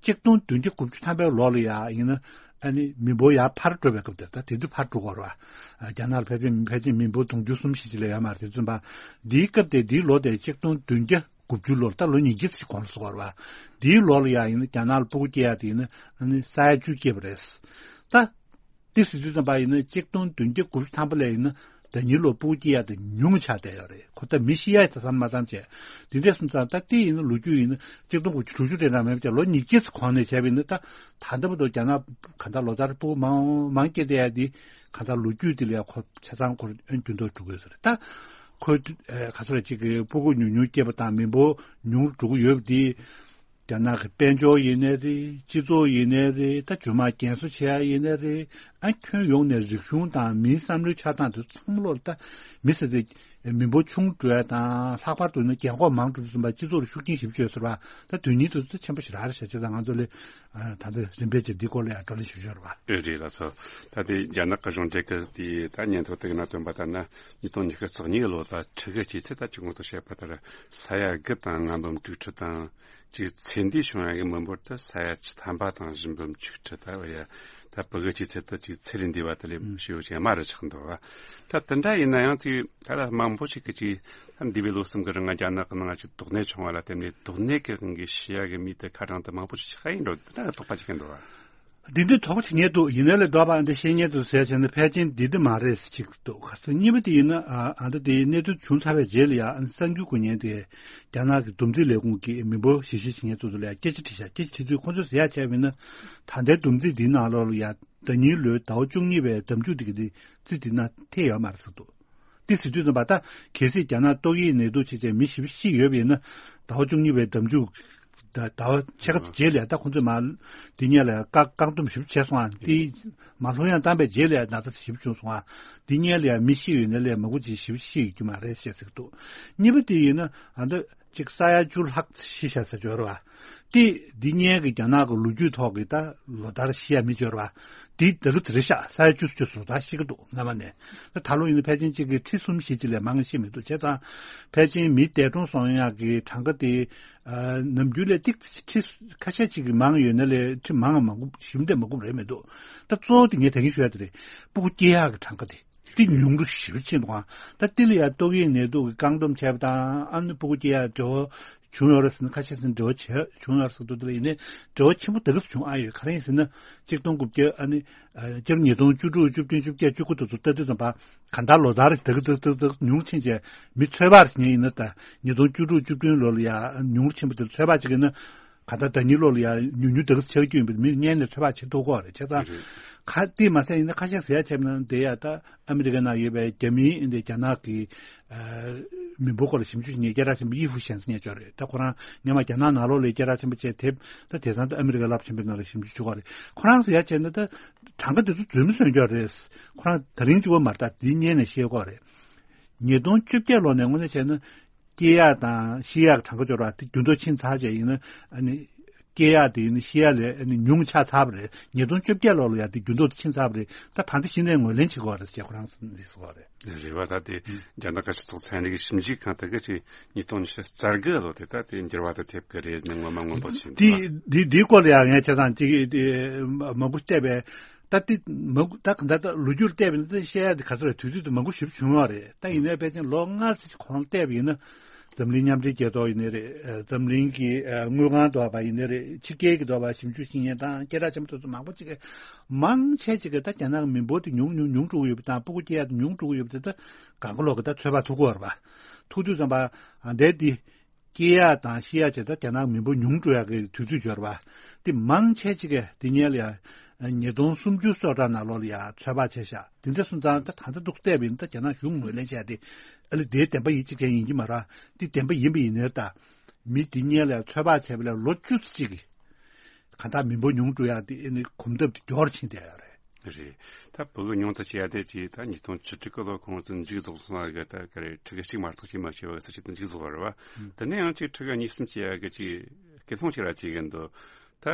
ཆིག་སྟོང་བདུན་བརྒྱ་དགུ་བཅུ་ཐམ་པའི་ལོ་ལ་ཡ་ཡིན་ན་ཨ་ནི་མི་འབོར་ཡར་འཕར་འགྲོ་བའི་སྐབས་དེར་ད་དེ་དུས་འཕར་འགྲོ་གི་རེད་བ། རྒྱ་ནག་ལ་ཕལ་ཆེར་ཕལ་ཆེར་མི་འབོར་དུང་ཕྱུར་གསུམ་བཞི་ཅིག་ལས་ཡོད་མ་རེད། དེ་ཚོ་ཡིན་པ། འདིའི་སྐབས་དེ་འདིའི་ལོ་དེ་ཆིག་སྟོང་བདུན་བརྒྱ་དགུ་བཅུ་ལོར་ད་ལོ་ཉིས་བརྒྱ་ཙམ་གོང་ལ་སོང་བ་རེད་བ། འདིའི་ལོ་ལ་ཡ་ཡིན་ན་རྒྱ་ནག་ལ་སྤུ་གུ་སྐྱེ་ཡ་དེ་ཡིན་ན་ཨ་ནི་ས་ཡ་བཅུ་སྐྱེས་པ་རེད། ད། དེ་ཟེར་དུས་ཙམ་པ་ཡིན་ན་ཆིག་སྟོང་བདུན་བརྒྱ་དགུ་བཅུ་ཐམ་པ་ལས་ཡིན་ན་ཟླ་ཉིན་ལོ་སྤུ་གུ་སྐྱེ་ཡ་དེ་ཉུང་ཆགས་བསྡད་ཡོད་རེད། ཁོ་ད་མི་ཤི་ཡ་དེ་བསམ་མ་བསམ་བྱས། དེ་འདྲས་སོང་ཙང་ད་དེ་ཡིན་ན་ལོ་རྒྱུས་ཡིན་ན་ཆིག་སྟོང་དགུ་བཅུ་དྲུག་ཅུ་རེ་འདྲ་མེད་པ་བྱས་ལོ་ཉིས་བརྒྱ་ཙམ་གོང་ནས་བྱས་པ་ཡིན་ན་ད་ད་ལྟ་བར་དུ་རྒྱ་ནག་གང་ལྟར་ལོ་ལྟར་སྤུ་གུ་མང་མང་སྐྱེ་བསྡད་ཡ་དེ་གང་ལྟར་ལོ་རྒྱུས་དེ་ལ་ཡ་ཁོ་ཆ་ཚང་ཁོར་ཨེ་འགྱུར་ལྡོག་འགྲོ་གི་ཡོད་ས་རེད། ད་ཁོ་ཨེ་ག་ཚོད་རེད་ཅིག་གི་སྤུ་གུ་ཉུང་ཉུང་སྐྱེས་པ་དང་མི་འབོར་ཉུང་རུ་འགྲོ་གི་ཡོད་པ་དེ། རྒྱ་ནག་གི་དཔལ་འབྱོར་ཡིན་ནའི་རེད། སྤྱི་ཚོགས་ཡིན་ནའི་རེད། ད་རྗེས་མ་རྒན་གསོ་བྱེད་ཡ་ཡིན་ནའི་རེད། ཨ་ཁྱོན་ཡོངས་ནས་རིག་གཞུང་དང་མིའི་བསམ་བློའི་ཆགས་སྟངས་དེ་ཚང་མ་ལོར་ད་མི་ཟེར་དེ་མི་འབོར་ཆུང་འགྲོ་ཡ་དང་ལྷག་པར་དུ་ནི་རྒན་འཁོགས་མང་འགྲོ་དུས་ཙམ་པ་སྤྱི་ཚོགས་ལ་ཤུགས་རྐྱེན་ཞེ་པོ་ཅིག་ཡོད་ཟེར་བ། ད་དོན་སྙིང་དེ་ཚོ་ཆེན་པོ་ཞེ་དྲག་རེད་ཤག་བྱས་ཙང་ང་ཚོ་ལས་ཨ་ད་ལྟ་རིམ་པས་ཅིག་འདི་སྐོར་ལ་ཡང་བགྲོ་གླེང་ཞུ་ཞོར་བ། ཨེ་རེད་ལགས་སོ། ད་དེ་རྒྱ་ནག་གི་གཞུང་འབྲེལ་གྱི་དེ་ད་སྙན་ཐོ་དེ་གི་ནང་བཏོན་པ་ལྟར་ན་ཉིས་སྟོང་ཉི་ཤུ་རྩ་གཉིས་ལོ་ལ་ཕྲུ་གུ་སྐྱེས་ཚེ་ད་ཅི་གོང་དུ་བཤད་པ་ལྟར་ས་ཡ་དགུ་དང་ལྔ་འབུམ་དྲུག་ཁྲི་དང་། ཅིག་ཚེ་འདས་བྱུང་ཡག་གི་མི་འབོར་དེ་ས་ཡ་བཅུ་ཐམ་པ་དང་བཞི་འབུམ་ཆིག་ཁྲི་ད་བ་ཡ། ད་ཕྲུ་གུ་སྐྱེས་ཚེ་ད་ཅིག་ཚེ་རིང་འདས་པ་དེ་ལས་ཞེ་པོ་ཅིག་དམའ་རུ་ཆགས་འདུག་བ། ད་དེ་འདྲ་ཡིན་ན་ཡང་ཅིག་ད་ལ་མང་པོ་ཞིག་གིས་ཅིག་ད་འདས་པའི་ལོ་གསུམ་གི་རིང་རྒྱ་ནག་གི་ནང་ཅིག་དོགས་གནད་བྱུང་བ་ལ་བརྟེན་ནས་དོགས་གནད་ཀྱི་དབང་གིས་ཤི་ཡག་གི་མི་དེ་ཁ་གྲངས་དེ་མང་པོ་ཞིག་ཆགས་ཡིན་འགྲོ། དེ་འདྲ་དོགས་པ་ཅིག་འདུག་བ། འདི་འདྲའི་དོགས་པ་བྱེད་མཁན་འདུག་ཡིན་ན་ལས་འགྲོ་བ་འདི་བཤད་མཁན་འདུག་ཟེར་བྱས་ན་ཕལ་ཆེར་འདི་འདི་མ་རེད་ཟེར་གཅིག་འདུག་ག་ཚོད་གཉིས་པ་དེ་ཡིན་ན་ཨ་ཨ་འདྲ་དེའི་གནས་ཚུལ་བྱུང་ཚར་བའི་རྗེས་ལ་ཡང་གསར་འགྱུར་གོ་མཁན་དེ་རྒྱ་ནག་གི་འདུམ་འགྲིག་ལས་ཁུངས་ཀྱི་མི་འབོར་ཞིབ་བཤེར་བྱེད་མཁན་ཚོ་ཚོ་ལ་ཡང་སྐད་ཆ་དྲིས་ཤག་སྐད་ཆ་དྲིས་དུས་ཁོང་ཚོས་ཟེར་ཡག་བྱས་པ་ཡིན་ན་ད་ལྟའི་འདུམ་འགྲིག་འདིའི་ནང་ལོགས་ལ་ཡང་ཟླ་ཉིན་ལོའི་ཟླ་བ་བཅུ་གཉིས་པའི་ཟླ་མཇུག་དེ་གི་དེ་རྩིས་འདི་ན་ཐེ་ཡོད་མ་རེད་ཟེར་འདུག་དེ་ཟེར་དུས་ཙམ་པ་ད་གལ་སྲིད་རྒྱ་ནག་ཏོག་དབྱིབས་ནད་དུག་བྱས་བྱས་མི་ཞེ་པོ་ཤི་ཡོད་པ་ཡིན་ན་ཟླ་བ་བཅུ་གཉིས་པའི་ཟླ་མཇུག་ད་ཟླ་བ་ཕྱེད་ཀ་ཙམ་རྗེས་ལ་ད་ཁོང་ཚོས་མ་འདི་སྔོན་ལ་བཀག་བཀག་སྡོམ་ཞིབ་བྱས་སོང་ཨ། དེ་མ་ལྷོད་ཡང་བཏང་པའི་རྗེས་ལ་ན་ཚ་ཞིབ་བྱུང་སོང་ཨ། འདི་སྔོན་ལ་མི་ཤི་ཡོད་ན་ལས་མང་པོ་ཅིག་ཞིབ་ཤི་ཡོད་རྒྱུ་མ་རེད་བཤད་ཟེར་གི་འདུག་གཉིས་པ་དེ་ཡིན་ན་ཨ་ད་ཅིག་ས་ཡ་བཅུ་ལྷག་ཤི་ཤག་ཟེར་འབྱོར་བ། དེ་འདི་སྔོན་གྱི་རྒྱ་ནག་གི་ལོ་རྒྱུས་ཐོག་གི་ད་ལོ་ལྟར་ཤི་ཡ་མི་འབྱོར་བ། དེ་ད་གི་དེ་རེད་ཤག་ས་ཡ་བཅུ་བཅུ་སོ་ད་ཤི་གི་འདུག་སྔ་མ་ནས། ད་ད་ལོ་ཡིན་ན་ཕལ་ཆེར་གཅིག་གི་ཁྲི་གསུམ་བཞི་ཅིག་ལས་མང་ཤི་མི་འདུག་བྱས་ཙང་ཕལ་ཆེར་མི་འདས་གྲོངས་སོང་ཡག་གི་གྲངས་ཀ་དེ་ཨ་ནམ་རྒྱུན་ལས་ཏིག་ཁྲི་ཁ་ཤས་ཅིག་གི་མང་ཡོད་ན་ལས་ཁྲི་མང་མང་པོ་ཞིབ་འདེད་མང་པོ་རེད་མི་འདུག་ད་གཙོ་བོ་དེ་ངས་ད་གིན་ཞུ་ཡ་དེ་རེད། སྤུ་གུ་སྐྱེ་ཡག་གི་གྲངས་ཀ་དེ་དེ་ཉུང་རུ་ཞེ་པོ་ཕྱིན་འདུག་ཨ། ད་དེ་ལ་ཡ་ཏོག་དབྱིབས་ནད་དུག་གི་བཀག་སྡོམ་བྱས་པ་དང་ཨ་ནི་སྤུ་གུ་སྐྱེ་ཡག་འབྲེལ་བ་བྱུང་ཡོད་རེད་ཟེར་ན་ཁ་ཤས་ཟེར་ན་འབྲེལ་བ་བྱས་བྱུང་ཡོད་རེད་ཟེར་འདུག་དེ་ལ་ཡིན་ནའི་འབྲེལ་བ་ཆེན་པོ་ད་ག་ཙམ་བྱུང་ཨ་ཡོད་ག་རེ་ཡིན་ཟེར་ན་ཆིག་སྟོང་དགུ་བརྒྱ་ཨ་ནི་སྤྱི་ལོ་ཉིས་སྟོང་བཅུ་དྲུག་བཅུ་བདུན་བཅུ་བརྒྱད་བཅུ་དགུ་དེ་ཚོ་ལྟ་དུས་ཙམ་པ་གང་ལྟར་ལོ་ལྟར་ད་ག་ད་ག་ད་ག་ཉུང་ཕྱིན་བྱས་མི་ཚོད་དཔག་ཟེར་མཁན་ཡིན་ན་ད་ཉིས་སྟོང་བཅུ་དྲུག་བཅུ་བདུན་ལོ་ལ་ཡ་ཉུང་རུ་ཕྱིན་པ་དེ་ཚོད་དཔག་བྱེད་ཀྱི་ཡིན་ན། ག་ད་ཟླ་ཉིན་ལོ་ལ་ཡང་ཉུང་ཉུང་དེ་ག་ཚོད་ཡོད་པའི་མི་སྔོན་ནས་ཚོད་དཔག་བྱེད་ཐུབ་ཀྱི་ཡོད་རེད་བྱས་ཙང་། རེད། ཁ་དེ་མ་ཟད་ཡིན་ན་ཁ་ཤས་ཟེར་ཡ་བྱས་ན་དེ་ཡ་ད་ཨ་མི་རི་ཀའི་ནང་ཡོད་པའི་རྒྱ་མིའི་འདི་རྒྱ་ནག་གི་ཨ་མི་འབོར་སྐོར་ལ་ཞིབ་འཇུག་བྱེད་མཁན་སྐད་གྲགས་ཆེན་པོ་ཡི་ཧྥུ་ཞན་ཟེར་མཁན་ཅིག་ཡོད་རེད། ད་ཁོ་རང་སྔོན་མ་རྒྱ་ནག་ནང་ལོགས་ལ་སྐད་གྲགས་ཆེན་པོ་བྱས་དེབ་ད་དེང་སང་ད་ཨ་མི་རི་ཀའི་རླབས་ཆེན་པོའི་ནང་ལ་ཞིབ་འཇུག་བྱེད་ཀྱི་ཡོད་རེད། ཁོ་རང་ཟེར་ཡ་བྱས་ན་ད་གྲངས་ཀ་དེ་ཚོ་རྫུན་མ་བཟོས་ཀྱི་ཡོད་རེད། ཁོ་རང་དེ་རིང་གཅིག་པོ་མ་རེད། ད་དེའི་སྔོན་ནས་བཤད་ཀྱི་ཡོད་རེད། ཉིས་སྟོང་བཅོ་བརྒྱད་ལོ་ནས་དངོས་གནས་བྱས་ན། སྐྱེ་ཡག་དང་ཤི་ཡག་གྲངས་ཀ་འབྱོར་བ་དེ་འགྱུར་ལྡོག་ཕྱིན་ཚར་བྱས་ཡིན་ན་ཨ་ནི། སྐྱེ་ཡག་དེ་ནི་ཤི་ཡག་ལས་ཨ་ནི་ཉུང་ཆགས་ཚར་བ་རེད། ཉིས་སྟོང་བཅོ་བརྒྱད་ལོ་ལ་ཡ་དེ་འགྱུར་ལྡོག་དེ་ཕྱིན་ཚར་བ་རེད། ད་ད་ལྟ་གཞི་ནས་ངོས་ལེན་བྱེད་དགོས་རེད་ཅེས་ཁོ་རང་གསུངས་རེད། རེད་བ། ད་དེ་རྒྱ་ནག་ཁ་ཆེ་ཚོགས་ཚན་རིག་ཞིབ་འཇུག་ཁང་དེ་ག་ཅིག་ཉིས་སྟོང་ཉི་ཤུ་རྩ་དགུ་ལོ་དེ་ད་དེ་འགྱུར་བ་དེ་ཐེབས་ཀྱི་རེད་ནི་ངོ་མ་མངོན་པ་ཕྱིན་འདུག་དེ་དེ་དེའི་སྐོར་ལ་ཡང་ངས་བྱས་ཙང་ཅིག་དེ་མང་པོ་བལྟས་པས། ད་དེ་མ་ད་གང་ལྟར་ད་ལོ་རྒྱུས་བལྟས་པ་ཡིན་ན་ད་བཤད་ཡ་དེ་ག་ཚོད་རེད། དུས་ཚོད་དེ་མང་པོ་ཞེ་པོ་བྱུང་བ་རེད། ད་ཡིན་ནའི་ཕལ་ཆེར་ལོ་ལྔ་ཙམ་གོང་བལྟས་པ་ཡིན་ན། འཛམ་གླིང་མཉམ་འབྲེལ་རྒྱལ་ཚོགས་ཡིན་ནའི་རེད། ཨ་འཛམ་གླིང་གི་ཨ་དངུལ་ཁང་ཟེར་བ་ཡིན་ནའི་རེད། ཕྱི་རྒྱལ་གྱི་ཟེར་བ་ཞིབ་འཇུག་ཞིབ་གཉེར་དང་སྐད་གྲགས་ཆེན་པོ་དེ་ཚོ་མང་པོ་ཅིག་གིས་མང་ཆེ་ཅིག་གིས་ད་རྒྱ་ནག་གི་མི་འབོར་དེ་ཉུང་ཉུང་ཉུང་འགྲོ་གི་ཡོད་པ་དང་སྤུ་གུ་སྐྱེ་ཡག་དེ་ཉུང་འགྲོ་གི་ཡོད་པ་དེ་ད་གང་ག་ལོག་གིས་ད་ཚོད་དཔག་ཐུབ་ཀྱི་ཡོད་རེད་པ། ཐུབ་དུས་ཙམ་པ་ཨ་འདས་དེ་སྐྱེ་ཡག་དང་ཤི་ཡག་བྱས་ད་རྒྱ་ནག་མི་འབོར་ཉུང་འགྲོ་ཡག་གི་དུས་ཚོད་འབྱོར་བ། དེ་མང་ཆེ་ཅིག་གིས་དེ་སྔོན་ལ་ཡ་ཉིས་སྟོང་སུམ་ཅུ་སོ་གྲངས་ནང་ལོགས་ལ་ཡ་ཚོད་དཔག་བྱས་ཤག་དེ་འདྲ་སོང་ཙང་ད་ད་ལྟ་འདུག་བལྟས་པ་ཡིན་ན་ད་རྒྱ་ནག་གཞུང་ངོས་ལེན་བྱས་ཏེ་ཨ་ལེ་དེའི་བདེན་པ་ཡིན་གཅིག་ཅན་ཡིན་གྱི་མ་རེད། དེ་བདེན་པ་ཡིན་པ་ཡིན་ནའི་ད་མི་དེ་སྔོན་ལ་ཡ་ཚོད་དཔག་བྱས་པ་ལས་ལོ་བཅུ་ཙམ་ཅིག་གི་གང་ལྟར་མི་འབོར་ཉུང་འགྲོ་ཡག་དེ་ཨ་ནི་གོམ་སྟབས་དེ་མགྱོགས་རུ་ཕྱིན་བསྡད་ཡོད་རེད། རེད། ད་བུ་གུ་ཉུང་དུ་བྱས་ཏེ་ཅིག་ད་ཉིས་སྟོང་བཅུ་དྲུག་གི་ལོ་ཁོང་ཚོ་མཇུག་རྫོགས་སོང་བ་གི་ད་ག་རེ་ཕྲུ་གུ་གཅིག་མ་གཏོགས་ཅིག་མ་བྱས་པ་གི་ས་ཆ་དེ་མཇུག་རྫོགས་པ་རེད་བ། ཨང་། དེ་ནས་ཡང་ཅིག་ཕྲུ་གུ་གཉིས་གསུམ་བྱས་ཡ་གི་ཅིག་སྐད་གཏོང་བྱེད་ར་བྱེད་གི་འདུག་ད་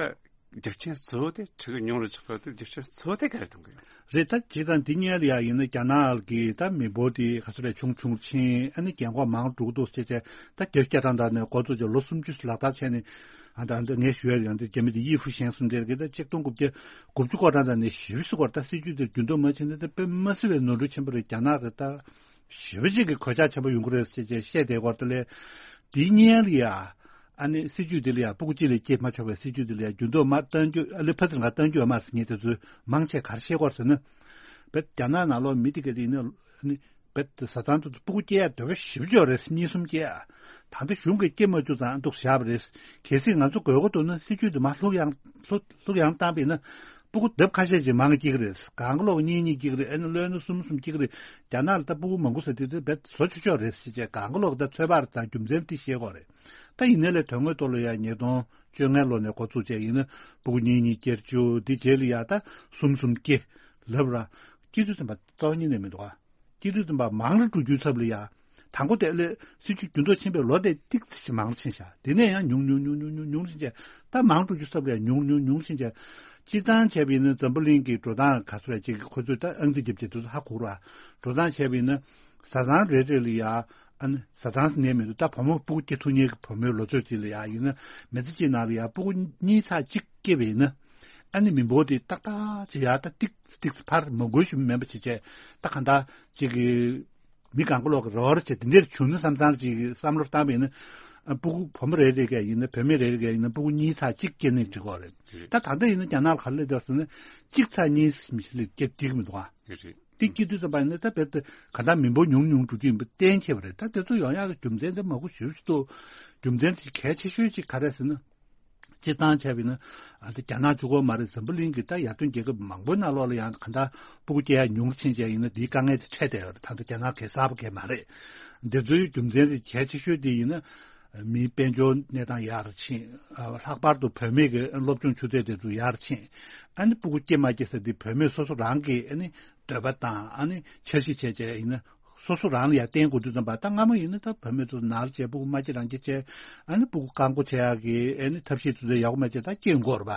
རྒྱུ་རྐྱེན་གཙོ་བོ་དེ་ཕྲུ་གུ་ཉུང་རུ་ཆགས་པ་དེ་རྒྱུ་རྐྱེན་གཙོ་བོ་དེ་ག་རེ་གཏོང་གི་ཡོད། རེད། ད་སྤྱིར་བཏང་འདི་སྔོན་ལ་ཡ་ཡིན་ན་རྒྱ་ནག་གི་ད་མི་འབོར་དེ་ག་ཚོད་རེད་ཆུང་ཆུང་ཕྱིན་ཨ་ནི་རྒན་འཁོགས་མང་འགྲོ་གི་འདུག་ཟེར་བྱས་ད་བརྒྱད་ཅུ་གྱ་གྲངས་དག་ནས་འགོ་བཙུགས་བྱས་ལོ་སུམ་ཅུ་ལག་བསྟར་བྱས་ནས་ཨ་ད་འདི་ངས་ཞུ་ཡ་ཡང་འདི་རྒྱ་མི་དེ་ཡི་ཧྥུ་ཞན་གསུམ་དེར་གི་ད་ཆིག་སྟོང་དགུ་བརྒྱ་དགུ་བཅུ་གོ་གྲངས་དག་ནས་ཞེ་པོ་ཅིག་སྐོར་ད་སྲིད་ཇུས་དེ་འགྱུར་ལྡོག་མ་ཕྱིན་ན་ད་དཔེ་མ་སྲིད་པའི་ནོར་འཁྲུལ་ཆེན་པོ་རེད། རྒྱ་ནག་གི་ད་ཞེ་པོ་ཅིག་གི་གོད་ཆག་ཆེན་པོ་ཡོང་གི་རེད་ཟེར་བྱས་བཤད་བསྡད་སྐོར་དེ་ལས་འདི་སྔོན་ལ་ཡ། ཨ་ནི་སྲིད་ཇུས་འདི་ལ་ཡང་སྤུ་གུ་གཅིག་ལས་སྐྱེས་མ་ཆོག་པའི་སྲིད་ཇུས་འདི་ལ་ཡང་འགྱུར་ལྡོག་མ་གཏང་རྒྱུ་ཨ་ལེ་ཕ་ཚིར་ང་གཏང་རྒྱུ་ཨ་མ་ཟེར་མཁན་དེ་ཚོས་མང་ཆེ་ག་རེ་བཤད་ཀྱི་ཡོད་ཟེར་ན། བེད་རྒྱ་ནག་ནང་ལོགས་མི་དེ་ག་དེ་ཡིན་ན་ཨ་ནི་བེད་བཟའ་ཚང་དེ་ཚོ་སྤུ་གུ་སྐྱེ་ཡ་འདོད་པ་ཞེ་པོ་ཅིག་ཡོད་རེད། གཉིས་གསུམ་སྐྱེ་ཡ། ད་ལྟ་གཞུང་གིས་སྐྱེ་མ་བཅུག་ཙང་འདུག་བཞག་པ་རེད། གལ་སྲིད་ང་ཚོ་དགོས་མཁོ་འདུག་ན་སྲིད་ཇུས་དེ་མར་ལྷུག་ཡངས་ལྷུག་ལྷུག་ཡངས་བཏང་པ་ཡིན་ན། སྤུ་གུ་ལྡབ་ཁ་ཤས་ཅིག་མང་སྐྱེ་གི་རེད། གང་ག་ལོག་གཉིས་གཉིས་སྐྱེ་གི་རེད། ཨ་ནི་ལོན་ན་གསུམ་གསུམ་སྐྱེ་གི་རེད། རྒྱ་ནག་ལ་ད་སྤུ་གུ་མང་པོ་ཟེར་དུས་དེ་བེད་བཟོ་ཆོག་ཆོག་རེད་ཟེར་བྱས་གང་ག་ལོག་ད་ཚོད་དཔག་དང་རྒྱུ་མཚན་དེ་བཤད་དགོས་རེད། ད་ཡིན་ནའི་ལས་དོན་དངོས་ཐོག་ལ་ཡ་ཉིས་སྟོང་བཅོ་ལྔ་ལོ་ནས་འགོ་བཙུགས་བྱས་ཡིན་ན་སྤུ་གུ་གཉིས་གཉིས་སྐྱེ་བཅུག་འདི་རྗེས་ལ་ཡ་ད་གསུམ་གསུམ་སྐྱེ་ལབ་ར། སྐྱེ་དུས་ཙམ་པ་རྩ་བ་ཉིད་ནས་མི་འདུག་ཨ། སྐྱེ་དུས་ཙམ་པ་མང་རུ་འགྲོ་རྒྱུའི་ཚབ་ལ་ཡ། དང་པོ་དེ་ལས་སྲིད་ཇུས་འགྱུར་ལྡོག་ཕྱིན་པའི་ལོ་དེ་ཏིག་ཙམ་ཞིག་མང་རུ་ཕྱིན་ཤག་དེ་ནས་ཡང་ཉུང་ཉུང་ཉུང་ཉུང་ཉུང་ཉུང་ཕྱིན་བྱས་ད་མང་འགྲོ་རྒྱུ་ཚབ་ལ་ཡ་ཉུང་ཉུང་ཉུང་ཕྱིན་བྱས། སྤྱིར་བཏང་བྱས་པ་ཡིན་ན་འཛམ་བུ་གླིང་གི་འགྲོ་སྟངས་ག་ཚོད་རེད་ཅིག་ཁོ་ཚོས་ད་ཨང་རྩིས་རྒྱབ་བྱས་དུས་ཚོད་ཧ་གོ་ར། འགྲོ་སྟངས་བྱས་པ་ཡིན་ན་བཟའ་ཚང་རེ་རེ་ལ་ཡ་ཨ་ནི་བཟའ་ཚང་ཟེར་ནས་མི་འདུག་ད་བུ་མོ་སྤུ་གུ་སྐྱེ་ཐུབ་མཁན་གྱི་བུ་མོའི་ལོ་ཚོད་ཅིག་ལ་ཡ་ཡིན་ན་མི་ཚེ་གཅིག་ནང་ལ་ཡ་སྤུ་གུ་གཉིས་ཚེག་གཅིག་སྐྱེས་པ་ཡིན་ན། ཨ་ནི་མི་འབོར་དེ་ཏག་ཏག་ཅིག་ཡར་ད་ཏིག་ཏིག་ཕར་མ་འགུལ་ཞིག་མིན་པ་བྱས་བྱས་ད་གང་ལྟར་ཅིག་གི་མི་གང་ག་ལོག་གི་རོགས་རེ་བྱས་དེ་འདྲར་བྱུང་ན་བསམ་བསམ་ཅིག་བསམ་བློ་བཏང་བ་ཡིན་ན། ཨ་སྤུ་གུ་བུ་མོ་རེ་རེ་གས་ཡིན་ན་བུད་མེད་རེ་རེ་གས་ཡིན་ན་སྤུ་གུ་གཉིས་ཚེག་གཅིག་སྐྱེ་ནས་འགྲིག་གོ་རེད། རེད། ད་ད་ལྟ་ཡིན་ན་རྒྱ་ནག་ལ་ག་རེ་སླེབས་འདུག་ཟེར་ན་གཅིག་ཚེག་གཉིས་མི་ཤི་ལས་སྐྱེ་འགྲིག་མི་འདུག་ཨ། རེད། དེ་སྐྱེ་དུས་ཙམ་པ་ཡིན་ན་ད་རྦད་དེ་གང་ལྟར་མི་འབོར་ཉུང་ཉུང་འགྲོ་རྒྱུ་ཡིན་པ་གཏན་འཁེལ་བ་རེད། ད་དེ་ཚོ་ཡོང་ཡག་གི་རྒྱུ་མཚན་དེ་མང་པོ་ཞེ་པོ་ཅིག་འདུག་རྒྱུ་མཚན་དེ་གལ་ཆེ་ཤོས་ཅིག་ག་རེ་ཟེར་ན། སྤྱིར་བཏང་བྱས་པ་ཡིན་ན། ཨ་ད་རྒྱ་ནག་གཅིག་པོ་མ་རེད། འཛམ་བུ་གླིང་གི་ད་ཡར་ཐོན་རྒྱལ་ཁབ་མང་པོའི་ནང་ལོགས་ལ་ཡང་གང་ལྟར་སྤུ་གུ་སྐྱེ་ཡག་ཉུང་རུ་ཕྱིན་བྱས་ཡིན་ན་དེའི་དཀའ་ངལ་དེ་འཕྲད་བསྡད་ཡོད་རེད། ད་ལྟ་རྒྱ་ནག་གིས་གསར་པ་གང་ཡང་མ་རེད། འདི་ཚོའི་རྒྱུ་མཚན་དེ་གལ་ཆེ་ཤོས་དེ་ཡིན་ན། མིའི་དཔལ་འབྱོར་གནས་སྟངས་ཡར་ཕྱིན། ཨ་ལྷག་པར་དུ་བུད་མེད་ཀྱི་སློབ་སྦྱོང་ཆུ་ཚད་དེ་ཚོ་ཡར་ཕྱིན། ཨ་ནི་སྤུ་གུ་སྐྱེ་མ་སྐྱེ་ཟེར་དེ་བུད་མེད་སོ་སོ་རང་གི་ཨ་ནི་འདོད་པ་དང་ཨ་ནི་འཆར་གཞི་བྱས་བྱས་ཡིན་ན་སོ་སོ་རང་ལ་ཡར་བརྟེན་དགོས་དུས་ཙམ་པ་ད་སྔ་མོ་ཡིན་ན་ད་བུད་མེད་ཚོ་ནར་བྱས་སྤུ་གུ་མ་སྐྱེ་རང་སྐྱེ་བྱས་ཨ་ནི་སྤུ་གུ་བཀག་འགོག་བྱེད་ཡག་གི་ཨ་ནི་ཐབས་ཤེས་དེ་ཚོ་ཡག་པོ་མ་བྱས་ད་སྐྱེ་འགོར་བ།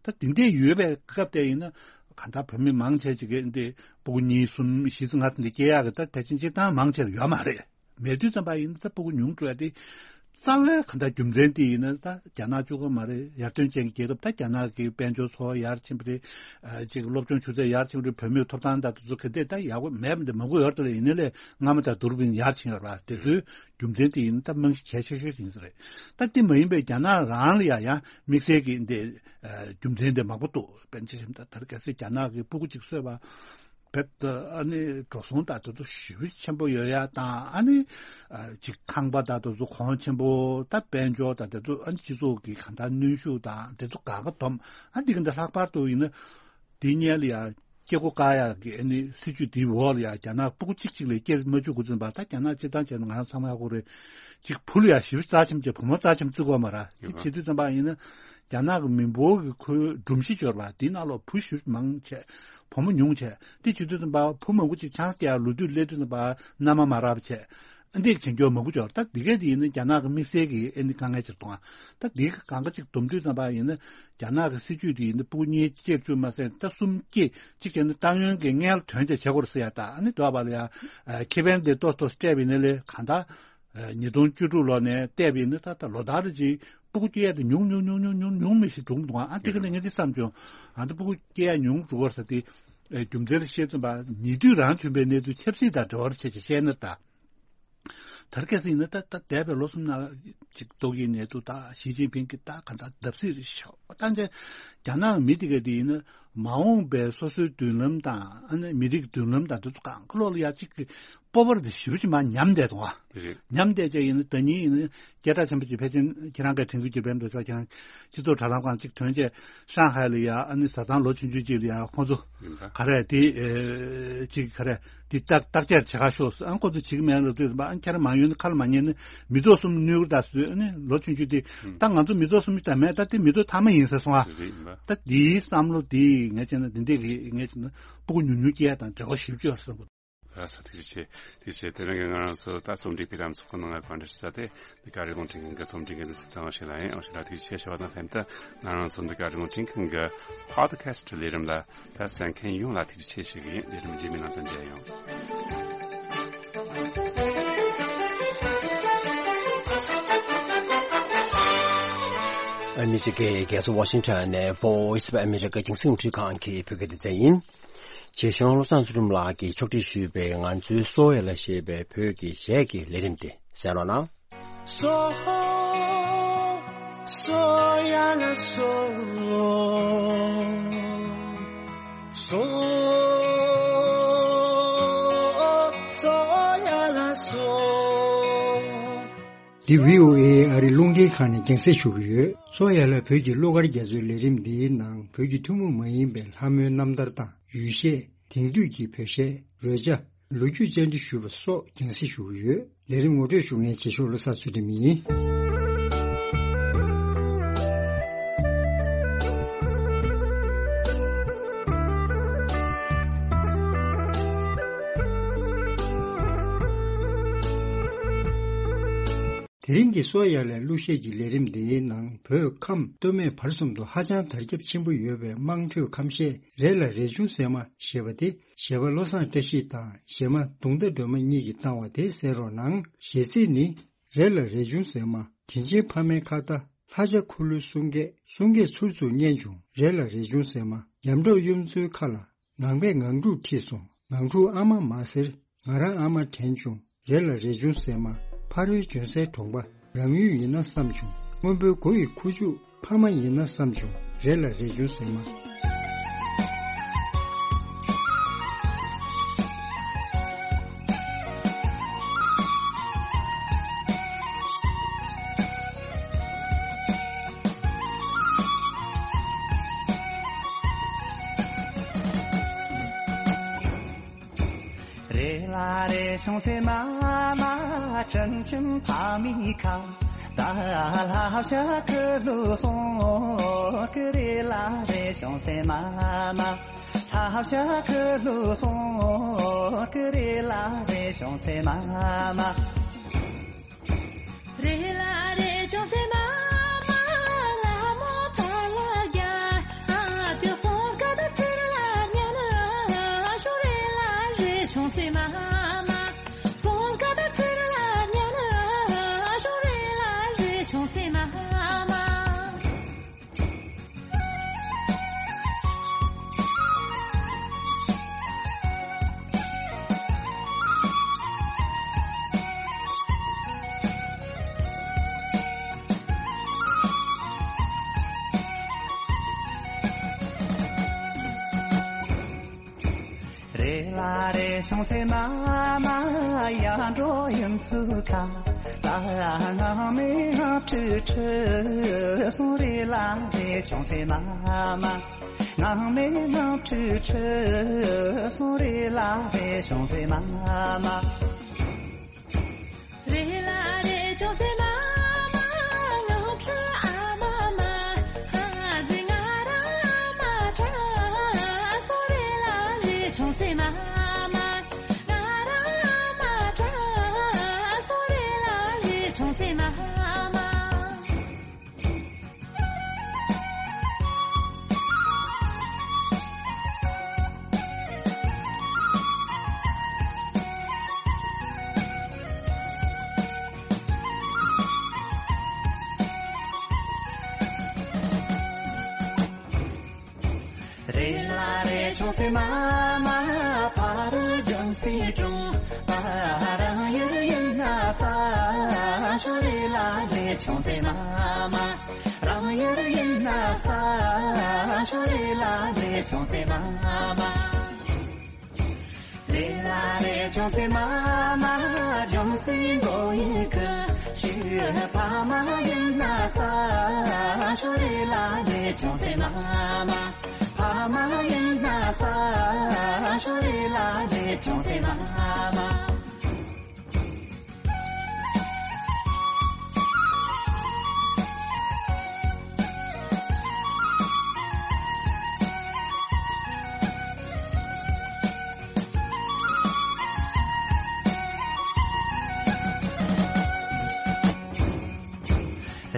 ད་དེ་འདྲས་ཡོད་པའི་སྐབས་དེ་ཡིན་ན་གང་ལྟར་བུད་མེད་མང་ཆེ་ཅིག་གིས་འདི་སྤུ་གུ་གཉིས་གསུམ་བཞི་ཙམ་ལྔ་ཙམ་འདི་སྐྱེ་ཡག་གི་ད་ཕལ་ཆེར་སྤྱིར་བཏང་མང་ཆེར་ཡོད་མ་རེད། མེད་དུས་ཙམ་པ་ཡིན་ན་ད་སྤུ་གུ་ཉུང་འགྲོ་ཡ་དེ་རྩ་བའི་གང་ལྟར་རྒྱུ་མཚན་དེ་ཡིན་ན་ད་རྒྱ་ནག་གཅིག་པོ་མ་རེད། ཡར་ཐོན་ཅན་གྱི་རྒྱལ་ཁབ་ད་རྒྱ་ནག་གི་དཔལ་འབྱོར་འཚོ་བ་ཡར་ཕྱིན་པ་རེད། ཨ་ཅིག་སློབ་སྦྱོང་ཆུ་ཚད་ཡར་ཕྱིན་པ་རེད། བུད་མེད་ཐོབ་ཐང་དང་དེ་ཚོ་ག་འདྲས་ད་ཡག་པོ་མེད་པ་འདི་མང་པོ་ཡོད་རེད། དེ་ལས་ཡིན་ནའི་ལས་སྔ་མ་དང་བསྡུར་བ་ཡིན་ན་ཡར་ཕྱིན་ཡོད་རེད་པ། དེ་ཚོའི་རྒྱུ་མཚན་དེ་ཡིན་ན་ད་རྨང་གཞི་གལ་ཆེ་ཤོས་དེ་ཡིན་ས་རེད། ད་དེ་མ་ཡིན་པའི་རྒྱ་ནག་རང་ལ་ཡང་ཡང་དམིགས་བསལ་གྱི་འདི་རྒྱུ་མཚན་དེ་མང་པོ་འདུག་དཔེར་ན་ཆ་བཞག་ན་ད་ལྟ་གལ་སྲིད་རྒྱ་ནག་གི་སྤུ་གུ་གཅིག་གསོས་པ། བེད་ཨ་ནི་འགྲོ་སོང་དང་དེ་ཚོ་ཞེ་པོ་ཆེན་པོ་ཡོད་ཡ་དང་ཨ་ནི་ཅིག་ཁང་པ་དང་དེ་ཚོ་གོང་ཆེན་པོ་ད་དཔལ་འབྱོར་དང་དེ་ཚོ་ཨ་ནི་སྤྱི་ཚོགས་ཀྱི་གང་ལྟར་གནོན་ཤུགས་དང་དེ་ཚོ་གང་ག་སྡོམ་ཨ་འདི་ག་འདྲ་ལྷག་པར་དུ་ཡིན་ན་དེ་སྔོན་ལ་ཡ་སྐྱེ་སྒོ་བཀག་ཡག་གི་ཨ་ནི་སྲིད་ཇུས་དེའི་འོག་ལ་ཡ་རྒྱ་ནག་སྤུ་གུ་གཅིག་གཅིག་ལས་སྐྱེ་མ་བཅུག་དགོས་ཚུལ་པ་ད་རྒྱ་ནག་སྤྱིར་བཏང་བྱས་ན་ང་རང་ཚང་མ་ཧ་གོ་རེད། གཅིག་བུ་ལ་ཡ་ཞེ་པོ་རྩ་ཆེན་བྱས་བུ་མོ་རྩ་ཆེན་བརྩི་དགོས་མ་རེད། དེ་བྱེད་དུས་ཙམ་པ་ཡིན་ན་རྒྱ་ནག་གི་མི་འབོར་གྱི་ཁོའི་སྒྲོམ་གཞི་འབྱོར་བ་དེའི་ནང་ལོགས་བུ་ཞེ་པོ་མང་ཆེ། བུ་མོ་ཉུང་ཆེ། དེ་བྱེད་དུས་ཙམ་པ་བུ་མང་པོ་ཅིག་ཆང་སྐྱེ་ལོ་དུས་སླེབས་དུས་ཙམ་པ་མནའ་མ་མ་རག་པ་བྱས། ཨ་འདི་བྱེད་རྒྱུ་མང་པོ་ཅིག་ཡོད་རེད། ད་འདི་ག་དེ་ཡིན་ན་རྒྱ་ནག་གི་དམིགས་བསལ་གྱི་ཨ་ནི་དཀའ་ངལ་ཅིག་མཐོང་ཨ། ད་འདི་ག་གང་ག་ཅིག་སྡོམ་དུས་ཙམ་པ་ཡིན་ན་རྒྱ་ནག་གི་སྲིད་ཇུས་དེ་ཡིན་ན་སྤུ་གུ་གཉིས་བཅས་བཅུ་མ་ཟད་ད་གསུམ་བཅས་གཅིག་བྱས་ན་ཏང་ཡོན་གྱི་སྔོན་ལ་དོན་དེ་བྱེད་དགོས་རེད་ཟེར་ཡ། ད་ཨ་ནི་འདོད་པ་ལ་ཡ་ཁེ་ཕན་དེ་ཏོག་ཏོག་སྤྲད་པ་ཡིན་ན་ལས་གང་ལྟར་ཉིས་སྟོང་བཅུ་དྲུག་ལོ་ནས་བལྟས་པ་ཡིན་ན་ད་ལྟ་ལོ་ལྟར་རེ་ཅིག་སྤུ་གུ་སྐྱེ་ཡ་དེ་ཉུང་ཉུང་ཉུང་ཉུང་ཉུང་ཉུང་མི་ཞིག་འགྲོ་གི་འདུག་ཨ་དེ་ག་ནས་ངས་འདི་བསམ་བྱུང་། ཨ་ད་སྤུ་གུ་སྐྱེ་ཡ་ཉུང་འགྲོ་བར་ས་དེ་རྒྱུ་མཚན་ལ་བཤད་ཙམ་པ་ཉེ་དུས་རང་བྱུང་བའི་གནས་ཚུལ་ཆབ་སྲིད་དང་འབྲེལ་བ་ཆེ་ཆེ་བཤད་ན་ད། དར་ཁ་སྲིད་ནི་ད་ད་འདས་པའི་ལོ་གསུམ་ནང་ཅིག་ཏོག་དབྱིབས་ནད་དུག་ད་ཞི་ཅིན་ཕིང་གི་ད་ག་ད་བརྡབ་གསིག་རེད་ཤག་ད་འདི་རྒྱ་ནག་མི་དེ་ག་དེ་ཡིན་ན་མ་འོངས་པའི་སོ་སོའི་མདུན་ལམ་དང་ཨ་ནི་མི་རིགས་མདུན་ལམ་དང་དེ་ཚོ་གང་ག་ལོག་ལ་ཡ་གཅིག་གི་སྤོབས་པ་དེ་ཞེ་པོ་ཅིག་མར་ཉམས་བསྡད་འདུག་ཨ། རེད། ཉམས་བསྡད་ཅག་ཡིན་ན་ད་ཉིན་ཡིན་ན་སྐད་གྲགས་ཆེན་པོ་ཅིག་ཕལ་ཆེར་ཁྱེད་རང་གིས་དྲན་གྱི་ཡོད་པའི་འགྲོ་ཆོག་ཁྱེད་རང་སྤྱི་ཚོགས་དྲ་ལམ་སྒང་ཅིག་ཐོན་བྱས་ཧྲང་ཧའེ་ལ་ཡ་ཨ་ནི་བཟའ་ཚང་ལོ་ཆུང་ཆུང་ཅིག་ལ་ཡ་ཁོང་ཚོ་ཡིན་པ། ག་རེ་དེ་ཨེ་ཅིག་ག་རེ། དེ་བརྟག་བརྟག་དཔྱད་བྱེད་ག་ཤོག་ཟེར། ཨ་ཁོ་ཚོ་བྱེད་ཀྱི་མེད་ལབ་དུས་ཨ་ཁྱེད་རང་མ་ཡོང་ན་ཁ་ལ་མ་ཉན་ན་མི་ཐོག་གསུམ་གནོད་གི་ད་ཟེར། ཨ་ནི་ལོ་ཆུང་ཆུང་དེ་ད་ང་ཚོ་མི་ཐོག་གསུམ་ད་མེད། ད་དེ་མི་ཐོག་ཐ་མ་ཡིན་ཟེར་སོང་ཨ། རེད་ཡིན་པ། ད་དེའི་བསམ་བློ་དེ་ངས་བྱས་ན་དེ་འདྲས་ཀྱི་ངས་བྱས་ན་སྤུ་གུ་ཉུང་ཉུང་སྐྱེ་ཡ་དང་འབྲེལ་བ་ཞེ་པོ་ཅིག་ཡོད་རེད་བསམ་གི་འདུག་ལགས་སོ། ཐུགས་རྗེ་ཆེ། ཐུགས་རྗེ་ཆེ། དེ་རིང་གི་ང་རང་ཚོ་ད་རྩོམ་སྒྲིག་པའི་ལམ་ཚོགས་ནང་ལ་གོ་སྒྲིག་ཞུ་ས་དེ་འདི་ག་རི་ཀོན་ཁྲིན་གི་རྩོམ་སྒྲིག་འགན་འཛིན་ཚེ་བརྟན་དབང་ཕྱུག་ལགས་ཡིན། དབང་ཕྱུག་ལགས་ཐུགས་རྗེ་ཆེ་ཞུ་བ་དང་ལྷན་དུ་ང་རང་ཚོ་འདི་ག་རི་ཀོན་ཁྲིན་གི་པོ་ཌི་ཁ་སི་ཊི་ལས་རིམ་ལ། ད་གསན་མཁན་ཡོངས་ལ་ཐུགས་རྗེ་ཆེ་ཞུ་གི་ཡིན། ལས་རིམ་རྗེས་མའི་ནང་དུ་མཇལ་ཡོང་། ཨ་མི་རི་ཀའི་རྒྱལ་ས་ཝ་ཤིང་ཊོན་ནས་Voice of America་རྒྱང་སྲིང་རླུང་འཕྲིན་ཁང་གི་བོད་སྐད་སྡེ་ཚན་ཡིན། རྗེ་གཞུང་བློ་བཟང་ཚུལ་ཁྲིམས་ལགས་ཀྱིས་ཕྱོགས་སྒྲིག་ཞུས་པའི་ང་ཚོའི་སོ་ཡ་ལ་ཞེས་པའི་བོད་ཀྱི་གཞས་ཀྱི་ལས་རིམ་དེ་གསན་རོགས་གནང་། སོ། སོ་ཡ་ལ་སོ། སོ། སོ་ཡ་ལ་སོ། འདི་བྷི་ཨོ་ཨེ་ཨ་རིའི་རླུང་འཕྲིན་ཁང་ནས་རྒྱང་སྲིང་ཞུ་གི་ཡོད། སོ་ཡ་ལ་བོད་ཀྱི་གླུ་གར་རྒྱ་མཚོའི་ལས་རིམ་འདིའི་ནང་བོད་ཀྱི་ཐུན་མོང་མ་ཡིན་པའི་ལྷ་མོའི་རྣམ་ཐར་དང་ཡུལ་གཞས། དེང་དུས་ཀྱི་བོད་གཞས། རོལ་ཆ། ལོ་རྒྱུས་བཅར་འདྲི་ཞུས་པ་སོགས་རྒྱང་སྲིང་ཞུ་གི་ཡོད། ལས་རིམ་ངོ་སྤྲོད་ཞུ་མཁན་རྗེས་ཕྱོགས་བློ་བཟང་ཚུལ་ཁྲིམས་ཡིན། དེ་རིང་གི་སོ་ཡ་ལའི་གླུ་གཞས་ཀྱི་ལས་རིམ་འདིའི་ནང་བོད་ཁམས་སྟོད་སྨད་བར་གསུམ་དུ་ཧ་ཅང་དར་ཁྱབ་ཆེན་པོ་ཡོད་པའི་དམངས་ཁྲོད་ཁམས་གཞས་རེད་ལ་རས་ཆུང་ཟེར་མ་ཞེས་པ་དེ་གཞས་པ་བློ་བཟང་བཀྲ་ཤིས་དང་གཞས་མ་དུང་ཟླ་སྒྲོལ་མ་གཉིས་ཀྱིས་བཏང་བ་དེ་གསན་རོགས་གནང་། གཞས་ཚིག་ནི། རེད་ལ་རས་ཆུང་ཟེར་མ། དྲིན་ཆེན་ཕ་མའི་ཁ་བརྡ། ལྷ་བྱ་འཁོར་ལོའི་གསུང་སྐད། གསུང་སྐད་ཚུར་ཚུར་སྙན་བྱུང་། རེད་ལ་རས་ཆུང་ཟེར་མ། ཡམ་གྲོགས་གཡུ་མཚོའི་ཁ་ལ། ངང་པས་ངང་ཕྲུག་ཁྲིད་སོང་། ངང་ཕྲུག་ཨ་མ་མ་ཟེར། ང་རང་ཨ་མ་དྲན་བྱུང་། རེད་ལ་རས་ཆུང་ཟེར་མ། ཕ་རོལ་བྱོན་སའི་གྲོང་པ། རང་ཡུལ་ཡིན་ན་བསམ་བྱུང་། སྔོན་པོའི་མགོ་ཡི་ཁུ་བྱུག། ཕ་མ་ཡིན་ན་བསམ་བྱུང་། རེད་ལ་རས་ཆུང་ཟེར་མ། རེད་ལ་རས་ཆུང་ཟེར་མ་མ། དྲིན་ཆེན་ཕ་མའི་ཁ་བརྡ། ལྷ་བྱ་འཁོར་ལོའི་གསུང་སྐད། རེད་ལ་རས་ཆུང་ཟེར་མ་མ། ལྷ་བྱ་འཁོར་ལོའི་གསུང་སྐད། རེད་ལ་རས་ཆུང་ཟེར་མ་མ། རེད་ལ་རས་ཆུང་ཟེར་མ་མ། ལྷ་མོ་དར་ལ་རྒྱ། ཨ་དེ་སོང་ཀ་ད་ཚུར་ལ་ཉན་ན་ཤོག་རེད་ལ་རས་ཆུང་ཟེར་མ་མ། སོང་ཀ་ད་ཚུར་ལ་ཉན་ན་ཤོག་རེད་ལ་རས་ཆུང་ཟེར་མ་མ། རེད་ལ་རས་ཆུང་ཟེར་མ་མ། ཡར་འགྲོ་གཡུ་མཚོའི་ཁ། ད་ངང་མའི་ངང་ཁྲིད་ཁྲིད་སོང་། རེད་ལ་རས་ཆུང་ཟེར་མ་མ། ངང་མའི་ངང་ཁྲིད་ཁྲིད་སོང་། རེད་ལ་རས་ཆུང་ཟེར་མ་མ། རེད་ལ་རས་ཆུང་ཟེར་མ་མ། ངང་ཁྲིད་ཨ་མ་མ། ཨ་ཙི་ང་རང་ཨ་མ་དྲན་སོང་། རེད་ལ་རས་ཆུང་ཟེར་མ་མ། ང་རང་ཨ་མ་དྲན་སོང་། ཆུང་སེ་མ་མ་ཕ་རུ་ལྗང་སེ་ཀྲུང་། ད་རང་ཡུལ་ཡིན་ན་ས་ཤོ་རེ་ལ་ལེ། ཆུང་སེ་མ་མ་རང་ཡུལ་ཡིན་ན་ས་ཤོ་རེ་ལ་ལེ། ཆུང་སེ་མ་མ་རེ་ལ་རེ། ཆུང་སེ་མ་མ་ལྗང་སེ་མགོ་ཡི་གུ་ཤི། ཕ་མ་ཡིན་ན་ས་ཤོ་རེ་ལ་ལེ། ཆུང་སེ་མ་མ་ཕ་མ་ཡིན་ན་ས་ཤོ་རེ་ལ་ལེ། ཆུང་སེ་མ་མ།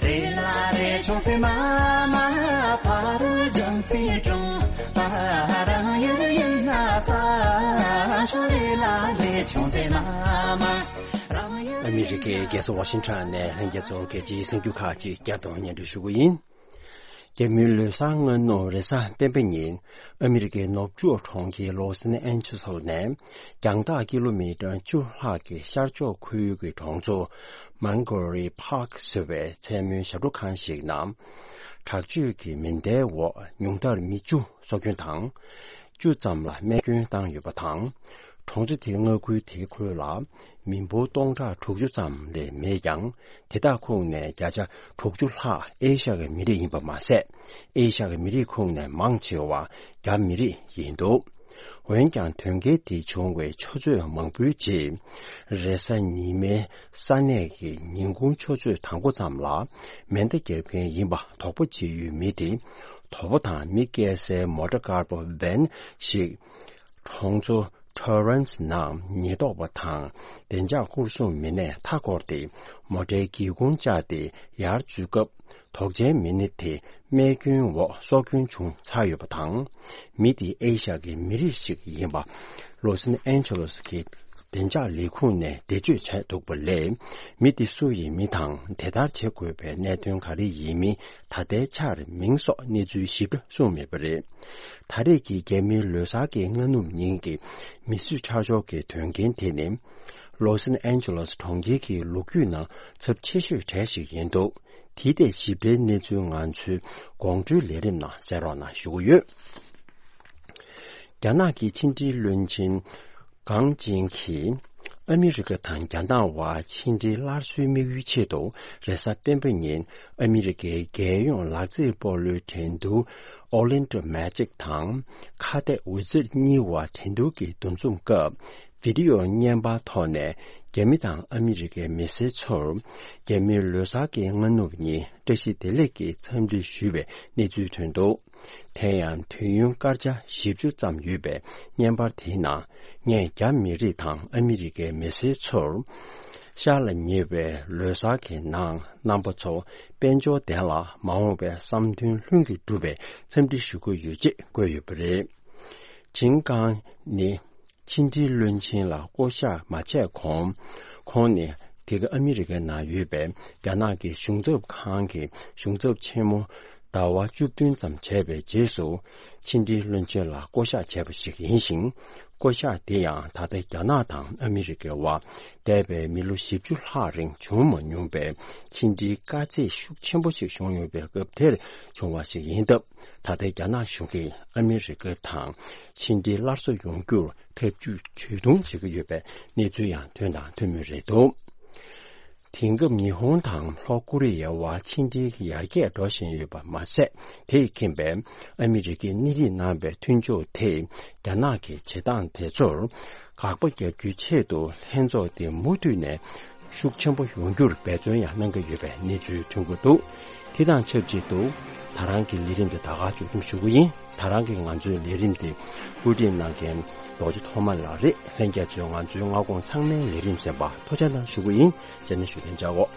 རེ་ལ་རེ། ཆུང་སེ་མ་མ་ཕ་རུ་ལྗང་སེ་ཀྲུང་། ད་རང་ཡུལ་ཡིན་ན་ས་ཤོ་རེ་ལ་ལེ། ཆུང་སེ་མ་མ་རང་ཡུལ། ཨ་མི་རི་ཀའི་རྒྱལ་ས་ཝ་ཤིང་ཊོན་ནས་ལྷན་རྒྱས་ཚོར་རྒྱལ་སྤྱིའི་གསར་འགྱུར་ཁག་ཅིག་བསྐྱར་དུ་སྙན་སྒྲོན་ཞུ་རྒྱུ་ཡིན། རྒྱ་མིའི་ལོ་གསར་སྔ་ནུབ་རེས་གཟའ་སྤེན་པ་ཉིན་ཨ་མི་རི་ཀའི་ནུབ་ཕྱོགས་གྲོང་ཁྱེར་ལོ་སན་ཨན་ཇེ་ལིས་ནས་རྒྱང་ཐག་ཀི་ལོ་མི་ཊར་བཅུ་ལྷག་གི་ཤར་ཕྱོགས་ཁུལ་གྱི་གྲོང་ཚོ་མོན་གྷོ་རི་པཱརྐ་ཟེར་བའི་མཚན་མོའི་ཞབས་བྲོ་ཁང་ཞིག་ནང་དྲག་སྤྱོད་ཀྱི་མེ་མདའི་འོག་ཉུང་མཐར་མི་བཅུ་སྲོག་སྐྱོན་དང་། བཅུ་ཙམ་ལ་རྨས་སྐྱོན་བཏང་ཡོད་པ་དང་། གྲོང་ཚོ་དེའི་མངའ་ཁུལ་དེའི་ཁུལ་ལ་མི་འབོར་སྟོང་ཕྲག་དྲུག་ཅུ་ཙམ་ལས་མེད་ཀྱང་། དེ་དག་ཁོངས་ནས་བརྒྱ་ཆ་དྲུག་ཅུ་ལྷག་ཨེ་ཤ་ཡའི་མི་རིགས་ཡིན་པ་མ་ཟད། ཨེ་ཤ་ཡའི་མི་རིགས་ཁོངས་ནས་མང་ཆེ་བ་རྒྱ་མི་རིགས་ཡིན་འདུག་འོན་ཀྱང་། དོན་རྐྱེན་དེ་བྱུང་བའི་ཆུ་ཚོད་མང་པོའི་རྗེས། རེས་གཟའ་ཉི་མའི་ས་གནས་ཀྱི་ཉིན་གུང་ཆུ་ཚོད་དང་པོ་ཙམ་ལ་མེ་མདའ་བརྒྱབ་མཁན་ཡིན་པ་དོགས་པ་བྱེད་ཡུལ་མི་དེ། དོ་པོ་དང་མི་སྐྱེལ་སའི་མོ་ཊ་དཀར་པོ་བྷན་ཞིག་གྲོང་ཚོ་ཊོ་རན་སི་ནང་ཉེན་རྟོག་པ་དང་བདེ་འཇགས་སྐོར་སྲུང་མི་སྣས་མཐའ་བསྐོར་ཏེ། མོ་ཊའི་སྒེའུ་ཁུང་བཅག་སྟེ་ཡར་འཛུལ་སྐབས། དོགས་ཅན་མི་སྣ་དེ་རྨས་སྐྱོན་འོག་སྲོག་སྐྱོན་བྱུང་ཚར་ཡོད་པ་དང་། མི་དེ་ཨེ་ཤ་ཡའི་མི་རིགས་ཤིག་ཡིན་པ་ལོ་སན་ཨན་ཇེ་ལིས་ཀྱི་བདེ་འཇགས་ལས་ཁུངས་ནས་འགྲེལ་བརྗོད་བྱས་འདུག་པ་ལས། མི་དེ་སུ་ཡིན་མིན་དང་། དེ་ལྟར་བྱེད་དགོས་པའི་གནད་དོན་ག་རེ་ཡིན་མིན་ད་ལྟའི་ཆར་མིང་སོགས་གནས་ཚུལ་ཞིབ་ཕྲ་གསུངས་མེད་པ་རེད། ད་རེས་ཀྱི་རྒྱ་མིའི་ལོ་གསར་གྱི་སྔ་ནུབ་ཉིན་གྱི་མི་གསོད་ཁྲག་སྦྱོར་གྱི་དོན་རྐྱེན་དེ་ནི། ལོ་སན་ཨན་ཇེ་ལིས་གྲོང་ཁྱེར་གྱི་ལོ་རྒྱུས་ནང་ཚབས་ཆེ་ཤོས་གྲས་ཤིག་ཡིན་འདུག་དེའི་ཐད་ཞིབ་ཕྲའི་གནས་ཚུལ་ང་ཚོའི་དགོང་དྲོའི་ལས་རིམ་ནང་གསན་རོགས་གནང་ཞུ་གི་ཡོད། རྒྱ་ནག་གི་ཕྱི་འབྲེལ་བློན་ཆེན་ཀང་ཅིན་གྱིས་ཨ་མི་རི་ཀ་དང་རྒྱ་ནག་དབར་ཕྱི་འབྲེལ་སླར་གསོའི་དམིགས་ཡུལ་ཆེད་དུ། རེས་གཟའ་སྤེན་པ་ཉིན་ཨ་མི་རི་ཀའི་རྒྱལ་ཡོངས་ལག་རྩེད་སྤོ་ལོའི་འགྲན་བསྡུར་Orlando Magic དང་ཁ་གཏད་ཝི་ཛེཊ་གཉིས་དབར་འགྲན་བསྡུར་གྱི་འདུ་འཛོམས་སྐབས། བི་ཌི་ཡོ་བརྙན་པར་ཐོག་ནས་རྒྱ་མི་དང་ཨ་མི་རི་ཀའི་མི་སེར་ཚོར་རྒྱ་མིའི་ལོ་གསར་གྱི་སྔ་ནུབ་ཉིན་བཀྲ་ཤིས་བདེ་ལེགས་ཀྱི་འཚམས་འདྲི་ཞུས་པའི་གནས་ཚུལ་ཐོན་འདུག་དེ་ཡང་དུས་ཡུན་སྐར་ཆ་བཞི་བཅུ་ཙམ་ཡོད་པའི་བརྙན་པར་དེའི་ནང་། ངས་རྒྱ་མི་རིགས་དང་ཨ་མི་རི་ཀའི་མི་སེར་ཚོར་ཤར་ལ་ཉེ་བའི་ལོ་གསར་གྱི་ནང་རྣམ་པ་ཚོ་དཔལ་འབྱོར་ལྡན་ལ་མ་འོངས་པའི་བསམ་དོན་ལྷུན་གྱིས་འགྲུབ་པའི་འཚམས་འདྲི་ཞུ་གི་ཡོད་ཅེས་བཀོད་ཡོད་པ་རེད། ཅིན་ཀང་ནི་ཕྱི་འབྲེལ་བློན་ཆེན་ལ་བསྐོ་གཞག་མ་བྱས་གོང་། ཁོང་ནི་དེ་ག་ཨ་མི་རི་ཀའི་ནང་ཡོད་པའི་རྒྱ་ནག་གི་གཞུང་ཚབ་ཁང་གི་གཞུང་ཚབ་ཆེན་མོ་ཟླ་བ་བཅུ་བདུན་ཙམ་བྱས་པའི་རྗེས་སུ། ཕྱི་འབྲེལ་བློན་ཆེན་ལ་བསྐོ་གཞག་བྱས་པ་ཞིག་ཡིན་ཞིང་། བསྐོ་གཞག་དེ་ཡང་ད་ལྟ་རྒྱ་ནག་དང་ཨ་མི་རི་ཀའི་དབར་འདས་པའི་མི་ལོ་བཞི་བཅུ་ལྷག་རིང་བྱུང་མ་མྱོང་པའི་ཕྱི་འབྲེལ་དཀའ་ཚེགས་ཤུགས་ཆེན་པོ་ཞིག་བྱུང་ཡོད་པའི་སྐབས་དེར་བྱུང་བ་ཞིག་ཡིན་སྟབས། ད་ལྟའི་རྒྱ་ནག་གཞུང་གིས་ཨ་མི་རི་ཀ་དང་ཕྱི་འབྲེལ་སླར་གསོ་ཡོང་རྒྱུར་ཐབས་ཇུས་ཇུས་གཏོང་བྱེད་ཀྱི་ཡོད་པའི་གནས་ཚུལ་ཡང་ཐོན་དང་ཐོན་མུས་རེད་འདུག་དེང་སྐབས་ཉི་ཧོང་དང་ལྷོ་ཀོ་རི་ཡའི་དབར་ཕྱི་འབྲེལ་ཡར་རྒྱས་འགྲོ་བཞིན་ཡོད་པ་མ་ཟད། དེས་ཁེངས་པའི་ཨ་མི་རི་ཀས་སྣེ་ཁྲིད་གནང་བའི་མཐུན་ཕྱོགས་དེས་རྒྱ་ནག་གི་བྱེད་སྟངས་དེ་ཚོར་དགག་པ་རྒྱག་རྒྱུའི་ཆེད་དུ། ལྷན་ཚོགས་དེ་མུ་མཐུད་ནས་ཤུགས་ཆེན་པོ་ཡོང་རྒྱུར་འབད་བརྩོན་ཡང་གནང་གི་ཡོད་པའི་གནས་ཚུལ་ཐོན་གྱི་འདུག་དེ་དང་ཆབས་ཅིག་ཏུ། ད་རང་གི་ལས་རིམ་དེ་ད་ག་མཇུག་བསྡོམས་ཞུ་གི་ཡིན། ད་རང་གི་ང་ཚོའི་ལས་རིམ་དེ་བཀོད་སྒྲིག་གནང་མཁན་རྡོ་རྗེ་ཐོགས་མ་ལགས་རེད། ལྷན་རྒྱས་ཚོས་ང་ཚོའི་སྔ་དགོང་ཚང་མའི་ལས་རིམ་གསན་པར་ཐུགས་རྗེ་གནང་ཞུ་གི་ཡིན། རྗེས་ནས་ཞུ་ཐེངས་མཇལ་འོ།